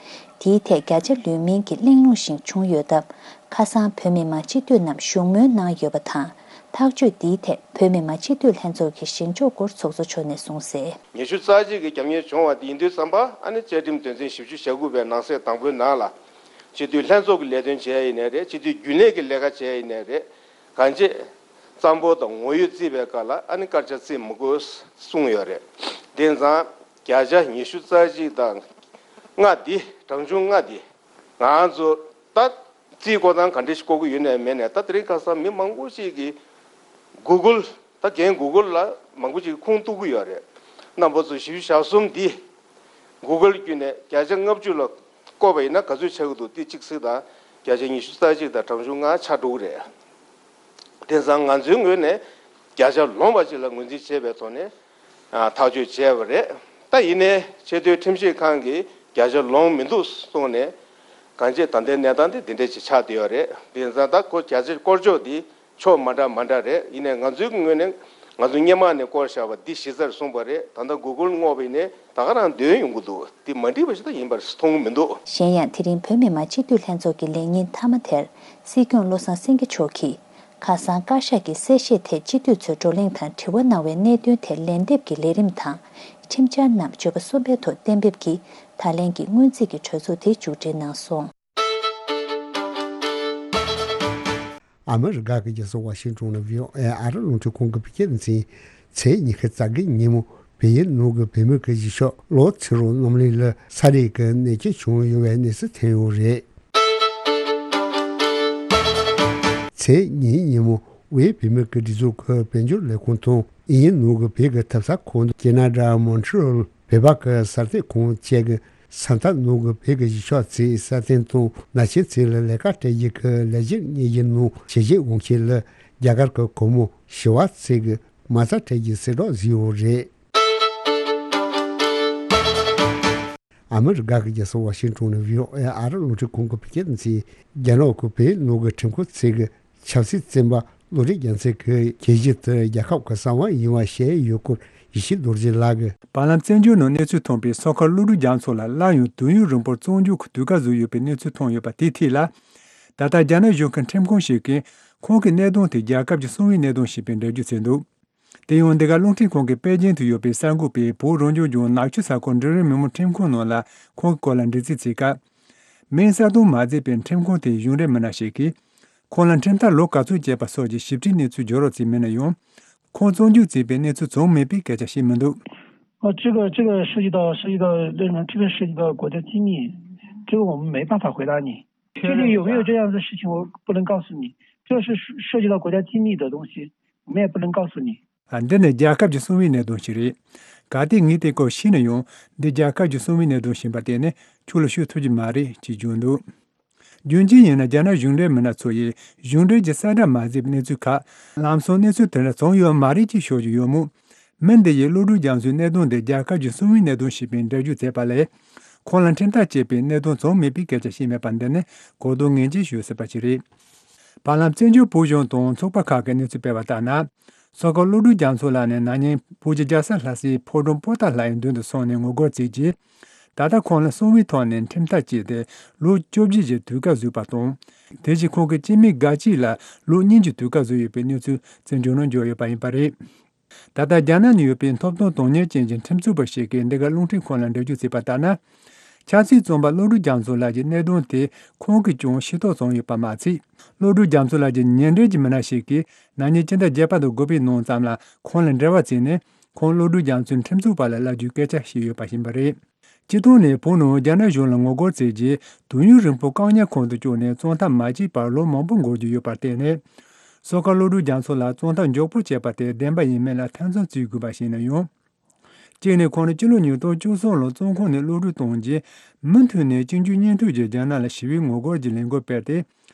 དེའི་ཐད་བརྒྱ་ཆ་ལོན་མིན་གྱི་གླེང་སློང་ཞིག་བྱུང་ཡོད་སྟབས། ཁ་སང་བོད་མི་མང་སྤྱི་འཐུས་རྣམས་བཞུགས་མོལ་གནང་ཡོད་པ་དང་། ཐག་གཅོད་འདིའི་ཐད་བོད་མི་མང་སྤྱི་འཐུས་ལྷན་ཚོགས་ཀྱི་བཞེངས་ཕྱོགས་སྐོར་ཚོགས་གཙོ་མཆོག་ནས་གསུངས་གསལ། ཉི་ཤུ་རྩ་གཅིག་གི་རྒྱབ་གཉེར་བྱུང་བ་དེ་ཡིན་དུས་ཙམ་པ་ཨ་ནི་བཅའ་ཁྲིམས་དོན་ཚན་བཞི་བཅུ་ཞེ་དགུ་པའི་ནང་གསེས་དང་པོའི་ནང་ལ། སྤྱི་འཐུས་ལྷན་ཚོགས་ཀྱི་ལས་དོན་བྱས་ཡིན་ནའི་རེད། སྤྱི་འཐུས་རྒྱུན་ལས་ཀྱི་ལས་ཀ་བྱས་ཡིན་ནའི་རེད། གང་ཅི། གཙང་པོ་དང་ངོ་ཡོད་བརྩིས་པའི་སྐབས་ལ་ཨ་ནི་སྐར་ཆ་བརྩི་མི་དགོས་གསུངས་ཡོད་རེད། དེ་ཙང་བརྒྱ་ཆ་ཉི་ཤུ་རྩ་གཅིག་དང་ལྔ་འདི་གྲངས་ཆུང་ལྔ་འདི་ང་ཚོ་ད་རྩིས་བཀོད་སྟངས་ག་འདྲ་ཞིག་བཀོད་ཀྱི་ཡོད་ནའི་མེད་ནའི་ད་དེ་རིང་ཁ་སང་མི་མང་པོ་ཞིག་གིས་གུ་གུལ་ད་རྒན་གུ་གུལ་ལ་མང་པོ་ཞིག་ཁུངས་གཏུག་གི་ཡོད་རེད། རྣམ་པ་ཚོ་བཞི་བཅུ་ཞེ་གསུམ་འདི་གུ་གུལ་བརྒྱུད་ནས་བརྒྱ་ཆ་ལྔ་བཅུ་ལ་བཀོད་པ་ཡིན་ན་ག་ཚོད་ཆགས་ཀྱི་འདུག་དེ་གཅིག་གཟིགས་དང་། བརྒྱ་ཆ་ཉི་ཤུ་རྩ་གཅིག་དང་གྲངས་ཆུང་ལྔ་ཆགས་འགྲོ་གི་རེད། དེང་སང་ང་ཚོའི་ངོས་ནས་བརྒྱ་ཆ་ལོངས་པ་ཅིག་ལ་ངོས་འཛིན་བྱས་པའི་ཐོག་ནས་ཨ་ཐག་གཅོད་བྱས་པ་རེད། ད་ཡིན་ནའི་ཆེས་མཐོའི་ཁྲིམས་ཞིབ་ཁང་གིས་བརྒྱ་ཆ་ལོངས་མི་འདུག་གསུངས་ནས་གང་ཅི་ད་ལྟའི་གནས་སྟངས་དེ་འདི་འདྲ་ཅིག་ཆགས་བསྡད་ཡོད་རེད། དེང་སང་ད་ཁོ་བརྒྱ་ཆ་སྐོར་ཅོག་འདི་ཕྱོགས་མ་འདྲ་མ་འདྲ་རེད། ཡིན་ནའི་ང་ཚོའི་ངོས་ནས་ང་ཚོ་སྔོན་མ་ནས་བསྐོར་བཞག་པ་འདི་གཞི་རྩར་བཟུང་བ་རེད། ད་ལྟ་གུ་གུལ་བསྔོགས་པ་ཡིན་ནའི་ད་ག་རང་འདོན་ཡོང་གི་འདུག་འདི་མ་འགྲིག་པ་ཞིག་ད་ཡིན་པར་མཐོང་གི་མི་འདུག་གཞན་ཡང་དེ་རིང་བོད་མི་མང་སྤྱི་འཐུས་ལྷན་ཚོགས་ཀྱི་ལས་ཉིན་མཐའ་མ་དེར་སྲིད་སྐྱོང་བློ་བཟང་སེང་གེ་མཆོག་གིས། ཁ་སང་བཀའ་ཤག་གི་གསལ་བཤད་ཐད་སྤྱི་འཐུས་ཚོས་བགྲོ་གླེང་དང་དྲི་བ་གནང་བའི་གནད་དོན་དེར་ལན་འདེབས་ཀྱི་ལས་རིམ་དང་། ཁྲིམས་འཆར་རྣམས་བརྗོད་པ་གསུམ་པའི་ཐོག་གཏན་འབེབས་ཀྱིས་ད་ལན་གྱི་སྔོན་རྩིས་ཀྱི་གྲོས་ཚོགས་དེ་མཇུག་སྒྲིལ་གནང་སོང་། ཨ་མི་རི་ཀ་གི་རྒྱལ་ས་ཝ་ཤིང་ཏོན་ནས་བྷི་ཨོ་ཨེ་ཨ་རི་རླུང་འཕྲིན་ཁང་གི་བོད་སྐད་སྡེ་ཚན། ཚེས་ཉི་ཤུ་རྩ་བརྒྱད་ཉིན་མོ་བལ་ཡུལ་ནང་གི་བོད་མི་གི་གཞིས་ཆགས་ལའོ་ཚེ་རིང་རྣམ་གླིང་ལ་ས་རུད་ཀྱི་ནད་སྐྱེས་བྱུང་ཡོད་པའི་གནས་ཚུལ་ཐོན་ཡོད་རེད། ཚེས་ཉིན་ཉིན་མོ་དབུས་བོད་མི་གི་སྒྲིག་འཛུགས་ཀྱི་དཔལ་འབྱོར་ལས་ཁུངས་དང་དབྱིན་ཡུལ་ནང་གི་བོད་ཀྱི་ཐབ་ཚང་ཁང་དང་ཁེ་ན་ཌ་མོན་ཊི་རི་ཨོལ་བོད་པ་གི་གསར་གཏོད་ཁང་བཅས་ཀྱིས་ས་མཐའ་ནང་གི་བོད་ཀྱི་གཞིས་ཆགས་ཚོའི་སྲ་བརྟན་དང་ན་གཞོན་ཚོ་ལ་ལས་ཀ་སྤྲད་རྒྱུ་གི་ལས་གཞིར་གཉེར་རྒྱུ་ནང་ཞལ་བཞེས་འོང་མཁན་ལ་རྒྱ་གར་གྱི་གུང་མོ་ཞི་བ་ཚེ་གིས་མ་རྩ་སྤྲད་རྒྱུའི་གསལ་བསྒྲགས་བཟོས་ཡོད་རེད། ཨ་མི་རི་ཀ་གི་རྒྱལ་ས་ཝ་ཤིང་ཏོན་ནས་བྷི་ཨོ་ཨེ་ཨ་རི་རླུང་འཕྲིན་ཁང་གི་བོད་སྐད་སྡེ་ཚན། རྒྱ་ནག་གི་བོད་ནང་གི་ཁྲིམས་ཁང་ཚོས་ཀྱི་ཆབ་སྲིད་བཙོན་པ་བློ་གྲོས་རྒྱ་མཚོ་གི་གྱོད་གཞི་དེ་རྒྱལ་ཁབ་ཀྱི་གསང་བ་ཡིན་པ་བཤད་ཡོད་སྐོར་ཡེ་ཤེས་རྡོ་རྗེ་ལགས་ཀྱིས། བར་ལམ་བཙན་བྱོལ་ནང་གནས་ཚུལ་ཐོན་པའི་སོ་ཁ་བློ་གྲོས་རྒྱ་མཚོ་ལ་སླར་ཡང་དུས་ཡུན་རིང་པོར་བཙོན་འཇུག་གི་དུས་བཀག་བཟོས་ཡོད་པའི་གནས་ཚུལ་ཐོན་ཡོད་པ་དེའི་ཐད་ལ། ད་ལྟ་རྒྱ་ནག་གཞུང་གི་ཁྲིམས་ཁང་ཞིག་གིས་ཁོང་གི་གནད་དོན་དེ་རྒྱལ་ཁབ་ཀྱི་གསང་བའི་གནད་དོན་ཞེས་པའི་འགྲེལ་བརྗོད་བྱས་འདུག་དེ་ཡང་འདི་ག་རླུང་འཕྲིན་ཁང་གི་པེ་ཅིང་དུ་ཡོད་པའི་གསར་འགོད་པས་བོད་རང་སྐྱོང་ལྗོངས་ནག་ཆུ་ས་ཁུལ་འབྲིང་རིམ་མི་དམངས་ཁྲིམས་ཁང་ནང་ལ་ཁོང་གི་སྐོར་ལ་འདྲི་རྩད་བྱས་སྐབས། མིང་གསལ་སྟོན་མ་མཛད་པའི་ཁྲིམས་ཁང་དེའི་གཞུང་འབྲེལ་མི་སྣ་ཞིག་གིས། ཁོང་ལ་ཁྲིམས་ཐག་ལོ་ག་ཚོད་བཅད་པ་སོགས་ཀྱི་ཞིབ་ཕྲའི་གནས་ཚུལ་བརྗོད་རོགས་བྱས་མེད་ན་ཡང་། ཁོང་བཙོན་འཇུག་བྱས་པའི་གནས་ཚུལ་བྱུང་མེད་པའི་སྐད་ཆ་བཤད་མི་འདུག 哦，这个这个涉及到涉及到这种这个涉及到国家机密，这个我们没办法回答你。具体有没有这样的事情，我不能告诉你。这是涉及到国家机密的东西，我们也不能告诉你。 ཨ། འདི་ནི་རྒྱལ་ཁབ་ཀྱི་གསང་བའི་གནད་དོན་ཞིག་རེད། གལ་ཏེ་ངས་དེ་སྐོར་ཤེས་ན་ཡང་འདི་རྒྱལ་ཁབ་ཀྱི་གསང་བའི་གནད་དོན་ཞིག་ཡིན་པ་དེ་ནི་ཁྱོད་ལ་ཤོད་ཐུབ་ཀྱི་མ་རེད་ཅེས་བརྗོད་འདུག་རྒྱུ་མཚན་ཡིན་ན་རྒྱ་ནག་གཞུང་འབྲེལ་མི་སྣ་ཚོ་ཡིས་གཞུང་འབྲེལ་གྱི་གསལ་བསྒྲགས་མ་མཛད་པའི་གནས་ཚུལ་ཁག་ལམ་སང་གནས་ཚུལ་དེ་འདྲ་བྱུང་ཡོད་མ་རེད་ཅེས་ཤོད་ཀྱི་ཡོད་མོད། མི་འདི་ཡིས་བློ་གྲོས་རྒྱ་མཚོའི་གནད་དོན་འདི་རྒྱལ་ཁབ་ཀྱི་གསང་བའི་གནད་དོན་ཞེས་པའི་འགྲེལ་བརྗོད་མཛད་པ་ལས། ཁོང་ལ་ཁྲིམས་ཐག་བཅད་པའི་གནད་དོན་བྱུང་མེད་པའི་སྐད་ཆ་བཤད་མེད་པ་འདི་ནི་གོ་བསྡུར་ངེས་ཅན་ཞུ་སྲིད་པ་ཞིག་རེད། བར་ལམ་བཙན་བྱོལ་བོད་གཞུང་དང་ཚོགས་པ་ཁག་གིས་གནས་ཚུལ་སྤེལ་བ་ལྟར་ན། སོ་ཁ་བློ་གྲོས་རྒྱ་མཚོ་ལགས་ནི་ན་ནིང་བོད་ཀྱི་རྒྱལ་ས་ལྷ་སའི་ཕོ་བྲང་པོ་ཏཱ་ལ་ཡི་མདུན་དུ་སོང་ནས་ངོ་རྒོལ་བྱས་རྗེས། ད་ལྟ་ཁོང་ལ་གསང་བའི་ཐོག་ནས་ཁྲིམས་ཐག་བཅད་དེ་ལོ་བཅོ་བརྒྱད་ཀྱི་དུས་བཀག་བཟོས་པ་དང་། དེ་བཞིན་ཁོང་གི་སྐྱེ་དམན་འགའ་ཞིག་ལ་ལོ་གཉིས་ཀྱི་དུས་བཀག་བཟོས་ཡོད་པའི་གནས་ཚུལ་བཙན་བྱོལ་ནང་འབྱོར་ཡོད་པ་ཡིན་པ་རེད། ད་ལྟ་རྒྱ་ནག་ནང་ཡོད་པའི་ཐོབ་ཐང་དོན་གཉེར་ཅན་གྱི་ཁྲིམས་རྩོད་པ་ཞིག་གིས་འདི་ག་རླུང་འཕྲིན་ཁང་ལ་འགྲེལ་བརྗོད་བྱས་པ་ལྟར་ན། ཆབ་སྲིད་བཙོན་པ་བློ་གྲོས་རྒྱ་མཚོ་ལགས་ཀྱི་གནད་དོན་དེ་ཁོང་གིས་ཀྱང་ཤེས་རྟོགས་བྱུང་ཡོད་པ་མ་ཚད། བློ་གྲོས་རྒྱ་མཚོ་ལགས་ཀྱི་ཉེ་འབྲེལ་གྱི་མི་སྣ་ཞིག་གིས་ན་ནིང་སྤྱི་ཟླ་བརྒྱད་པ་དང་དགུ་པའི་ནང་ཙམ་ལ་ཁོང་ལ་འབྲེལ་བ་བྱས་ནས་ཁོང་བློ་གྲོས་རྒྱ་མཚོའི་ཁྲིམས་རྩོད་པ་ལ་བསླབ་རྒྱུའི་སྐད་ཆ་བཤད་ཡོད་པ་ཡིན་པ་རེད། སྤྱིར་བཏང་ནས་བོད་ནང་རྒྱ་ནག་གཞུང་ལ་ངོ་རྒོལ་བྱས་རྗེས་དུས་ཡུན་རིང་པོ་བཀག་ཉར་ཁང་དུ་བཅུག་ནས་བཙོན་ཐབས་མ་བྱས་པར་ལོ་མང་པོ་འགོར་རྒྱུ་ཡོད་པར་བརྟེན་ནས། སོ་ཁ་བློ་གྲོས་རྒྱ་མཚོ་ལ་བཙོན་ཐབས་མགྱོགས་པོ་བྱས་པ་དེ་བདེན་པ་ཡིན་མིན་ལ་ཐེ་ཚོམ་བྱེད་དགོས་པ་ཞིག་ཡིན་ན་ཡང་། གཅིག་ནས་ཁོང་ནི་སྤྱི་ལོ་ཉིས་སྟོང་བཅུ་གསུམ་ལོར་བཙོན་ཁང་ནས་གློད་གྲོལ་བཏང་རྗེས་མུ་མཐུད་ནས་གཅིག་གྱུར་གཉིས་མཐུད་ཀྱིས་རྒྱ་ནག་ལ་ཞི་བའི་ངོ་རྒོལ་གྱི་ལས་འགུལ་སྤེལ་ཏེ།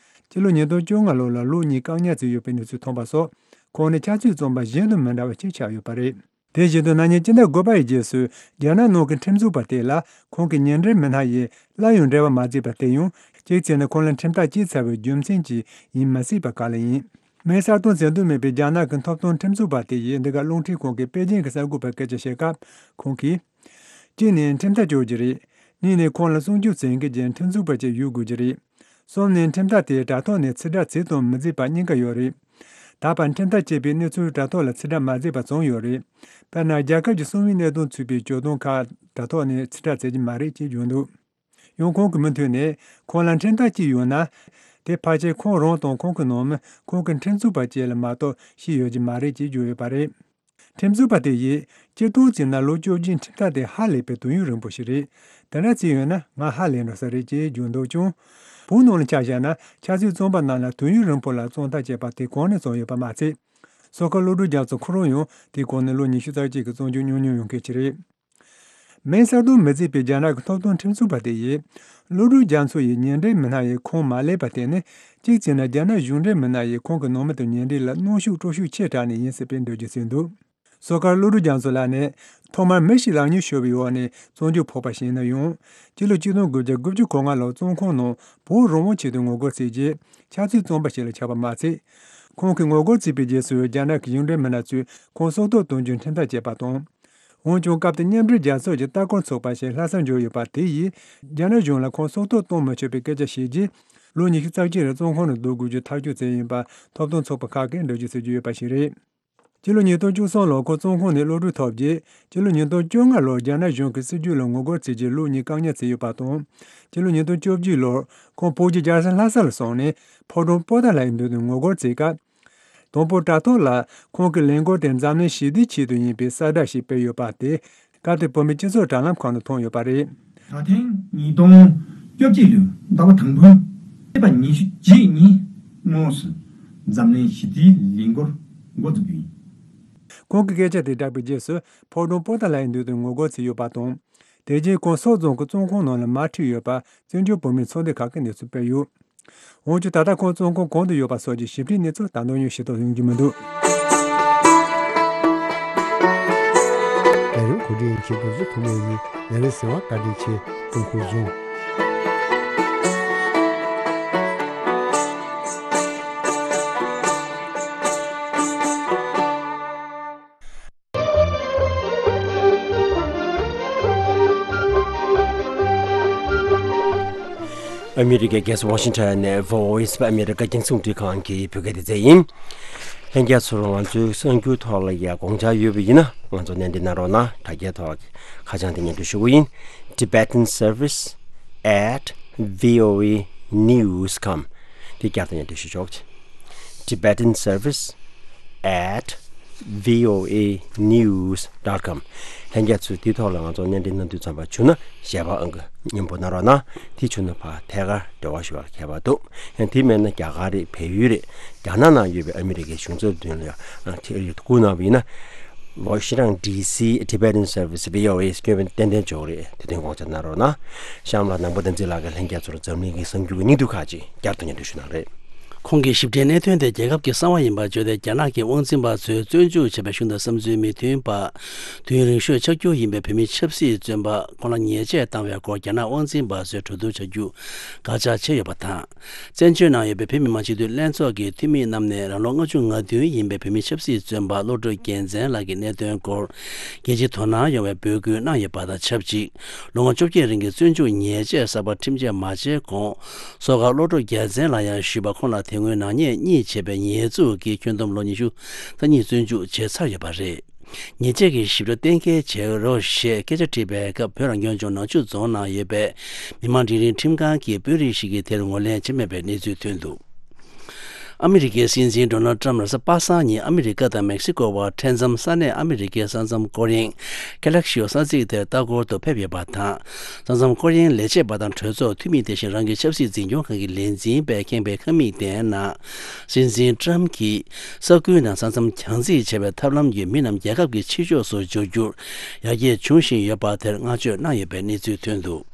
སྤྱི་ལོ་ཉིས་སྟོང་བཅོ་ལྔ་ལོ་ལ་ལོ་གཉིས་བཀག་ཉར་བྱས་ཡོད་པའི་གནས་ཚུལ་ཐོན་པ་སོགས་ཁོང་ནི་ཆབ་སྲིད་བཙོན་པ་གཞན་དང་མི་འདྲ་བ་ཞིག་ཆགས་ཡོད་པ་རེད། དེ་བཞིན་དུ་ན་ནིང་སྤྱི་ཟླ་དགུ་པ་ཡི་རྗེས་སུ་རྒྱ་ནག་ནང་གི་ཁྲིམས་རྩོད་པ་དེ་ལ་ཁོང་གི་ཉེ་འབྲེལ་མི་སྣ་ཡིས་སླར་ཡང་འབྲེལ་བ་མ་བྱས་པ་དེ་ཡང་གཅིག་བྱས་ན་ཁོང་ལ་ཁྲིམས་ཐག་བཅད་ཚར་བའི་རྒྱུ་མཚན་གྱིས་ཡིན་མི་སྲིད་པ་ག་ལ་ཡིན། མིང་གསལ་སྟོན་བྱེད་འདོད་མེད་པའི་རྒྱ་ནག་གི་ཐོབ་ཐང་ཁྲིམས་རྩོད་པ་དེ་ཡིས་འདི་ག་རླུང་འཕྲིན་ཁང་གི་པེ་ཅིང་གི་གསར་འགོད་པར་སྐད་ཆ་བཤད་སྐབས་ཁོང་གིས། གཅིག་ནས་ཁྲིམས་ཐག་གཅོད་རྒྱུ་རེད། གཉིས་ནས་ཁོང་ལ་སྲུང་སྐྱོབ་བྱེད་མཁན་གྱི་ཁྲིམས་རྩོད་པ་ཅིག་ཡོད་དགོས་ཀྱི་རེད། གསུམ་ནས་ཁྲིམས་ཐག་དེ་དྲ་ཐོག་ནས་ཕྱིར་བསྒྲགས་བྱས་དང་མི་བྱས་པ་གཉིས་ཀ་ཡོད་རེད། ད་བར་ཁྲིམས་ཐག་བཅད་པའི་གནས་ཚུལ་དྲ་ཐོག་ལ་ཕྱིར་བསྒྲགས་མ་བྱས་པ་བྱུང་ཡོད་རེད། དཔེར་ན་རྒྱལ་ཁབ་ཀྱི་གསང་བའི་གནད་དོན་ཚུད་པའི་བརྗོད་དོན་ཁག་དྲ་ཐོག་ནས་ཕྱིར་བསྒྲགས་བྱེད་ཀྱི་མ་རེད་ཅེས་བརྗོད་འདུག་ཡང་ཁོང་གིས་མུ་མཐུད་ནས་ཁོང་ལ་ཁྲིམས་ཐག་བཅད་ཡོད་ན། དེ་ཕལ་ཆེར་ཁོང་རང་དང་ཁོང་གི་ནང་མི་ཁོང་གི་ཁྲིམས་རྩོད་པ་བཅས་ལ་མ་གཏོགས་ཤེས་ཡོད་ཀྱི་མ་རེད་ཅེས་བརྗོད་ཡོད་པ་རེད། ཁྲིམས་རྩོད་པ་དེ་ཡིས་སྤྱིར་བཏང་བྱས་ན་ལོ་བཅོ་བརྒྱད་ཁྲིམས་ཐག་དེ་ཧ་ལས་པའི་དུས་ཡུན་རིང་པོ་ཞིག་རེད། དེ་འདྲ་བྱས་ཡོད་ན་ང་ཧ་ལས་འགྲོ་ས་རེད་ཅེས་བརྗོད་འདུག་ཀྱང་། བོད་ནང་ལ་ཆ་བཞག་ན་ཆབ་སྲིད་བཙོན་པ་རྣམས་ལ་དུས་ཡུན་རིང་པོ་ལ་བཙོན་ཐག་བཅད་པ་དེ་གོང་ནས་བྱུང་ཡོད་པ་མ་ཚད། སོ་ཁ་བློ་གྲོས་རྒྱ་མཚོ་ཁོ་རང་ཡང་དེའི་གོང་ནས་ལོ་ཉི་ཤུ་རྩ་གཅིག་གི་བཙོན་འཇུག་མྱོང་མྱོང་ཡོད་མཁན་ཞིག་རེད། མིང་གསལ་སྟོན་མི་བྱེད་པའི་རྒྱ་ནག་གི་ཐོབ་ཐང་ཁྲིམས་རྩོད་པ་དེ་ཡིས། བློ་གྲོས་རྒྱ་མཚོ་ཡི་ཉེ་འབྲེལ་མི་སྣ་ཡིས་ཁོང་མ་བསླེབས་པ་དེ་ནི། གཅིག་བྱས་ན་རྒྱ་ནག་གཞུང་འབྲེལ་མི་སྣ་ཡིས་ཁོང་གི་ནང་མི་དང་ཉེ་འབྲེལ་ལ་གནོན་ཤུགས་སྤྲོད་ཤུགས་ཆེ་དྲགས་ནས་ཡིན་སྲིད་པའི་འགྲེལ་བརྗོད་བྱས་འདུག་སོ་ཁ་བློ་གྲོས་རྒྱ་མཚོ་ལགས་ནི། ཐོག་མར་མི་ཞིག་ལག་གཉིས་ཤོར་བའི་འོག་ནས་བཙོན་འཇུག་ཕོག་པ་ཞིག་ཡིན་ན་ཡང་། སྤྱི་ལོ་ཆིག་སྟོང་དགུ་བརྒྱ་དགུ་བཅུ་གོ་ལྔ་ལོར་བཙོན་ཁང་ནང་བོད་རང་དབང་ཆེད་དུ་ངོ་རྒོལ་བྱས་རྗེས། ཆབ་སྲིད་བཙོན་པ་ཞིག་ལ་ཆགས་པ་མ་ཚད། ཁོང་གིས་ངོ་རྒོལ་བྱས་པའི་རྗེས་སུ་རྒྱ་ནག་གི་གཞུང་འབྲེལ་མི་སྣ་ཚོས་ཁོང་སྲོག་ཐོག་གཏོང་རྒྱུའི་ཁྲིམས་ཐག་བཅད་པ་དང་། འོན་ཀྱང་སྐབས་དེར་མཉམ་འབྲེལ་རྒྱལ་ཚོགས་ཀྱི་ལྟ་སྐོར་ཚོགས་པ་ཞིག་ལྷ་སར་འབྱོར་ཡོད་པ་དེ་ཡིས་རྒྱ་ནག་གཞུང་ལ་ཁོང་སྲོག་ཐོག་གཏོང་མི་ཆོག་པའི་སྐད་ཆ་བཤད་རྗེས། ལོ་ཉི་ཤུ་རྩ་གཅིག་རིང་བཙོན་ཁང་ནས་བསྡུ་དགོས་རྒྱུ་ཐག་གཅོད་བྱས་ཡིན་པ་ཐོབ་ཐང་ཚོགས་པ་ཁག་གིས་འགྲེལ་བརྗོད་བྱེད་ཀྱི་ཡོད་པ་ཞིག་རེད། སྤྱི་ལོ་ཉིས་སྟོང་བཅུ་གསུམ་ལོར་ཁོང་བཙོན་ཁང་ནས་གློད་གྲོལ་ཐོབ་རྗེས། སྤྱི་ལོ་ཉིས་སྟོང་བཅོ་ལྔ་ལོར་རྒྱ་ནག་གཞུང་གི་སྲིད་བྱུས་ལ་ངོ་རྒོལ་བྱས་རྗེས་ལོ་གཉིས་བཀག་ཉར་བྱས་ཡོད་པ་དང་། སྤྱི་ལོ་ཉིས་སྟོང་བཅོ་བརྒྱད་ལོར་ཁོང་བོད་ཀྱི་རྒྱལ་ས་ལྷ་ས་ལ་སོང་ནས་ཕོ་བྲང་པོ་ཏཱ་ལ་ཡི་མདུན་དུ་ངོ་རྒོལ་བྱས་སྐབས། དང་པོ་དྲ་ཐོག་ལ་ཁོང་གི་ལས་འགུལ་དེ་འཛམ་གླིང་ཞི་བདེའི་ཆེད་དུ་ཡིན་པའི་གསལ་བསྒྲགས་ཤིག་སྤེལ་ཡོད་པ་དེ། སྐབས་དེར་བོད་མིའི་སྤྱི་ཚོགས་དྲ་ལམ་ཁག་ནས་མཐོང་ཡོད་པ་རེད། ད་ཐེངས་ཉིས་སྟོང་བཅོ་བརྒྱད་ལོའི་ཟླ་བ་དང་པོའི་ཚེས་པ་ཉི་ཤུ་རྗེས་ཉིན་དངོས་སུ་འཛམ་གླིང་ཞི་བདེའི་ལས་འགུལ་འགོ་འཛུགས་རྒྱུ་ཡིན། ཁོང་གིས་སྐད་ཆ་དེ་བསྒྲགས་པའི་རྗེས་སུ་ཕོ་བྲང་པོ་ཏཱ་ལའི་མདུན་དུ་ངོ་རྒོལ་བྱས་ཡོད་པ་དང་། དེ་རྗེས་ཁོང་སོག་རྫོང་གི་བཙོན་ཁང་ནང་ལ་མར་ཁྲིད་ཡོད་པ་བཙན་བྱོལ་བོད་མིའི་ཚོགས་སྡེ་ཁག་གིས་གནས་ཚུལ་སྤེལ་ཡོད། འོན་ཀྱང་ད་ལྟ་ཁོང་བཙོན་ཁང་གང་དུ་ཡོད་པ་སོགས་ཀྱི་ཞིབ་ཕྲའི་གནས་ཚུལ་ད་དུང་ཡང་ཤེས་རྟོགས་ཡོང་རྒྱུ་མི་འདུག། ལས་རིམ་གོ་སྒྲིག་ཡིན་ཆེད་དུ་གཟུགས་ཐོག་མའི་ནི་ལས་རིམ་གསན་པར་བཀའ་དྲིན་ཆེ། ཐུགས་ཁུར་བཟུང་། ཨ་མི་རི་ཀའི་རྒྱལ་ས་ཝ་ཤིང་ཊོན་ནས་Voice of America རྒྱང་སྲིང་རླུང་འཕྲིན་ཁང་གི་བོད་སྐད་སྡེ་ཚན་ཡིན། ལྷན་རྒྱས་ཚོར་ང་ཚོའི་གསར་འགྱུར་ཐོག་ལ་ཡང་དགོངས་འཆར་ཡོད་པ་ཡིན་ན་ང་ཚོར་སྣེ་འདྲེན་གནང་རོགས་གནང་། དྲ་རྒྱའི་ཐོག་ཁ་བྱང་དེ་སྙན་སྒྲོན་ཞུ་གི་ཡིན། Tibetan Service at V O A news com དེ་བསྐྱར་དུ་སྙན་སྒྲོན་ཞུ་ཆོག། Tibetan Service at V O A news dot com ལྷན་རྒྱས་ཚོས་དེའི་ཐོག་ལ་ང་ཚོ་སྣེ་འདྲེན་གནང་དུས་ཙམ་པ་བྱུང་ན་ཞལ་པར་ཨང་ཀི་སྙན་པོ་གནང་རོགས་གནང་། དེ་བྱུང་ན་ཕར་ཐད་ཀར་འབྲེལ་བ་ཞུ་བར་ཁྱད་པར་འདུག། ཡང་དེ་མེད་ན་རྒྱ་གར་རེད། བལ་ཡུལ་རེད། རྒྱ་ནག་ནང་ཡོད་པའི་ཨ་མི་རི་ཀའི་གཞུང་ཚབ་མདུན་ལ་ཡང་ཨང་ཀི་བསྐུར་གནང་བ་ཡིན་ན། ཝ་ཤིང་ཊོན་ཌི་སི་Tibetan Service V O A སྐྱོན་ཏན་ཏན་འཇོག་རེད། དེ་དོན་དགོངས་འཆར་གནང་རོགས་གནང་། གཤམ་ལ་ནང་པ་བསྟན་འཛིན་ལགས་ཀྱིས་ལྷན་རྒྱས་ཚོར་འཛམ་གླིང་གི་གསར་འགྱུར་གྱི་སྙིང་བསྡུས་ཁག་ཅིག་བསྐྱར་དུ་སྙན་སྒྲོན་ཞུ་གནང་རེད། ཁོང་གིས་ཞིབ་ཕྲའི་གནད་དོན་དེ་རྒྱལ་ཁབ་ཀྱི་གསང་བ་ཡིན་པར་བརྗོད་དེ། རྒྱ་ནག་གི་དབང་འཛིན་པ་ཚོས་བཙོན་འཇུག་བྱས་པའི་གཞུང་དང་བསམ་ཚུལ་མི་མཐུན་པ། དུས་ཡུན་རིང་ཤོས་ཆགས་རྒྱུ་ཡིན་པའི་བོད་མིའི་ཆབ་སྲིད་བཙོན་པ་ཁོང་ལ་ཉེས་ཆད་བཏང་བའི་སྐོར་རྒྱ་ནག་དབང་འཛིན་པ་ཚོས་གྲོས་བསྡུར་བྱ་རྒྱུ་དགག་བྱ་བྱས་ཡོད་པ་དང་། བཙན་བྱོལ་ནང་ཡོད་པའི་བོད་མི་མང་སྤྱི་འཐུས་ལྷན་ཚོགས་ཀྱི་འཐུས་མི་རྣམས་ནས་རང་ལོ་ལྔ་བཅུ་ང་བདུན་ཡིན་པའི་བོད་མི་ཆབ་སྲིད་བཙོན་པ་བློ་གྲོས་རྒྱལ་མཚན་ལགས་ཀྱི་གནད་དོན་སྐོར་རྒྱལ་སྤྱིའི་དོ་སྣང་ཡོང་བའི་འབོད་སྐུལ་གནང་ཡོད་པ་དང་ཆབས་ཅིག། ལོ་ངོ་བཅོ་བརྒྱད་རིང་གི་བཙོན་འཇུག་ཉེས་ཆད་གསར་པ་ཁྲིམས་ཆད་མ་བཅད་གོང་། སོ་ཁ་བློ་གྲོས་རྒྱལ་མཚན་ལགས་ཡང་ཞུས་པ། ཁོང་ལ་དེ་སྔོན་ནག་ཉེས་གཉིས་བྱས་པའི་ཉེས་འཛུགས་ཀྱིས་ཁྱོན་བསྡོམས་ལོ་ཉི་ཤུ་རྩ་གཉིས་བཙོན་འཇུག་བྱས་ཚར་ཡོད་པ་རེད། ཉེས་ཆད་ཀྱི་ཞིབ་ཕྲ་གཏན་འཁེལ་བྱེད་རོགས་ཞེས་སྐད་ཆ་དྲིས་པའི་སྐབས། བོད་རང་སྐྱོང་ལྗོངས་ནག་ཆུ་རྫོང་ནང་ཡོད་པའི་མི་མང་སྒྲིག་རིམ་ཁྲིམས་ཁང་གི་དཔོན་རིགས་ཤིག་གིས་དེར་ངོས་ལེན་བྱས་མེད་པའི་གནས་ཚུལ་ཐོན་འདུག། ཨ་མི་རི་ཀའི་སྲིད་འཛིན་ཌོ་ནལ་ཊམ་རེས་གཟའ་པ་སངས་ཉིན་ཨ་མི་རི་ཀ་དང་མེག་སི་ཀོ་བར་འཕྲད་མཚམས་ས་གནས་ཨ་མི་རི་ཀའི་ས་མཚམས་སྐོར་གཡེང་Calcasieu ས་ཚིགས་དེར་ལྟ་སྐོར་དུ་ཕེབས་ཡོད་པ་དང་། ས་མཚམས་སྐོར་གཡེང་ལས་བྱེད་པ་དང་གྲོས་ཚོགས་འཐུས་མི་དེ་བཞིན་རང་གི་ཆབ་སྲིད་འཛིན་སྐྱོང་ཁང་གི་ལས་འཛིན་པས་ཁེངས་པའི་ཁང་མིག་དེའི་ནང་། སྲིད་འཛིན་ཊམ་གྱིས་ས་ཁུལ་ནང་ས་མཚམས་གྱང་རྩིས་བྱས་པའི་ཐབས་ལམ་གྱིས་མི་རྣམས་རྒྱལ་ཁབ་ཀྱི་ཕྱི་ཕྱོགས་སུ་འབྱོར་རྒྱུར་ཡར་རྒྱས་འབྱུང་བཞིན་ཡོད་པ་དེར་བསྔགས་བརྗོད་གནང་ཡོད་པའི་གནས་ཚུལ་ཐོན་འདུག།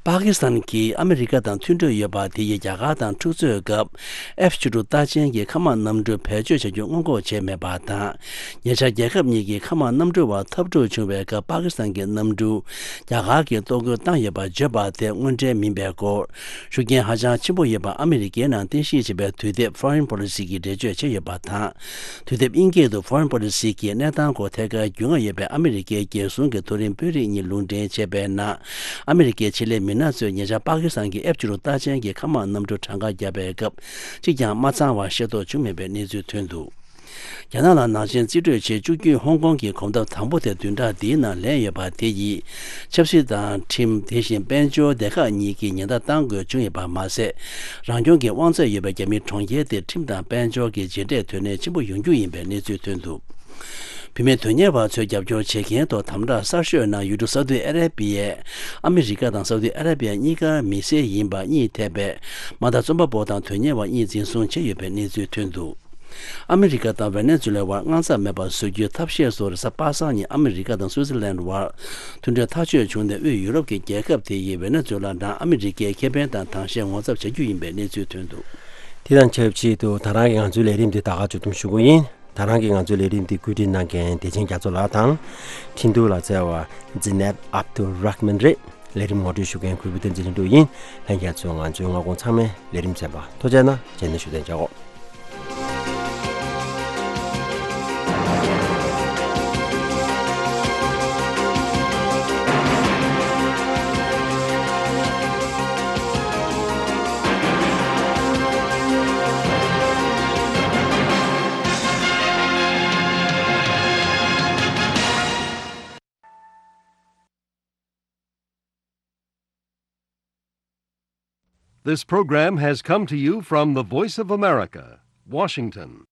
པ་ཀི་སི་ཐན་གྱིས་ཨ་མི་རི་ཀ་དང་མཐུན་གྲོས་ཡོད་པ་དེ་ཡིས་རྒྱ་གར་དང་འཁྲུག་རྩོད་སྐབས་ཨེཕ་བཅུ་དྲུག་རྟགས་ཅན་གྱི་མཁའ་དམག་གནམ་གྲུ་བེད་སྤྱོད་བྱ་རྒྱུ་སྔོན་འགོག་བྱས་མེད་པ་དང་། ཉེ་ཆར་རྒྱལ་ཁབ་གཉིས་ཀྱི་མཁའ་དམག་གནམ་གྲུ་བར་འཐབ་འཁྲུག་བྱུང་བའི་སྐབས་པ་ཀི་སི་ཐན་གྱི་གནམ་གྲུ་རྒྱ་གར་གྱིས་གཏོར་རྒོལ་བཏང་ཡོད་པར་བརྗོད་པ་དེ་དངོས་འབྲེལ་མིན་པའི་སྐོར་ཤུགས་རྐྱེན་ཧ་ཅང་ཆེན་པོ་ཡོད་པ་ཨ་མི་རི་ཀའི་ནང་རྟེན་གཞི་བྱས་པའི་དུས་དེབ་Foreign Policy གྱིས་འགྲེལ་བརྗོད་བྱས་ཡོད་པ་དང་། དུས་དེབ་དབྱིན་སྐད་དུ་Foreign Policy གྱི་གནས་སྟངས་སྐོར་ཐད་ཀར་རྒྱུས་མངའ་ཡོད་པའི་ཨ་མི་རི་ཀའི་རྒྱལ་སྲུང་གི་མཐོ་རིམ་དཔོན་རིགས་གཉིས་ལུང་འདྲེན་བྱས་པའི་ནང་། ཨ་མི་རི་ཀའི་ཆེད་ལས་མི་སྣ་ཚོས་ཉེ་ཆར་པ་ཀི་སི་ཐན་གྱི་ཨེཕ་བཅུ་དྲུག་རྟགས་ཅན་གྱི་མཁའ་དམག་གནམ་གྲུ་གྲངས་ཀ་བརྒྱབ་པའི་སྐབས་གཅིག་ཀྱང་མ་ཚང་བ་ཤེས་རྟོགས་བྱུང་མེད་པའི་གནས་ཚུལ་ཐོན་འདུག། རྒྱ་ནག་ལ་ནག་ཅན་རྩིས་སྤྲོད་བྱེད་བཅུག་རྒྱུའི་ཧོང་ཀོང་གི་གོམ་སྟབས་དང་པོ་དེ་བདུན་ཕྲག་འདིའི་ནང་ལེན་ཡོད་པ་དེ་ཡིས་ཆབ་སྲིད་དང་ཁྲིམས། དེ་བཞིན་དཔལ་འབྱོར་སྡེ་ཁག་གཉིས་ཀྱི་ཉེན་བརྡ་བཏང་དགོས་བྱུང་ཡོད་པ་མ་ཟད། རང་སྐྱོང་གི་དབང་ཚད་ཡོད་པའི་རྒྱ་མིའི་གྲོང་ཁྱེར་དེ་ཁྲིམས་དང་དཔལ་འབྱོར་གྱི་རྗེས་འབྲས་དོན་གནད་ཆེན་པོ་ཡོང་རྒྱུ་ཡིན་པའི་གནས་ཚུལ་ཐོན་འདུག། བུད་མེད་དོན་གཉེར་བ་ཚོས་རྒྱབ་སྐྱོར་བྱེད་མཁན་ཐོག་དམ་དྲག་གསར་ཤོས་ནང་ཡུལ་གྲུ་སའུ་ཏི་ཨ་ར་པི་ཡས་ཨ་མི་རི་ཀ་དང་སའུ་ཏི་ཨ་ར་པི་ཡ་གཉིས་ཀར་མི་སེར་ཡིན་པ་གཉིས་ཐེ་བའི་དམག་དར་རྩོམ་པ་པོ་དང་དོན་གཉེར་བ་གཉིས་འཛིན་བཟུང་བྱས་ཡོད་པའི་གནས་ཚུལ་ཐོན་འདུག། ཨ་མི་རི་ཀ་དང་ཝེ་ནེ་ཛུ་ལའི་བར་དངངས་འཚབ་མེད་པར་བཟོ་རྒྱུའི་ཐབས་ཤེས་སུ་རེས་གཟའ་པ་སངས་ཉིན་ཨ་མི་རི་ཀ་དང་སུའུ་ཙི་ལན་བར་མཐུན་གྲོས་ཐག་གཅོད་བྱུང་ནས། དབུས་ཡུ་རོབ་ཀྱི་རྒྱལ་ཁབ་དེ་ཡིས་ཝེ་ནེ་ཛུ་ལ་ནང་ཨ་མི་རི་ཀའི་ཁེ་ཕན་དང་དྭངས་ཤེད་ངོ་ཚབ་བྱ་རྒྱུ་ཡིན་པའི་གནས་ཚུལ་ཐོན་འདུག། དེ་དང་ཆབས་ཅིག་ཏུ་ད་རང་གིས་ང་ཚོའི་ལས་རིམ་འདི་ད་ག་མཇུག་བསྡོམས་ཞུ་གི་ཡིན། ད་རང་གིས་ང་ཚོའི་ལས་རིམ་འདི་བཀོད་སྒྲིག་གནང་མཁན་བདེ་ཆེན་རྒྱ་མཚོ་ལགས་དང་། འཕྲིན་གཏོང་ལ་བརྩེ་བ་Zeynep Abdul Rahman རེད། ལས་རིམ་ངོ་སྤྲོད་ཞུ་མཁན་གུས་པ་བསྟན་འཛིན་ལྷུན་གྲུབ་ཡིན། ལྷན་རྒྱས་ཚོས་ང་ཚོའི་སྔ་དགོང་ཚང་མའི་ལས་རིམ་གསན་པར་ཐུགས་རྗེ་གནང་། རྗེས་ནས་ཞུ་གཏན་འཇགས་འོ། This program has come to you from the Voice of America, Washington.